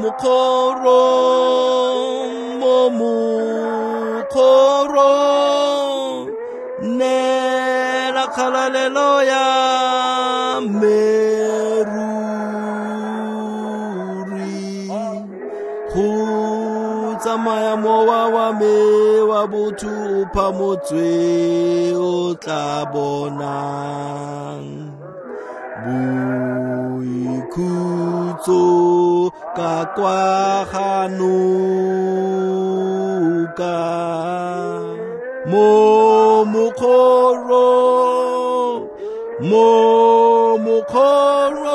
mokgorong, mo mokgorong, neela kgalalelo ya me ruri, go tsamaya mowa wa me wa botho o phamotswe o tla bonang boikhutso ka kwa ga noka. Mo mokgorong, mo mokgorong,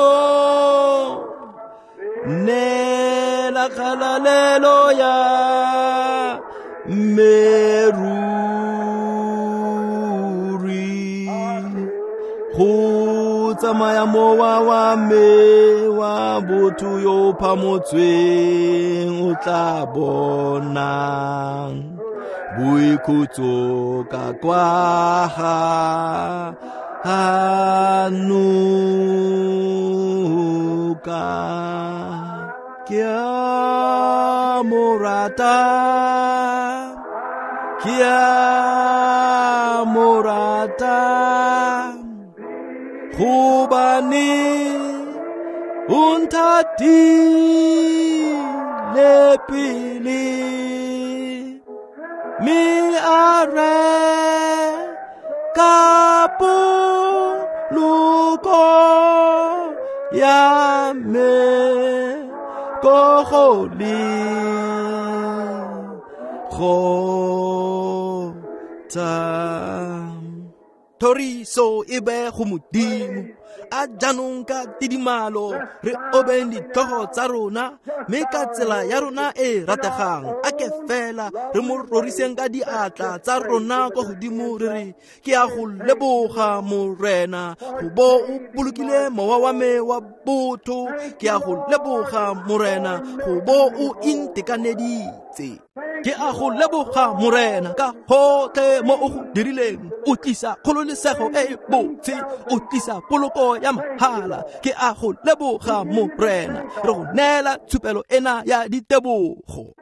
neela kgalalelo ya me ruri, go tsamaya mowa wa me wa botho yo phamotsweng o tla bonang boikhutso ka kwa ga noka. Ke a mo rata, ke a mo rata, gobane o nthatile pele, mme a reka poloko ya me ko go le gotha. Thoriso e be go Modimo. A jaanong ka tidimalo re obeng ditlhogo tsa rona, mme ka tsela ya rona e rategang a ke fela re mo roriseng ka diatla tsa rona kwa godimo, re re ke a go leboga Morena go bo o bolokile mowa wa me wa botho, ke a go leboga Morena go bo o intekaneditse, ke a go leboga Morena ka gotlhe mo o go dirileng, o tlisa kgololesego e e botse, o tlisa poloko ya mahala, ke a go leboga Morena, re go neela tshupelo ena ya ditebogo.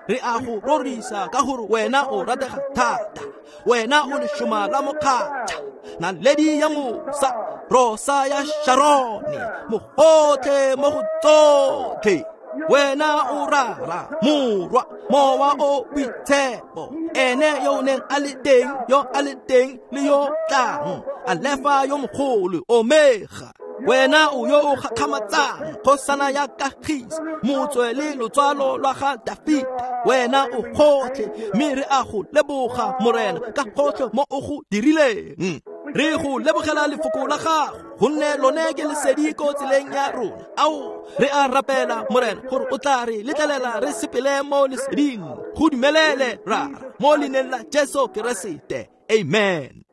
Re a go rorisa ka gore wena o ratega thata, wena o lešoma la mokgatšha, naledi ya mosa, rosa ya Sharone, mogotlhe mo go tsotlhe. Wena o rara morwa mowa o boitshepo, ene yo o neng a le teng, yo a le teng le yo tlang, Alefa yo mogolo, Omega. Wena o yo o gakgamatsang, kgosana ya kagiso, motswe le lotswalo lwa ga Dafita. Wena o gotlhe, mme re a go leboga Morena ka gotlhe mo o go dirileng. Re go lebogela lefoko la gago, gonne lone ke lesedi ko tseleng ya rona. Ao, re a rapela Morena gore o tla re letlelela re sepele mo leseding. Go dumelele Rara, mo leineng la Jesu Keresete, amen.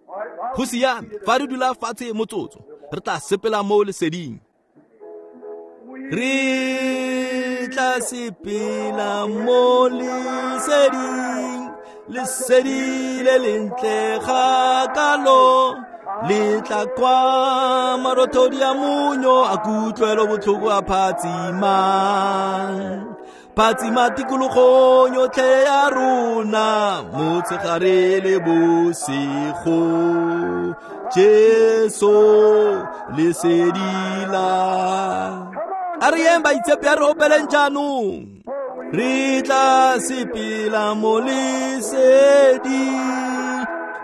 Go siame, fa re dula fatshe motsotso, re tla sepela mo leseding. Re tla sepela mo leseding, lesedi le lentle ga kalo, Le tla kwa marothodi a monyo a kutlwelo botlhoko a phatsimang. Phatsima tikologong yotlhe ya rona motshegare le bosigo. Jesu lesedi la. A re yeng baitshepi, a re opeleng jaanong. Re tla sepela mo lesedi.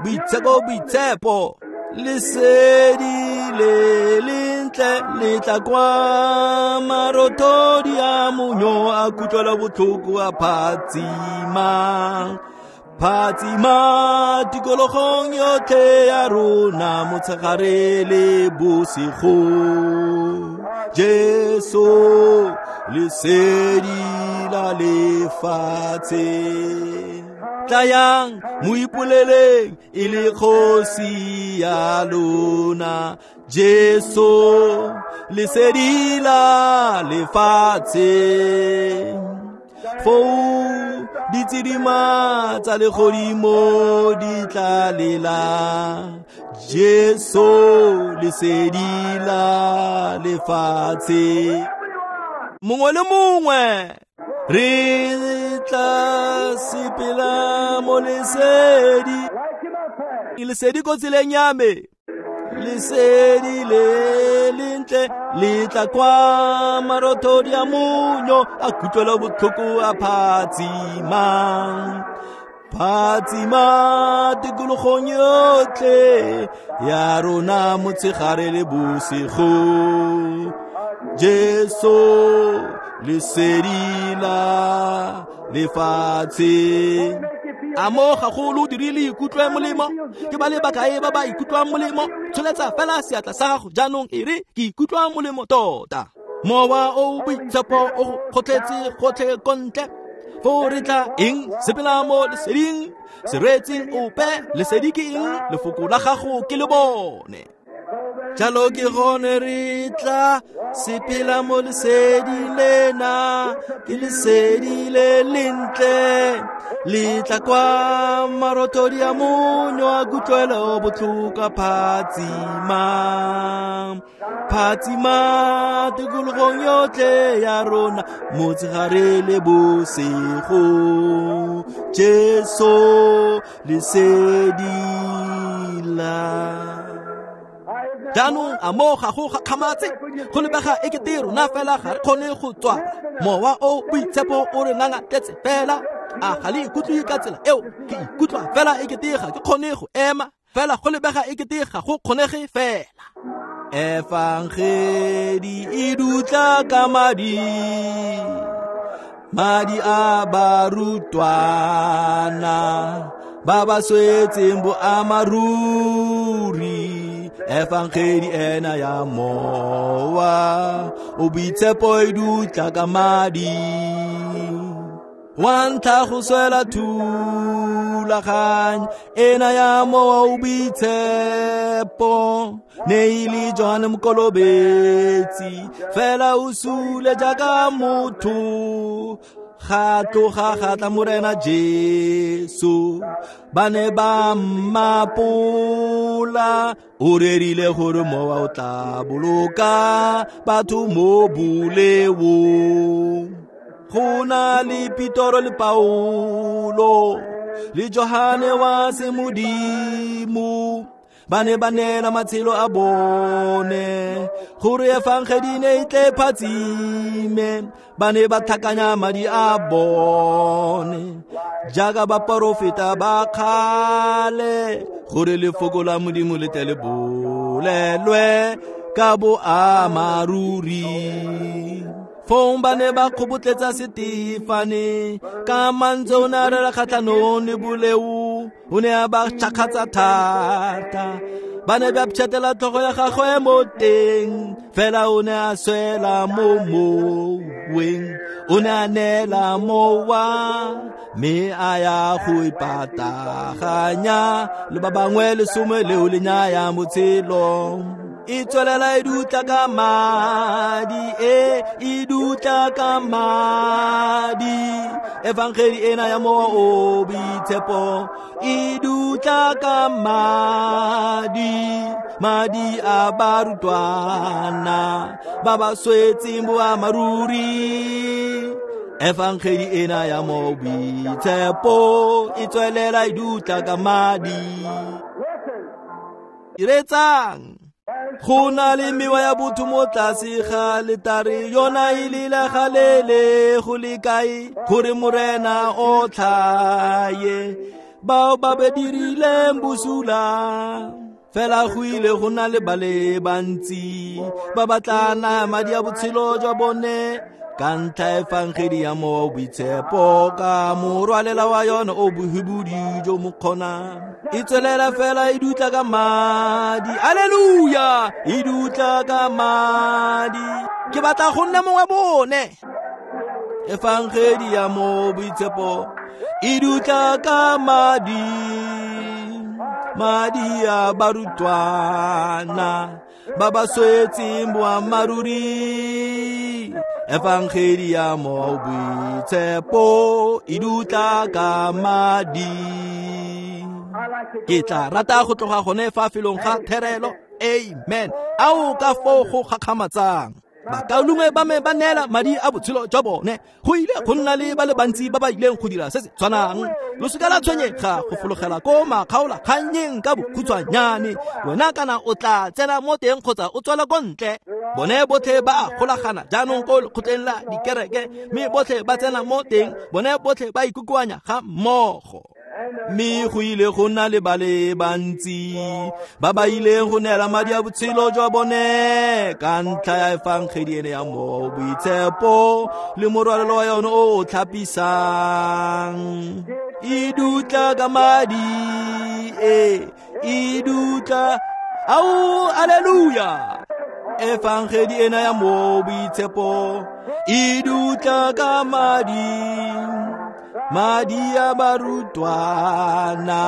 Boitshepo, boitshepo. Lesedi le lentle le tla kwa marothodi a monyo a kutlwela botlhoko a phatsimang. Phatsima tikologong yotlhe ya rona motshegare le bosigo. Jesu lesedi la lefatshe. Tlayang mo ipoleleng e le kgosi ya lona. Jesu lesedi la lefatshe. Foo ditsidima tsa legodimo di tla lela. Jesu lesedi la lefatshe. Mongwe le mongwe re tla sepela mo lesedi. Lesedi ko tseleng ya me. Lesedi le lentle le tla kwa marothodi a monyo a kutlwela botlhoko a phatsimang. Phatsima tikologong yotlhe ya rona motshegare le bosigo. Jesu lesedi la lefatshe. A mo gagolo o dirile ikutlwe molemo? Ke ba le bakae ba ba ikutlwang molemo? Tsholetsa fela seatla sa gago jaanong e re ke ikutlwa molemo tota. Mowa o boitshepo o go kgotletse gotlhe ko ntle. Foo re tla eng? Sepela mo leseding. Se reetseng ope. Lesedi ke eng? Lefoko la gago ke le bone. Jalo ke gone re tla sepela mo lesedi lena. Ke lesedi le lentle. Le tla kwa marothodi a monyo a kutlwelo botlhoko a phatsimang. Phatsima tikologong yotlhe ya rona motshegare le bosigo. Jesu lesedi la. Jaanong a mo ga go gakgamatse go lebega e kete rona fela ga re kgone go tswa. Mowa o boitshepo o re ngangatletse fela. A ga le ikutlwe ka tsela eo? Ke ikutlwa fela e kete ga ke kgone go ema. Fela go lebega e kete ga go kgonege fela. Efangedi e dutla ka madi, madi a barutwana ba ba swetseng boamaruri. Efangedi ena ya mowa o boitshepo e dutla ka madi. Wa ntlha go swela thulaganyo ena ya mowa o boitshepo ne e le Johane Mokolobetsi, fela o sule jaaka motho. Ga tloga ga tla Morena Jesu, ba ne ba mmapola. O rerile gore mowa o tla boloka batho mo boleong. Go na le Petoro le Paulo le Johane wa semodimo, ba ne ba neela matshelo a bone gore efangedi ne e tle phatsime. Ba ne ba tlhakanya madi a bone jaaka baporofeta ba kgale, gore lefoko la Modimo le tle le bolelwe ka boamaruri. Fong ba ne ba kgobotletsa Setefane ka mantswe o ne a rera kgatlhanong le boleo, o ne a ba tšhakgatsa thata. Ba ne ba pšhatela tlhogo ya gagwe mo teng, fela o ne a swela mo moweng. O ne a neela mowa mme a ya go ipataganya le ba bangwe lesome leo le nyaya botshelo. E tswelela e dutla ka madi, e e dutla ka madi. Evangeli ena ya Mowa o Boitshepo e dutla ka madi, madi a barutwana ba ba swetseng boammaaruri. Evangeli ena ya Mowa o Boitshepo e tswelela e dutla ka madi. Iretsang, go na le mewa ya botho mo tlase ga letare, yona e lela galele go le kae gore Morena o tlhaye bao ba ba dirileng bosula. Fela go ile go na le ba le bantsi ba ba tla naya madi a botshelo jwa bone ka ntlha efangedi ya Mowa o Boitshepo, ka morwalela wa yona o bohibodi jo mo kgonang. E tswelela fela e dutla ka madi, aleluya, e dutla ka madi. Ke batla go nna mongwe bone. Efangedi ya Mowa o Boitshepo e dutla ka madi, madi a barutwana ba ba swetseng boammaaruri. Evangeli ya Mowa o Boitshepo e dutla ka madi. Ke tla rata go tloga gone fa felong ga therelo. Amen. Ao ka foo go gakgamatsang. Bakaulengwe ba me ba neela madi a botshelo jwa bone. Go ile go nna le ba le bantsi ba ba ileng go dira se se tshwanang. Lo seka la tshwenyega go fologela ko makgaolakgannyeng ka bokhutshwanyane. Wena kana o tla tsena mo teng kgotsa o tswela ko ntle. Bone botlhe ba a golagana jaanong ko lekgotleng la dikereke, mme botlhe ba tsena mo teng, bone botlhe ba ikokoanya ga mmogo. Mme go ile go nna le ba le bantsi ba ba ileng go neela madi a botshelo jwa bone ka ntlha ya efangedi ene ya Mowa o Boitshepo le morwalelo wa yone o o tlhapisang. E dutla ka madi, e e dutla, ao aleluya. Efangedi ena ya Mowa o Boitshepo e dutla ka madi, madi a barutwana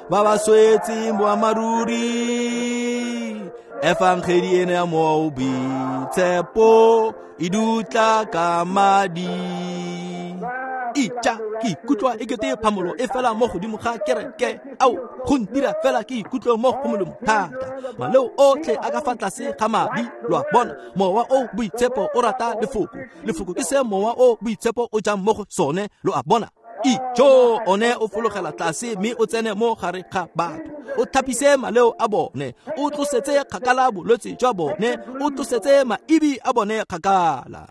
ba ba swetseng boammaaruri. Efangedi ena ya Mowa o Boitshepo e dutla ka madi. Itja, ke ikutlwa e kete phamolo e fela mo godimo ga kereke. Ao, go ntira fela ke ikutlwe mo go molemo thata. Maleo otlhe a ka fa tlase ga madi, lo a bona. Mowa o Boitshepo o rata lefoko. Lefoko ke se Mowa o Boitshepo o jang mo go sone, lo a bona. Ijo, one o fologela tlase mme o tsene mo gare ga batho. O thapise maleo a bone, o tlosetse kgakala bolwetse jwa bone, o tlosetse maibi a bone kgakala.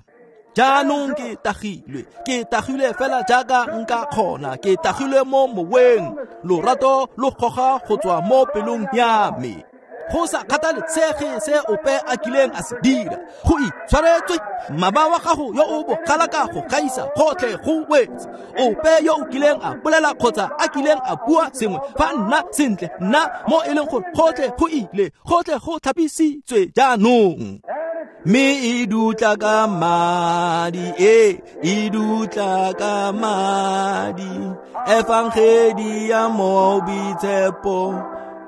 Jaanong ke tagilwe, ke tagilwe fela jaaka nka kgona, ke tagilwe mo moweng. Lorato lo goga go tswa mo pelong ya me. Go sa kgathalesege se ope a kileng a se dira, go itshwaretswe. Mmaba wa gago yo o bogalaka go gaisa gotlhe go wetse. Ope yo o kileng a bolela kgotsa a kileng a bua sengwe fa nna sentle, nna mo e leng gore gotlhe go ile, gotlhe go tlhapisitswe jaanong. Mme e dutla ka madi, e e dutla ka madi. Efangedi ya Mowa o Boitshepo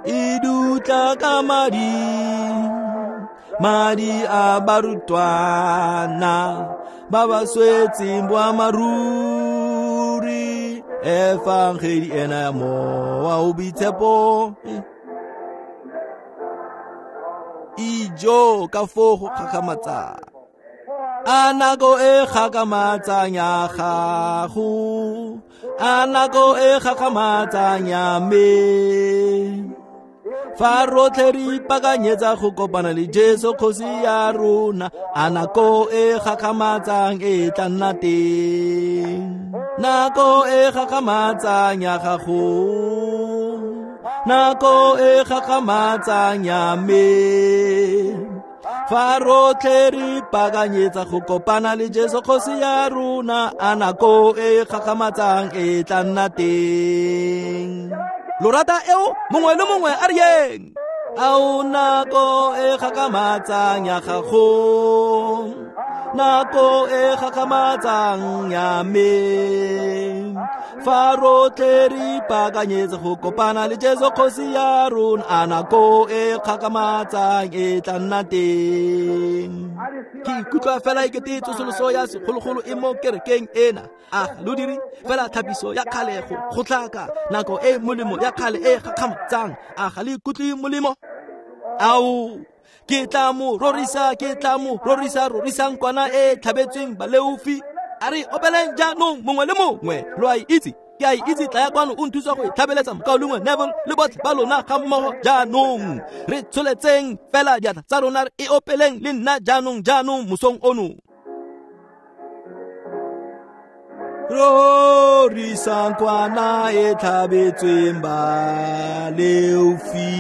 e dutla ka madi, madi a barutwana ba ba swetseng boammaaruri. Efangedi ena ya Mowa o Boitshepo. Ijo ka foo go gakgamatsang. A nako e gakgamatsang ya gago, a nako e gakgamatsang ya me. Fa rotlhe re ipaakanyetsa go kopana le Jesu kgosi ya rona, a nako e gakgamatsang e tla nna teng. Nako e gakgamatsang ya gago, nako e gakgamatsang ya me. Fa rotlhe re ipaakanyetsa go kopana le Jesu kgosi ya rona, a nako e gakgamatsang e tla nna teng. Lo rata eo, mongwe le mongwe a re yeng. Ao nako e gakgamatsang ya gago, Nako e gakgamatsang ya me. Fa rotlhe re ipaakanyetse go kopana le Jesu kgosi ya rona, a nako e gakgamatsang e tla nna teng. Ke ikutlwa fela ekete tsosoloso ya segologolo e mo kerekeng ena. A lo dire fela thapiso ya kgale go gotlhaka nako e molemo ya kgale e gakgamatsang. A ga le ikutlwe molemo? Ao, ke tla mo rorisa, ke tla mo rorisa, rorisang kwana e tlhabetsweng baleofi. A re opeleng jaanong mongwe le mongwe. Lo a itse, ke a itse, tla ya kwano o nthusa go e tlhabeletsa mokaulengwe Neville le botlhe ba lona ga mmogo jaanong. Re tsholetseng fela diatla tsa rona, re e opeleng le nna jaanong jaanong mosong ono. Rorisang kwana e tlhabetsweng baleofi,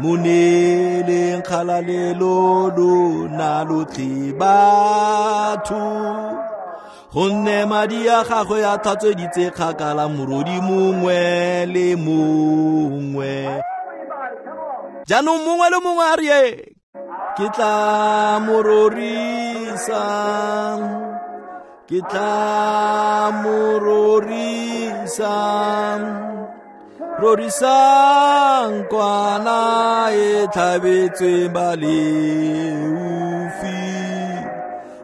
mo neeleng kgalalelo lona lotlhe batho. Gonne madi a gagwe a tlhatsweditse kgakala morodi mongwe le mongwe. Jaanong mongwe le mongwe a re, ke tla mo rorisa, ke tla mo rorisa, rorisang kwana e tlhabetsweng baleofi,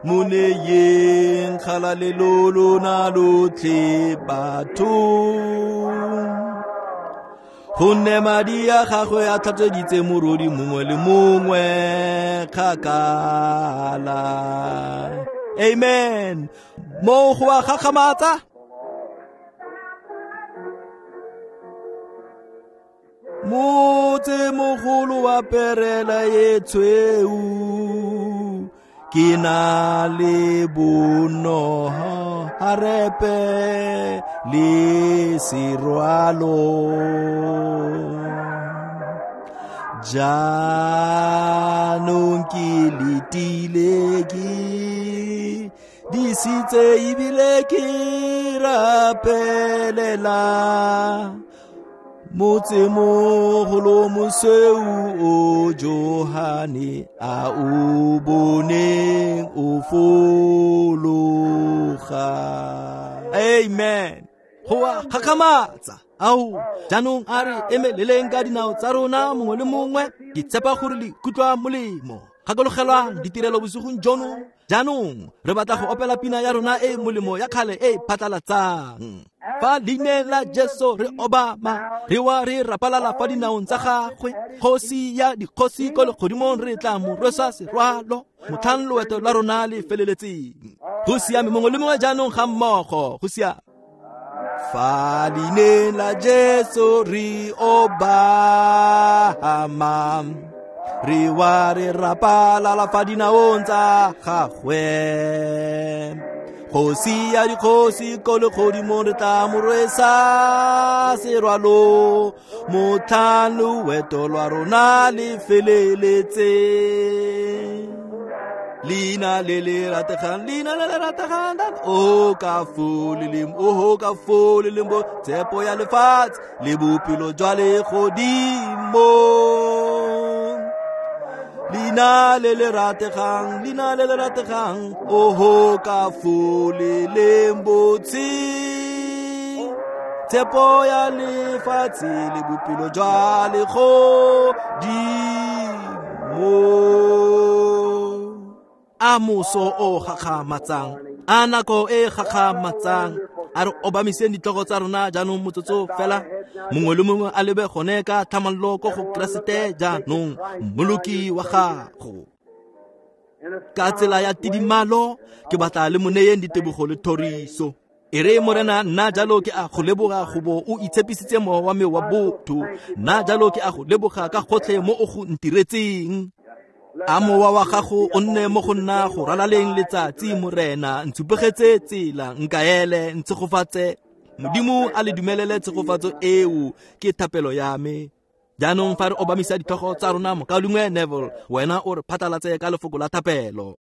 mo neyeng kgalalelo lona lotlhe batho. Gonne madi a gagwe a tlhatsweditse morodi mongwe le mongwe kgakala. Amen. Mo go a gakgamatsa. Motse mogolo wa perela e tshweu, ke na le bonoho harepe le serwalo. Jaanong ke letile ke disitse ebile ke rapelela motse mogolo mosweu o Johane a o boneng o fologa. Amen. Go a gakgamatsa. Ao, jaanong a re emeleleng ka dinao tsa rona mongwe le mongwe. Ke tshepa gore le ikutlwa molemo. Gakologelwang ditirelo bosigong jono. Jaanong re batla go opela pina ya rona e molemo ya kgale e phatlalatsang. Fa leineng la Jesu re obama, re wa re rapalala fa dinaong tsa gagwe. Kgosi ya dikgosi ko legodimong re tla mo rwesa serwalo, motlhang loeto la rona le feleletseng. Go siame mongwe le mongwe jaanong ga mmogo. Go siame. Fa leineng la Jesu re obama, re wa re rapalala fa dinaong tsa gagwe. Kgosi ya dikgosi ko legodimong re tla mo rwesa serwalo, motlhang loeto lwa rona le feleletseng. Leina le le rategang, leina le le rategang, o ka fo le leng, o ka fo le leng bo tshepo ya lefatshe le bophelo jwa legodimo. Leina le le rategang, leina le le rategang, oho ka fo le leng botse, tshepo ya lefatshe le bophelo jwa legodimo. A moso o gakgamatsang, a nako e gakgamatsang. A re obamiseng ditlhogo tsa rona jaanong motsotso fela. Mongwe le mongwe a lebe gone ka tlhamallo ko go Keresete jaanong, mmoloki wa gago. Ka tsela ya tidimalo ke batla le mo neyeng ditebogo le thoriso. E re Morena, nna jalo ke a go leboga go bo o itshepisitse mowa wa me wa botho. Nna jalo ke a go leboga ka gotlhe mo o go ntiretseng. A mowa wa gago o nne mo go nna go ralaleng letsatsi, Morena. Ntshupegetse tsela, nkaele, ntshegofatse. Modimo a le dumelele tshegofatso eo, ke thapelo ya me. Jaanong fa re obamisa ditlhogo tsa rona, mokaulengwe Neville, wena o re phatlalatse ka lefoko la thapelo.